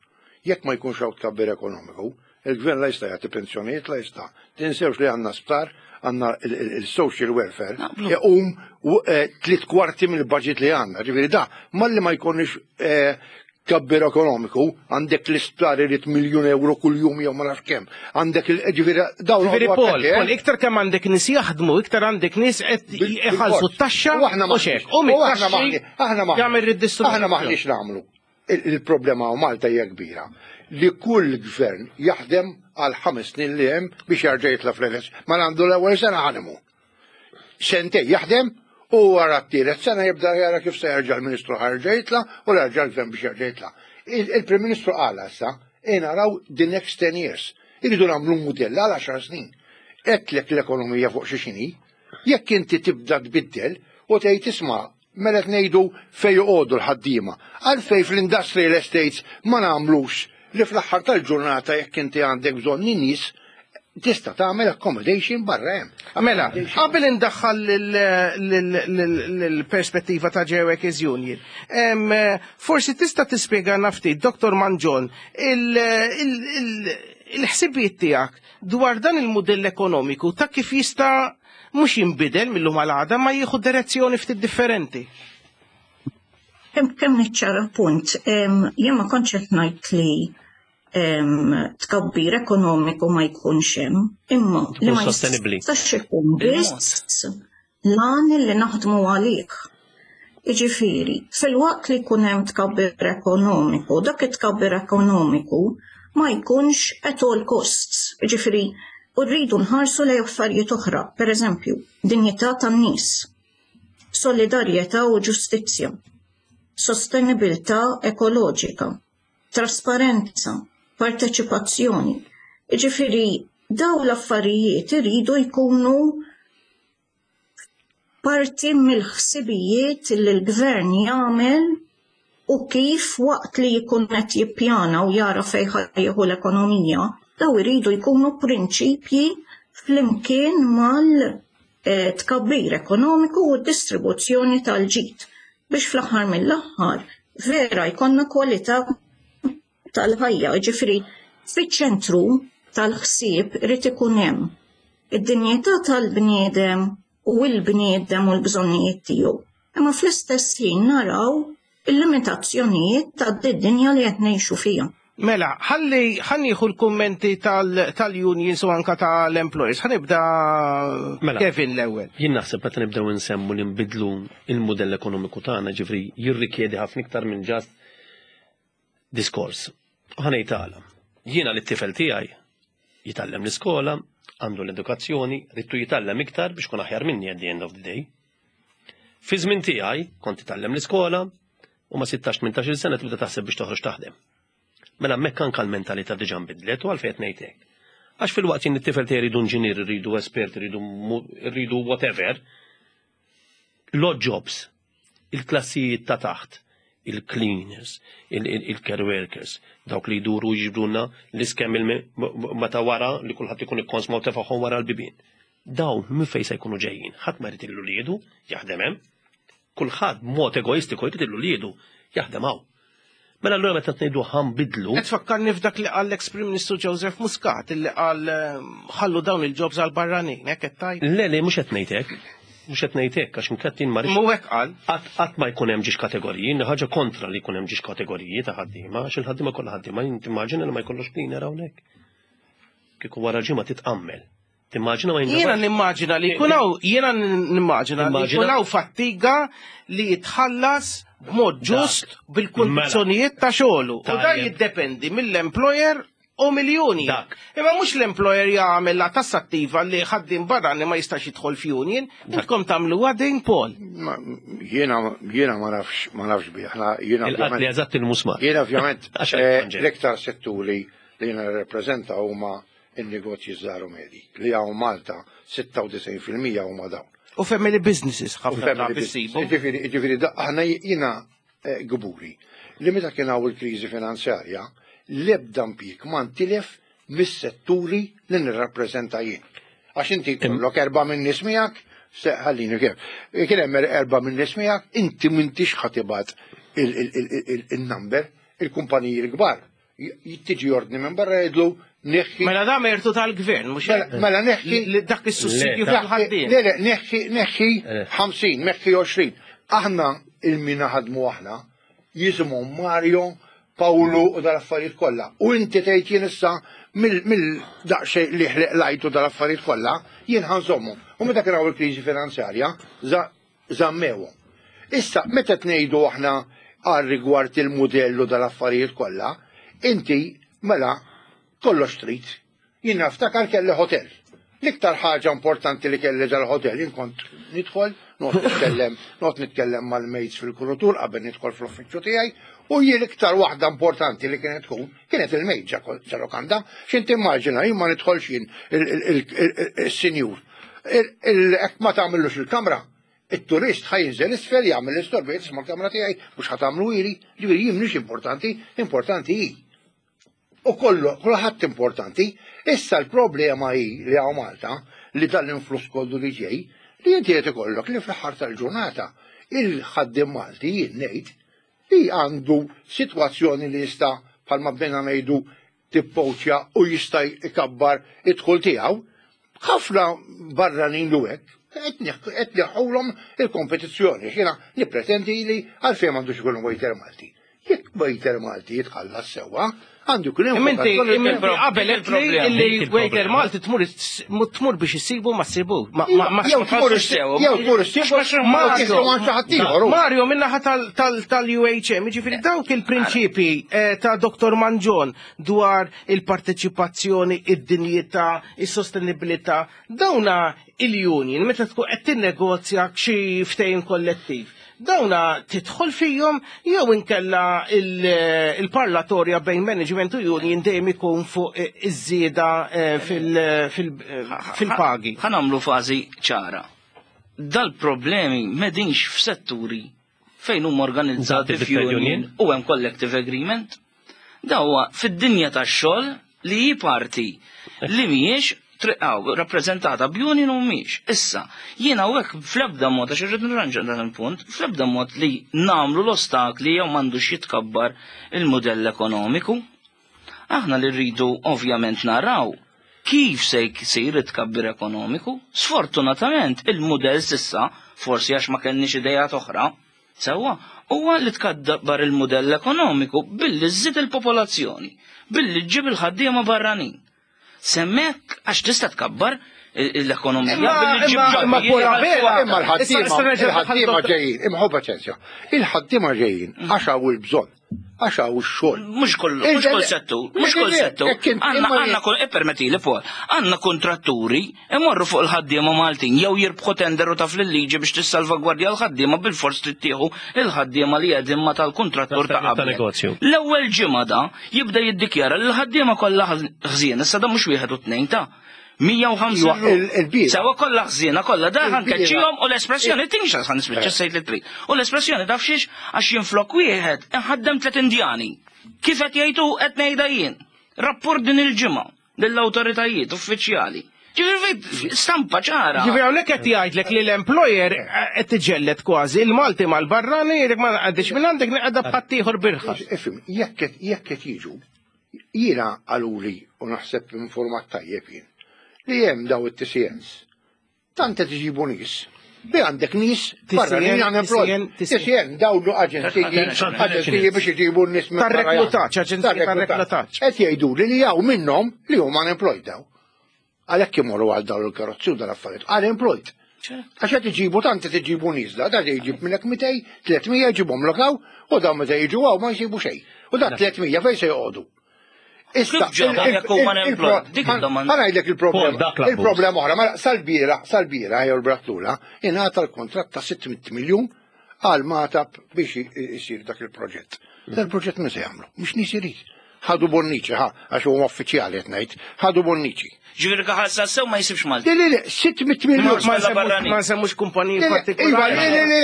Jekk ma jkunx hawn tkabbir ekonomiku, il-gvern la jista' jagħti pensjonijiet la jista'. Tinsewx li għandna sptar, għandna il-social welfare, iqum tliet kwarti mill-budget li għandna. Ġifieri da, malli ma jkunx tkabbir ekonomiku, għandek l-isptar irid miljun euro kull-jum jew ma nafx kemm. Għandek il-ġifieri dawn Ġifieri Paul, Paul, iktar kemm għandek nies jaħdmu, iktar għandek nies qed iħallsu t-taxxa U aħna u xek. U mit-taxxi aħna jagħmel ridistribuzzjoni. Aħna maħniex nagħmlu. Il-problema u Malta hija kbira li kull gvern jaħdem għal ħames snin li hemm biex jarġa' jitla' fl-elezzjoni. Ma għandu l-ewwel sena ħanimu. Sentej jaħdem u wara t-tielet sena jibda jara kif se jerġa' l-Ministru ħarġa jitla' u jerġa' l-gvern biex jerġa' jitla'. Il-Prim Ministru qal issa naraw the next ten years. Iridu nagħmlu mudell għal għaxar snin. Għedtlek l-ekonomija fuq xi xini, jekk inti tibda tbiddel u tgħid isma' mela qed ngħidu fejn joqogħdu l-ħaddiema. Għalfejn fl-industrial estates ma nagħmlux li fl-aħħar tal-ġurnata jekk inti għandek bżonn in-nies tista' tagħmel accommodation barra hemm. Mela, qabel indaħħal l-perspettiva ta' Workers Union, em, forsi tista' tispjega ftit, Dottor Mangion, il-ħsibijiet tiegħek dwar dan il-mudell ekonomiku ta' kif jista' mhux jinbidel mill-lum għal għada ma jieħu direzzjoni ftit differenti. Kemm kemm niċċara punt, jien ma kontx qed ngħid li tkabbir ekonomiku ma jkunx hemm, imma li ma sostenibbli. jistax ikun biss lan li naħdmu għalih. Jiġifieri, fil-waqt li jkun hemm tkabbir ekonomiku, dak it-tkabbir ekonomiku ma jkunx at all costs. Jiġifieri, u rridu nħarsu lejn affarijiet oħra, per eżempju, dinjità tan-nies, solidarjetà u ġustizzja, sostenibilità ekoloġika, trasparenza, parteċipazzjoni. Jiġifieri, daw l-affarijiet iridu jkunu parti mill-ħsibijiet li l-gvern jagħmel u kif waqt li jkun qed jippjana u jara fejn jieħu l-ekonomija, daw iridu jkunu prinċipji flimkien mal-tkabbir ekonomiku u d-distribuzzjoni tal-ġid biex fl-aħħar mill-aħħar vera jkollna kwalità tal-ħajja, ġifieri fiċ-ċentru tal-ħsieb irid ikun hemm id-dinjità tal-bniedem u l-bniedem u l-bżonnijiet tiegħu. Imma fl-istess ħin naraw il-limitazzjonijiet tad-dinja li qed ngħixu fiha. Mela, ħalli ħa nieħu l-kummenti tal-unions u anka tal-employers. Ħa nibda Mela. Kevin l-ewwel. Jien naħseb meta nibdew insemmu li nbidlu il-mudell ekonomiku tagħna, ġifri jirrikjedi ħafna iktar minn just diskors. U ħa ngħid għala. Jiena li t-tifel tiegħi jitgħallem l-iskola, għandu l-edukazzjoni, ridtu jitgħallem iktar biex kun aħjar minni at the end of the day. Fi żmien tiegħi kont titgħallem l-iskola u ma' sittax tmintax-il sena tibda taħseb biex toħroġ taħdem. Mela hemmhekk anke l-mentalità diġà nbidlet u għalfejn qed ngħid hekk. Għax fil-waqt jien it-tifel tiegħi jridu inġinier, rridu espert, rridu rridu whatever, l-odd jobs, il-klassijiet ta' taħt, il-cleaners, il-care workers, dawk li jduru jiġbruna l-iskem meta wara li kulħadd ikun ikkonsma u tefagħhom wara l-bibien. Dawn minn fejn se jkunu ġejjin? Ħadd ma jrid lil uliedu jaħdem hemm. Kulħadd b'mod egoistiku jrid lil uliedu jaħdem hawn. Mela allura meta tgħidu ħa nbiddlu. Qed tfakkarni f'dak li qal l-ex Prim Ministru Joseph Muscat illi qal ħallu dawn il-jobs għal barranin, hekk qed tgħid? Le, le, mhux qed ngħid hekk. Mhux qed ngħid hekk għax inkattin ma Mhu hekk qal. Qatt ma jkun hemm ġiex kategoriji, ħaġa kontra li jkun hemm ġiex kategoriji ta' ħaddiema, għax il-ħaddiema kollha ħaddiema, timmaġina li ma jkollux cleaner hawnhekk. Kieku wara ġimgħa titqammel. Timmaġina ma Jiena nimmaġina li jkun hawn, jiena nimmaġina li jkun hawn fattiga li jitħallas b'mod ġust bil-kundizzjonijiet ta' xogħlu. U dan jiddependi mill-employer u mill-union. Imma mhux l-employer jagħmel la tassattiva li ħaddiem barrani ma jistax jidħol f'union, intkom tagħmlu din Paul. Jiena jiena ma nafx ma nafx bih. Jiena Il-qatli eżatt il-musmar. Jiena ovvjament l-iktar setturi li jiena rappreżenta huma il-negozji żgħar u medji li hawn Malta sitta u disgħin fil-mija huma dawn. U family businesses U ħafna family drabi business. ssibu. Ġifieri, ġifieri, da- aħna jiena eh, gburi li meta kien hawn il-kriżi finanzjarja, l-ebda impjieg ma ntilef mis-setturi li nirrappreżenta jien. Għax inti jkollok erba' minn nies miegħek, se ħallini kif. Kien hemm erba' minn nies miegħek, inti m'intix ħa tibgħat il-number, il-kumpaniji l-kbar. Tiġi ordni minn barra jgħidlu neħħi. Mela da mertu tal-gvern, mhux Mela- hekk? Mela neħħi. Li dak is-sussidju fil-ħaddiem. Le, le, neħħi, neħħi ħamsin, neħħi għoxrin. Aħna il-mina ħadmu aħna, jisimhom Mario, Paolo u dal-affarijiet kollha. U inti tgħid jien issa mill-daqsxejn li ħleq lajtu dal-affarijiet kollha, jien ħa nżommhom. U meta kien hawn il-kriżi finanzjarja, za- żammewhom. Issa, meta tnejdu aħna għal rigward il-modellu dal-affarijiet kollha, inti mela kollox trid. Jien naftakar kelli hotel. L-iktar ħaġa importanti li kelli dal-hotel, jien kont nidħol, noqgħod nitkellem, noqgħod nitkellem mal-maids fil-kurutur qabel nidħol fl-uffiċċju tiegħi, u jien l-iktar waħda importanti li kienet tkun, kienet il-maid ġa lokanda, x'int immaġina jien ma nidħolx jien il-sinjur. Hekk ma tagħmillux il-kamra, il-turist ħa jinżel isfel jagħmel l-istorbi, tisma' l-kamra tiegħi mhux ħa tagħmlu ili, ġifieri jien mhix importanti, importanti hi. U kollu, kulħadd importanti. Issa l-problema hi li hawn Malta li dal-influss kollu li ġej, li inti qed ikollok li fl-aħħar tal-ġurnata il-ħaddiem Malti jien ngħid li għandu sitwazzjoni li jista' bħalma bdejna ngħidu tippoċja u jista' jkabbar id-dħul tiegħu, ħafna barranin lu hekk qed neħħulhom il-kompetizzjoni. Jiena nippretendi li għalfejn m'għandux ikun waiter Malti. Jekk waiter Malti jitħallas sewwa, għandu jkun hemm Imma inti vokazzjoni- imma inti qabel qed li li waiter Malti tmur tmur biex issibu ma ssibu. Ma ma ma Jew tmur jew tmur issibu Mario, Mario minnaħa tal-U H M, ġifieri dawk il-prinċipi eh, ta' Dottor Mangion dwar il-parteċipazzjoni, id-dinjità, is-sostenibilità, dawna il-union meta tkun qed tinnegozja xi ftehim kollettiv. Dawna tidħol fihom jew inkella il- il-parlatorja bejn management u union dejjem ikun fuq iż-żieda eh, fil- fil- fil-pagi. Ħa nagħmlu fażi ċara. Dal-problemi m'hedinx f'setturi fejn huma organizzati Zati fit-trade f'union union. u hemm collective agreement. Dawa fid-dinja tax-xogħol li hi parti li mhijiex triqaw rappreżentata b'union u mhijiex. Issa, jiena hawnhekk fl-ebda mod għax irrid nirranġa dan il-punt, fl-ebda mod li nagħmlu l-ostakli jew m'għandux jitkabbar il-modell ekonomiku. Aħna li rridu ovvjament naraw kif se jsir it-tkabbir ekonomiku. Sfortunatament il-modell s'issa, forsi għax ma kellniex idejat oħra, sewwa, huwa li tkabbar il-modell ekonomiku billi żżid il-popolazzjoni, billi ġġib il-ħaddiema barranin. Semmek għax tista' tkabbar l-ekonomija billi ġġib imma- imma ġoddi. Paul Abela- Imma Issa- issa l-ħaddiema nerġa' il-ħaddiema dottor- ġejjin, imma ħu paċenzja. Il-ħaddiema ġejjin għax hawn il-bżonn, għax hawn ix-xogħol. Mhux kull, mhux kull settur, mhux kull settur. Għandna għandna kull, ippermettili Paul, għandna kontratturi imorru fuq il-ħaddiema Maltin jew jirbħu tender u taf liġi biex tissalvagwardja l-ħaddiema bil-fors tittieħu il-ħaddiema li qegħdin ma tal-kontrattur ta' Ta' qabel. negozju. L-ewwel ġimgħa da jibda jiddikjara li l-ħaddiema kollha ħżien, issa da mhux wieħed u tnejn ta' mija u ħamsin Iwa, ruħ. il- il-bira. Sewa kollha ħżiena kollha da Il-bira. ħankeċċihom u l-espressjoni tinxa ħan nispiċċa sejt li trid. U l-espressjoni taf xiex għax jinflok wieħed inħaddem tliet Indjani. Kif qed jgħidu qed ngħidha jien. Rapport din il-ġimgħa lill-awtoritajiet uffiċjali. Ġifieri stampa ċara. Ġifieri hawnhekk qed jgħidlek li l-employer qed tiġġelled kważi il-Malti mal-barrani jgħidlek ma għandix minn għandek naqgħda b'ħaddieħor birħas. Ifhem, jekk qed- jekk qed jiġu, jiena qaluli u naħseb informat tajjeb jien, li hemm daw it-T C Ns. Tant qed iġibu nies. Li għandek nies barranin unemployed. T C N daw lu aġenziji, aġenziji biex iġibu n-nies minn barra. Tar-reklutaġġ, aġenziji tar-reklutaġġ. Qed jgħidu li li hawn minnhom li huma unemployed daw. Għalhekk imorru għal dawn il-karozzi u dal-affarijiet. Unemployed. Għax qed iġibu tant qed iġibu nies da, da jġib minnek mitejn, tliet mija jġibhom lokaw u dawn meta jiġu hawn ma jsibu xejn. U da tliet mija fejn se joqogħdu? Issa, Kif ġew jekk huma unemployed? Dik id-domanda. Ħa ngħidlek il-problema. Paul, dak l-abbuż. Il-problema oħra, mela sal-bieraħ, sal-bieraħ jew l-brattula, ingħata l-kontratt ta' sitt mitt miljun għal Magħtab biex isir dak il-proġett. Dal-proġett min se jagħmlu? Mhux nies irid. Ħadu Bonnici, ħa, għax huma uffiċjali qed ngħid, ħadu Bonnici. Ġifieri kaħal sew ma jsibx Malti. Le, le, le, sitt mitt miljun. Ma nsemmux kumpaniji partikolari. Iva, le, le, le,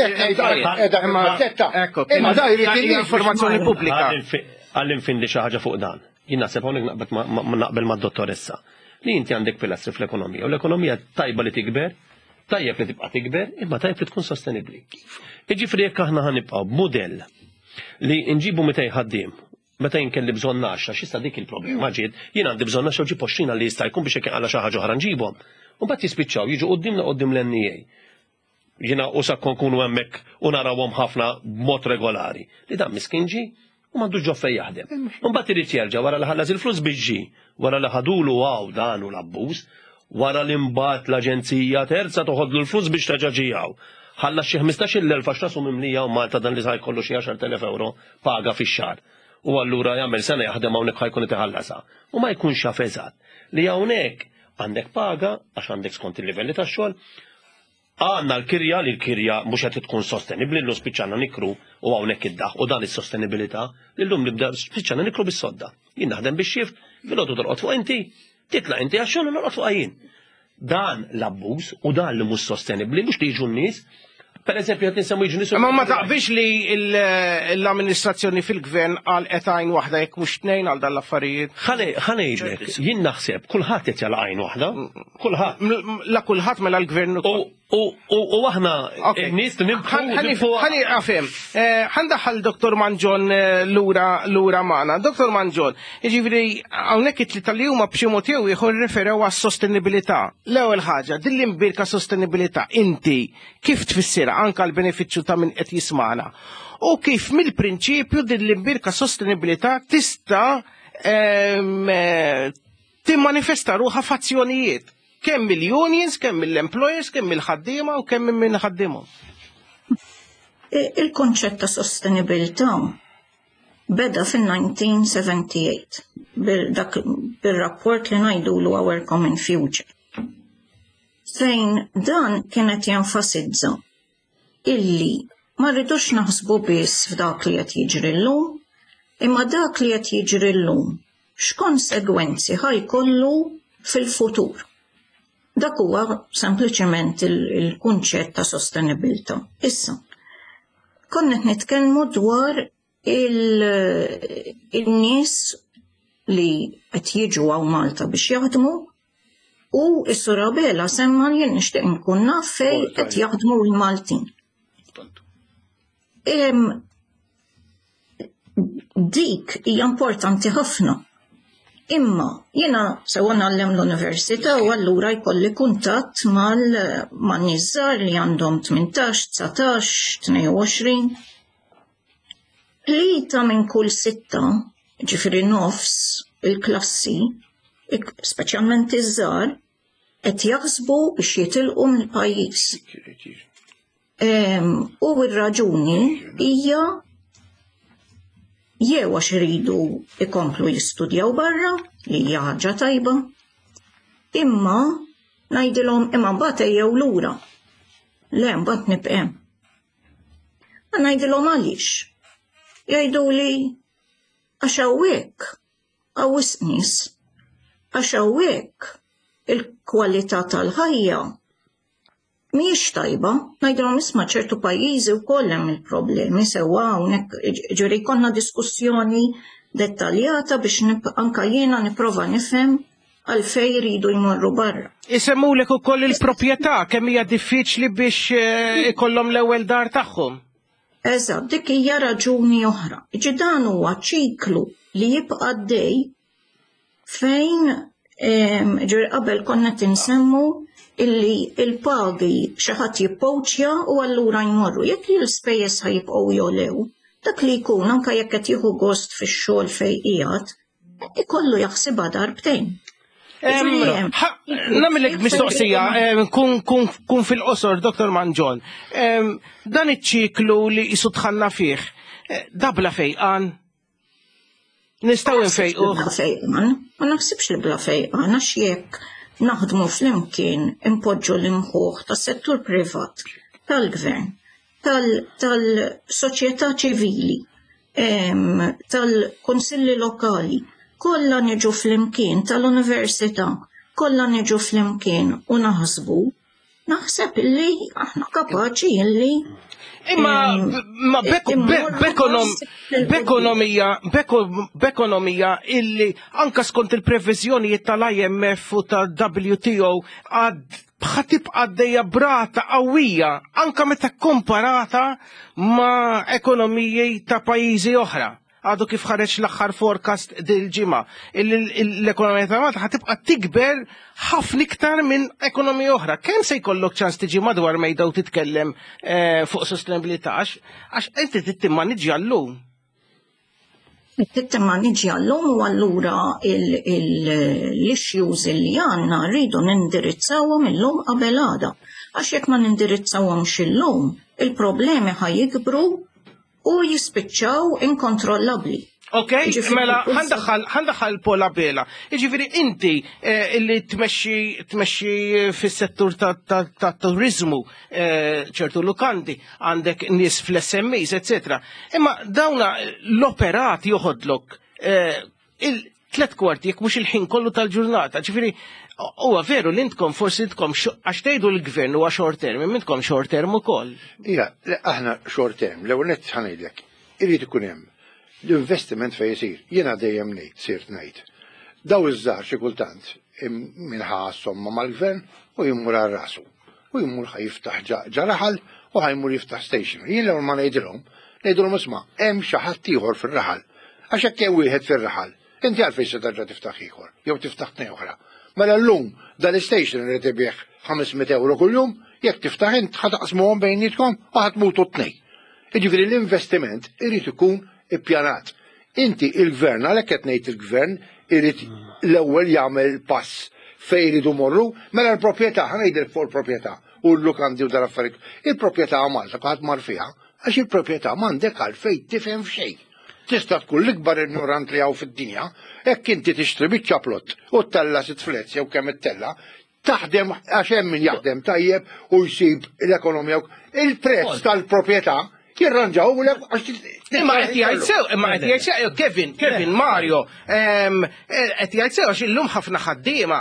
Imma da jrid informazzjoni pubblika. Għall-infindi xi ħaġa fuq dan. Jien naħseb hawnhekk naqbel mad-dottoressa. Li inti għandek pilastri fl-ekonomija u l-ekonomija tajba li tikber, tajjeb li tibqa' tikber, imma tajjeb li tkun sostenibbli. Jiġifieri jekk aħna ħanibqgħu b'mudell li nġibu mitej ħaddiem, meta jien kelli bżonn għaxra, x'issa dik il-problema ġiet, jien għandi bżonn għaxra u ġib għoxrin li jista' jkun biex jekk inqala' xi ħaġa oħra nġibhom. U mbagħad jispiċċaw jiġu quddiemna quddiem l-N E A. Jiena u sa nkunu hemmhekk u narawhom ħafna b'mod regolari. Li dan miskin ġie u m'għandux ġo fejn jaħdem. U mbagħad irid jerġa' wara li ħallas il-flus biex ġie, wara li ħadulu hawn dan u l-abbuż, wara li mbagħad l-aġenzija terza toħodlu l-flus biex terġa' ġie hawn. Ħallas xi ħmistax-il elf għax rasu mimlija u Malta dan li sa jkollu xi għaxar telef euro paga fix-xahar. U allura jagħmel sena jaħdem hawnhekk ħajkun qed iħallasha. U ma jkunx jaf eżatt li hawnhekk għandek paga għax għandek skont il-livelli tax-xogħol, għandna l-kirja li l-kirja mhux qed tkun sostenibbli, llum spiċċana nikru u hawnhekk iddaħ u dan is-sostenibilità li llum nibda spiċċana nikru bis-sodda. Jien naħdem bix-xift, filgħodu torqod fuq inti, titla' inti għax-xogħol u norqod fuq jien. Dan l-abbuż u dan li mhux sostenibbli mhux li jiġu n-nies. Per eżempju, qed insemmu jiġu nies. Ma ma taqbilx li l-amministrazzjoni fil-gvern għal għajn waħda jekk mhux tnejn għal dan l-affarijiet. Ħa ngħidlek, jien naħseb kulħadd qed jagħlaq għajn waħda, kulħadd. La kulħadd mela l-gvern ukoll. U aħna n-nies nibħu. Ħani għafem, ħandaħħal Doktor Mangion lura lura magħna. Doktor Mangion, jiġifieri hawnhekk it-tlieta li huma b'xi mod jew ieħor referew għas-sostenibilità. L-ewwel ħaġa, din l-imbirka sostenibilità inti kif tfissirha anke l-benefiċċju ta' min qed jismana? U kif mill-prinċipju din l-imbirka sostenibilità tista' timmanifesta ruħha f'azzjonijiet? Kemm mill-unions, kemm mill-employers, kemm mill-ħaddiema u kemm minn ħaddiemhom. Il-konċett ta' sostenibilità beda fin-nineteen seventy-eight bil-rapport li ngħidulu Our Common Future. Fejn dan kienet jenfasizza illi ma rridux naħsbu biss f'dak li qed jiġri llum, imma dak li qed jiġri llum x'konsegwenzi ħajkollu fil-futur. Dak huwa sempliċement il-kunċett ta' sostenibilità. Issa, konna qed nitkellmu dwar il-nies li qed jiġu hawn Malta biex jaħdmu u s-Sur Abela semma li jien nixtieq nkun naf fejn qed jaħdmu l-Maltin. Dik hija importanti ħafna. Imma jiena sewa ngħallem l-università u allura jkolli kuntatt mal-nies żgħar li għandhom tmintax, dsatax, tnejn u għoxrin. Tlieta minn kull sitta, ġifieri nofs il-klassi, speċjalment iż-żgħar, qed jaħsbu biex jitilqu mill-pajjiż. U r-raġuni hija jew għax iridu ikomplu jistudjaw barra, li hija ħaġa tajba, imma ngħidilhom imma mbagħad ejjew lura. Le mbagħad nibqa' hemm. Ma ngħidilhom għaliex. Jgħiduli għax hawnhekk hawn wisq nies, għax hawnhekk il-kwalità tal-ħajja mhijiex tajba. Ngħidilhom isma' ċertu pajjiżi wkoll hemm il-problemi sewwa hawnhekk, ġifieri jkollna diskussjoni dettaljata biex anka jiena nipprova nifhem għalfejn jridu jmorru barra. Isemmulek ukoll il-proprjetà kemm hija diffiċli biex ikollhom l-ewwel dar tagħhom. Eżatt, dik hija raġuni oħra. Ġi dan huwa ċiklu li jibqa' għaddej fejn ġifieri qabel konna tinsemmu illi il-pagi xi ħadd jippoċja u allura jmorru. Jekk l-ispejjeż ħajibqgħu jolew, dak li jkun anke jekk qed jieħu gost fix-xogħol fejn qiegħed, ikollu jaħsibha darbtejn. Nagħmilek mistoqsija, kun fil-qosor, Doktor Mangion. Dan iċ-ċiklu li jisu dħalna fih, dabla fejqan? Nistgħu nfejquh? Bla fejqan, ma naħsibx li bla fejqan, għax jekk naħdmu flimkien impoġġu l-imħuħ tas-settur privat, tal-gvern, tal-soċjetà ċivili, tal-kunsilli lokali, kollha niġu flimkien, tal-università, kollha niġu flimkien u naħsbu, naħseb illi aħna kapaċi illi Imma ma b'ekonomija b'ekonomija illi anka skont il-previżjonijiet tal-I M F u tal-W T O għad tibqa' għaddejja b'rata qawwija anka meta komparata ma' ekonomiji ta' pajjiżi oħra. Għadu kif ħareġ l-aħħar forecast dil-ġimgħa. L-ekonomija ta' Malta ħa tibqa' tikber ħafna iktar minn ekonomija oħra. Kemm se jkollok ċans tiġi madwar mejda u titkellem eh, fuq sostenibilità għax inti trid timmaniġġja llum? Trid timmaniġġja llum u allura l-issues li għandna rridu nindirizzawhom illum qabel għada. Għax jekk ma nindirizzawhomx illum, il-problemi ħa jikbru u jispiċċaw inkontrollabbli. Ok, mela ħa ndaħħal Paul Abela. Jiġifieri inti eh, illi tmexxi tmexxi fis-settur ta' turizmu, eh, ċertu lukandi, għandek nies fl-S M Es, eccetera. Imma dawna l-operat joħodlok eh, il-tlet kwarti, jekk mhux il-ħin kollu tal-ġurnata. Ġifieri, huwa veru li intkom forsi intkom għax tgħidu l-gvern huwa short term, imma intkom short term ukoll. Ija, aħna short term, l-ewwel nett ħa ngħidlek, irid ikun hemm l-investiment fej jisir. Jiena dejjem ngħid, sirt ngħid. Daw iż-żgħar xi kultant minħa somma mal-gvern u jmur għal rasu. U jmur ħa jiftaħ ġo raħal u ħa jmur jiftaħ station. Jien l-ewwel ma ngħidilhom, ngħidilhom isma', hemm xi ħadd ieħor fir-raħal. Għax hekk hemm wieħed fir-raħal, inti għalfejn se terġa' tiftaħ ieħor, jew tiftaħ tnejn oħra? Mela llum dal-station irid ibigħ ħames mitt euro kuljum, jekk tiftaħ int ħa taqsmuhom bejnietkom u ħa tmutu t-tnejn. Jiġifieri l-investiment irid ikun ippjanat. Inti il-gvern, għalhekk qed ngħid il-gvern irid l-ewwel jagħmel pass fejn iridu morru, mela l-proprjetà, ħa ngħidlek fuq il-proprjetà u l-lukandi u dal-affarijiet. Il-proprjetà Malta kulħadd mar fiha, għax il-proprjetà m'għandek għalfejn tifhem f'xejn. Tista' tkun l-ikbar ignorant li hawn fid-dinja, hekk inti tixtri biċċa plot u ttella' sitt flats jew kemm ittella', taħdem għax hemm min jaħdem tajjeb u jsib l-ekonomija. Il-prezz tal-proprjetà jirranġaw u għax Imma qed jgħid sew, imma qed jgħid sew, Kevin, Kevin, Mario, ehm, qed jgħid sew għax illum ħafna ħaddiema,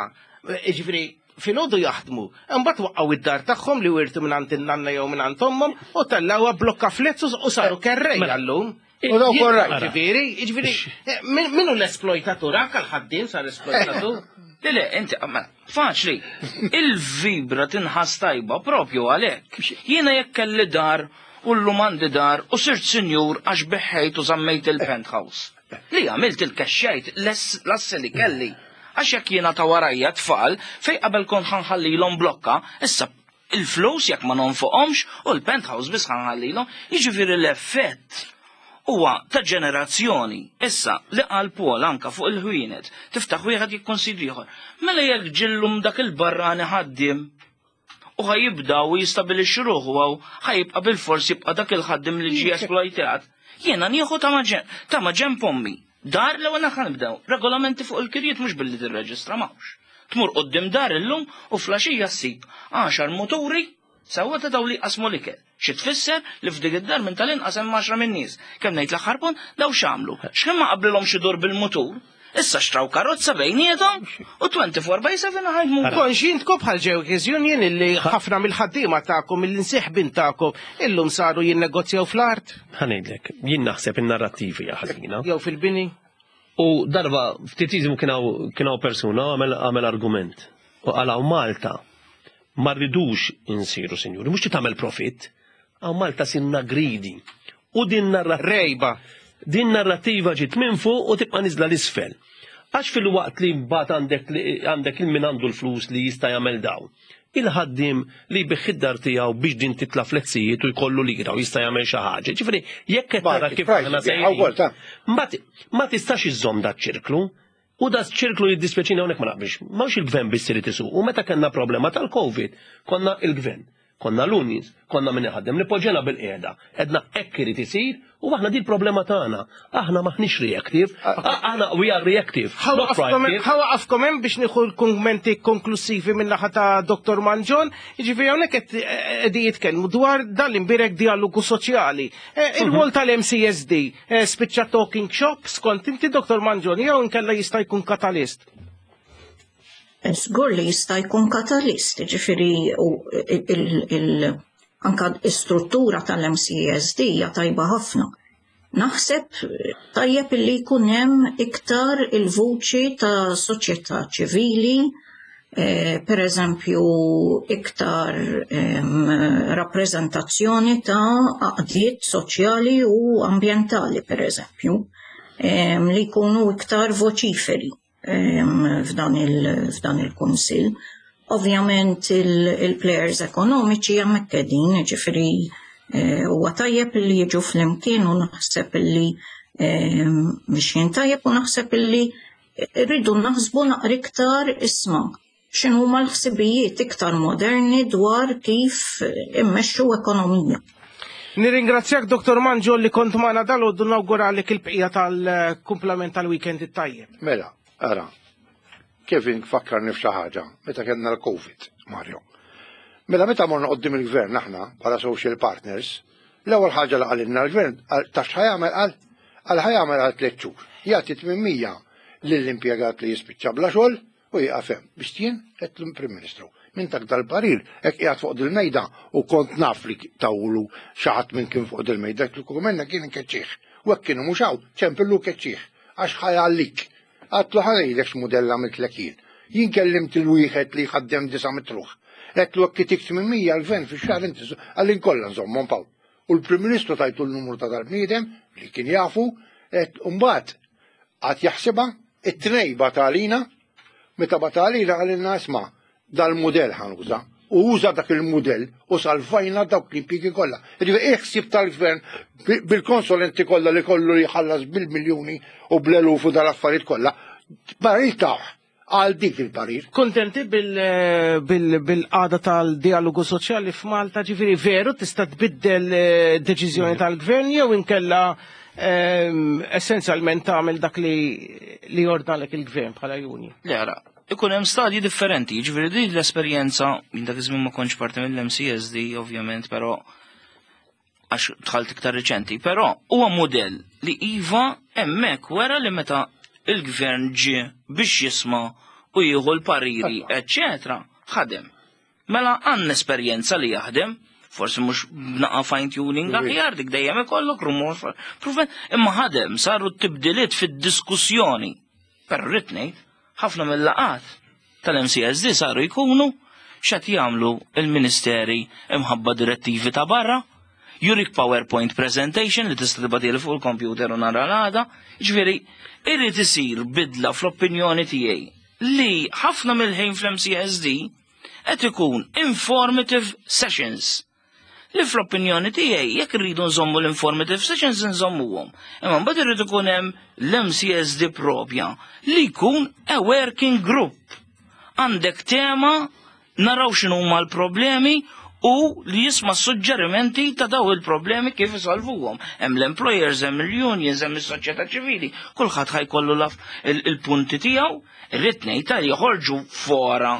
jiġifieri filgħodu jaħdmu. Imbagħad waqqgħu id-dar tagħhom li wirtu minn għand in-nanna jew minn għand ommhom u tellgħuha blokka flats u saru kerrej llum. U dawk orrajt. Ġifieri, jiġifieri, min hu l-esploitatur? Anke l-ħaddiem sar esploitatur. Le, le, inti, ma, faċli, il-vibra tinħas tajba propju għalek. Jiena jekk kelli dar u llum għandi dar u sirt sinjur għax biħejt u żammejt il-penthouse. Li għamilt il-kexxejt l-assi li kelli. Għax jekk jiena ta' warajja tfal, fej qabel kont ħa nħallilhom blokka, issa il-flus jekk ma nonfoqhomx u l-penthouse biss ħa nħallilhom, jiġifieri l-effett huwa ta' ġenerazzjoni. Issa li qal Paul anka fuq il-ħwienet, tiftaħ wieħed jikkonsidri ieħor. Mela jekk ġillum dak il-barrani ħaddiem u ħa jibda u jistabilixxi ruħu għaw ħa jibqa' bil-fors jibqa' dak il-ħaddim li ġie esploitat. Jiena nieħu ta' maġen ta' maġen pommi. Dar l-ewwel ħa nibdew. Regolamenti fuq il-kirjiet mhux billi tirreġistra m'hawnx. Tmur quddiem dar illum u flaxija ssib għaxar muturi sewwa ta' daw li qasmu l-ikel. Xi tfisser li f'dik id-dar minn tal-inqas hemm għaxra minn nies. Kemm ngħid l-aħħar punt daw x'għamlu? X'ħin ma qablilhom xi dur bil-mutur? Issa xtraw karozza bejniethom u twenty-four by seven ħajdmu. Konxi intkom bħal Workers Union illi ħafna mill-ħaddiema tagħkom, mill-imseħbin tagħkom illum saru jinnegozjaw fl-art Ħa ngħidlek, jien naħseb in-narrattivi ħażina. Jew fil-bini. U darba ftit iżmu kien hawn persuna għamel għamel argument. U qal hawn Malta ma rridux insiru sinjuri, mhux tagħmel profit, hawn Malta sirna greedy. U din narrativa. Rejba. Din narrativa ġiet minn fuq u tibqa' niżla l-isfel. Għax fil-waqt li mbagħad għandek għandek il-min għandu l-flus li jista' jagħmel dawn. Il-ħaddim li jbigħ id-dar tiegħu biex din titla' fletsijiet u jkollu lira u jista' jagħmel xi ħaġa. Ġifieri jekk qed tara kif aħna sejrin. Ma tistax iżżomm da ċirklu. U da ċirklu jiddispjaċini hawnhekk ma naqbilx. M'hawnx il-gvern biss irid isuq. U meta kellna problema tal-Covid, konna il-gvern, Konna l-unions, konna min iħaddem, li poġġejna bilqiegħda. Għedna hekk irid isir u aħna di l-problema tagħna. Aħna maħniex reactive, aħna we are reactive, not proactive. Ħa nwaqqafkom hemm biex nieħu l-kummenti konklusivi minn naħa ta' Dottor Mangion, jiġifieri hawnhekk qed qegħdin jitkellmu dwar dan l-imbierek dialogu soċjali. Eh, Ir-rwol tal-M C S D eh, spiċċa talking shop skont inti, Dottor Mangion, jew inkella jista' jkun katalist? Żgur li jista' jkun katalist, ġifieri u il- il- anka struttura tal-M C S D hija tajba ħafna. Naħseb tajjeb li jkun hemm iktar il-vuċi ta' soċjetà ċivili, eh, per eżempju iktar em, rappreżentazzjoni ta' għaqdiet soċjali u ambjentali, per eżempju, em, li jkunu iktar voċiferi em, f'dan il- f'dan il-kunsill. Ovvjament il-players ekonomiċi hemmhekk qegħdin, ġifieri eh, huwa tajjeb li jiġu flimkien u naħseb li mixjin tajjeb u naħseb li rridu naħsbu naqra iktar, isma', x'inhuma l-ħsibijiet iktar moderni dwar kif immexxu ekonomija. Nirringrazzjak, Dottor Mangion, li kont magħna dalgħodu, nawguralek il-bqija tal-kumplament tal-weekend it-tajjeb. Mela, ara, Kevin fakkarni f'xi ħaġa meta kellna l-Covid, Mario. Mela meta morna qoddim il-gvern aħna bħala social partners, l-ewwel ħaġa li qalilna l-gvern taf x'ħa jagħmel, qal qal ħa jagħmel għal tliet xhur. Jagħti tmien mija lill-impjegat li jispiċċa bla xogħol u jieqaf hemm. Biex jien qed l-Prim Ministru. Min tak dal-parir, hekk qiegħed fuq dil-mejda u kont naf li tawlu xi ħadd minn kien fuq dil-mejda, l-kumenna kien inkeċċih. U hekk kienu mhux hawn, ċempillu keċċih għax ħa jgħallik. Għedtlu ħa ngħidlek x'mudell għamiltlek jien. Jien kellimt il-wieħed li jħaddem disa' mitt ruħ. Għedtlu hekk itik tmien mija l-gvern fix-xahar inti għallin kollha nżommhom paw. U l-Prim Ministru tajtu l-numru ta' dal-bniedem li kien jafu, et mbagħad għad jaħsibha, it-tnejn batalina, meta batalina għalilna, isma', dal-mudell ħa nuża. U uża dak il-mudell u salvajna dawk l-impjiegi kollha. Jiġifieri iħsib tal-gvern bil-konsulenti kollha li kollu li jħallas bil-miljuni u bl-eluf u dal-affarijiet kollha. Parir taħ għal dik il-parir. Kontenti bil-qagħda tal-dialogu soċjali f'Malta, ġifieri veru tista' tbiddel eh, deċiżjoni tal-gvern jew inkella ehm, essenzjalment tagħmel dak li li jordnalek il-gvern bħala union? Le, ara, ikun hemm stadji differenti, jiġifieri din l-esperjenza, minn dak iż-żmien ma kontx parti mill-M C S D ovvjament, però għax dħalt iktar riċenti, però huwa mudell li iva hemmhekk wera li meta il-gvern ġie biex jisma' u jieħu l-pariri, eccetera, ħadem. Mela għandna esperjenza li jaħdem, forsi mhux b'naqa fine tuning aħjar, dik dejjem ikollok rumor, proven, imma ħadem, saru tibdiliet fid-diskussjoni. Però rrid ngħid, ħafna mill-laqat tal-M C S D saru jkunu x'qed jagħmlu il-ministeri imħabba direttivi ta' barra, jurik PowerPoint presentation li tista' tibgħatili fuq il-computer u nara l-għada, ġifieri irrid isir bidla fl-opinjoni tiegħi li ħafna mill-ħin fl-M C S D qed ikun informative sessions li fl-opinjoni tiegħi jekk irridu nżommu l-informative sessions nżommuhom. Imma mbagħad irrid ikun hemm l-M C S D propja li jkun a working group. Għandek tema, naraw x'inhuma l-problemi u li jisma' suġġerimenti ta' daw il-problemi kif isolvuhom. Hemm l-employers, hemm il-unions, hemm is-soċjetà ċivili, kulħadd ħa jkollu laf il-punti tiegħu, irrid ngħid li joħorġu fora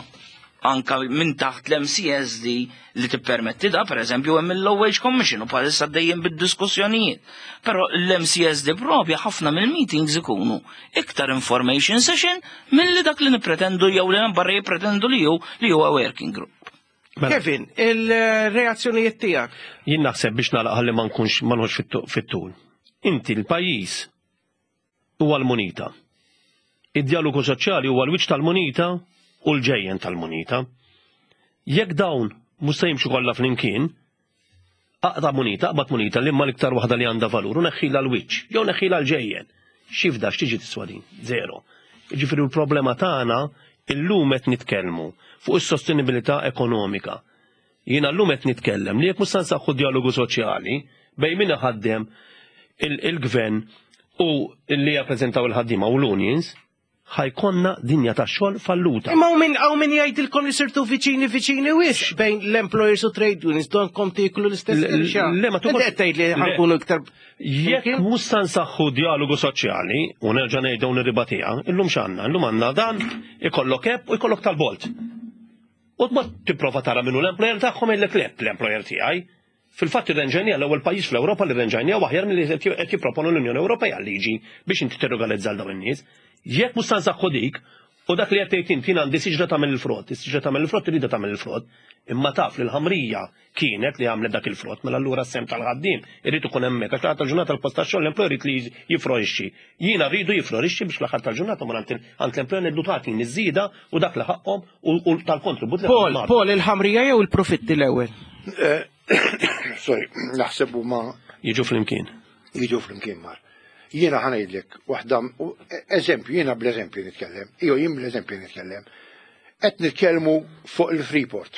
anka minn taħt l-M C S D li tippermetti da, per eżempju, hemm il-Low Wage Commission u bħalissa dejjem bid-diskussjonijiet. Però l-M C S D propja ħafna mill-meetings ikunu iktar information session milli dak li nipretendu jew li barra jippretendu li hu li huwa working group. Mela. Kevin, il-reazzjonijiet tiegħek? Jien naħseb biex nagħlaq ħalli ma nkunx ma nħoss fit-tul. Inti l-pajjiż huwa l-munita. Id-dialogu soċjali huwa l-wiċċ tal-munita u l-ġejjen tal-munita. Jekk dawn mhux se jimxu kollha flimkien, aqta' munita, aqbad munita li imma l-iktar waħda li għandha valur u neħħila l-wiċċ, jew neħħila l-ġejjen. Xifda x'tiġi tiswa din? Zero. Jiġifieri l-problema tagħna illum qed nitkellmu fuq is-sostenibilità ekonomika. Jiena llum qed nitkellem li jekk mhux se nsaħħu dialogu soċjali bejn min iħaddem, il-gvern u li jappreżentaw il-ħaddiema u l-unions, Ħa jkollna dinja tax-xogħol falluta. Imma hawn min hawn min jgħidilkom li sirtu viċini viċini wisq bejn l-employers u trade unions donkom tieklu l-istess Le, le, ma Inti qed tgħid li Le. ħa nkunu iktar Jekk mhux sa nsaħħu dialogu soċjali, u nerġa' ngħidu nirribatiha, illum x'għandna? Illum għandna dan, ikollok hekk u ikollok tal-Bolt. U ma tipprova tara minnu l-employer tagħhom jgħidlek le l-employer tiegħi. Fil-fatt irranġajnieha l-ewwel pajjiż fl-Ewropa li rranġajnieha aħjar milli qed jipproponu l-Unjoni Ewropea liġi biex inti tirregolarizza dawn in-nies. Jekk mhux sa nsaħħu dik, u dak li qed tgħid inti għandi siġra tagħmel il-frott, is-siġra tagħmel il-frott irida tagħmel il-frott, imma taf li l-ħamrija kienet li għamlet dak il-frott, mela allura s-sehem tal-ħaddiem irid ikun hemmhekk għax tal-ġurnata l-post tax-xogħol l-employer irid li jiflorixxi. Jiena rridu jiflorixxi biex fl-aħħar tal-ġurnata ma għand l-employer ngħidlu tagħtini iż-żieda u dak li ħaqhom u tal-kontribut li Paul, Paul, il-ħamrija jew il-profitti l-ewwel? Eh, Sorry, naħseb huma jiġu flimkien. Jiġu flimkien mar. Jiena ħa ngħidlek waħda eżempju, jiena bl-eżempju nitkellem, jew jien bl-eżempju nitkellem. Qed nitkellmu fuq il-Freeport.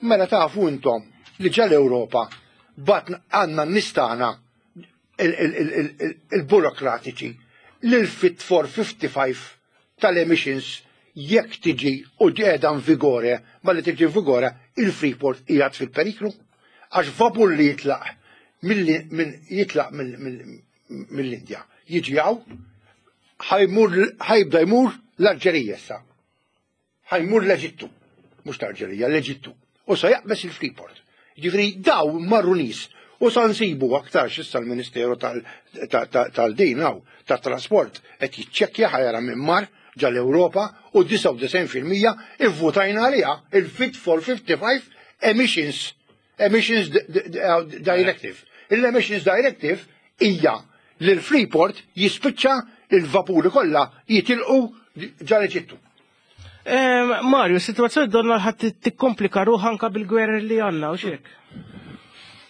Mela tafu intom li ġa l-Ewropa bat għandna nistana il-burokratiċi l-Fit for fifty-five tal-emissions jekk tiġi u qiegħda in vigore, ma li tiġi in vigore, il-Freeport qiegħed fil-periklu. Għax vapur li jitlaq jitlaq mill-Indja jiġi hawn, ħa jibda jmur l-Alġerija issa. Ħa jmur l-Eġittu, mhux l-Alġerija, l-Eġittu. U sa jaqbeż il-Freeport. Ġifieri daw marru nies u sa nsibu aktar issa l-Ministeru tal-din hawn tat-trasport qed jiċċekkja ħa jara minn mar ġal Ewropa u disgħa u disgħin fil-mija ivvutajna għaliha il-Fit for fifty-five Emissions Emissions Directive. Il-Emissions Directive hija li l-Freeport jispiċċa il-vapuri kollha jitilqu ġal Eġittu. Mario, situazzjoni donna ħadd tikkomplika ruħha anka bil-gwerra li għandna u xek.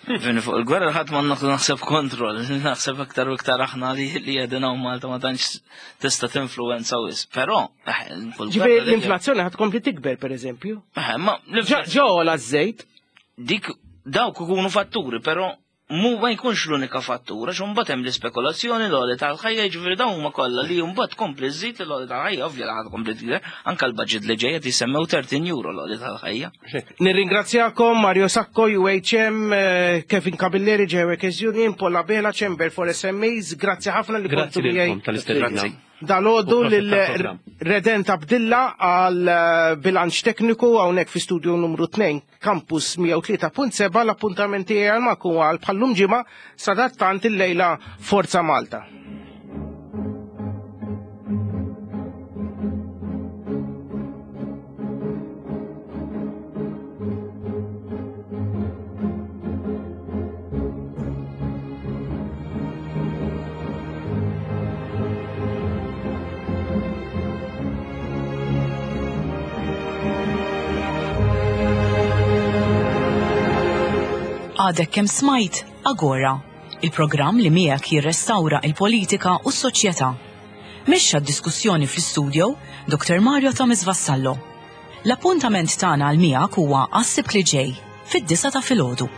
Fini fuq il-gwerra ħadd ma naħseb kontroll, naħseb aktar u iktar aħna li li qegħdin hawn Malta ma tantx tista' tinfluwenza wisq. Però eh, fuq Ġifieri il-gwerra l-inflazzjoni ħad tkompli tikber pereżempju. Eh, ma Ġo la żejt. Dik dawk ikunu fatturi, però mu ma jkunx l-unika fattura, xo mbagħad hemm l-ispekulazzjoni l-għoli tal-ħajja, jiġifieri dawn huma kollha li mbagħad tkompli żżid l-għoli tal-ħajja, ovvja li ħad tkompli tikber, anke l-budget li ġejja jisemmew tletin euro l-għoli tal-ħajja. Nirringrazzjakom Mario Sacco, U H M, eh, Kevin Camilleri, J Workers Union, Paul Abela, Chamber for S M Es, grazzi ħafna li Grazzi kontu lilkom miegħi. tal-istedina. Dalgħodu U prosit lil tal-programm. Redent Abdilla għal eh, bilanċ tekniku hawnhekk fi studio numru tnejn Campus mija u tlieta punt seba. L-appuntamenti għal maku għal bħallum ġimgħa sadattant il-lejla Forza Malta. Għadek kem smajt Agora, il-programm li miegħek jirrestawra il-politika u s-soċjetà. Mexxa d-diskussjoni fl-studio Doktor Mario Thomas Vassallo. L-appuntament tagħna għal miegħek huwa għas-Sibt li ġej fid-disgħa ta' filgħodu.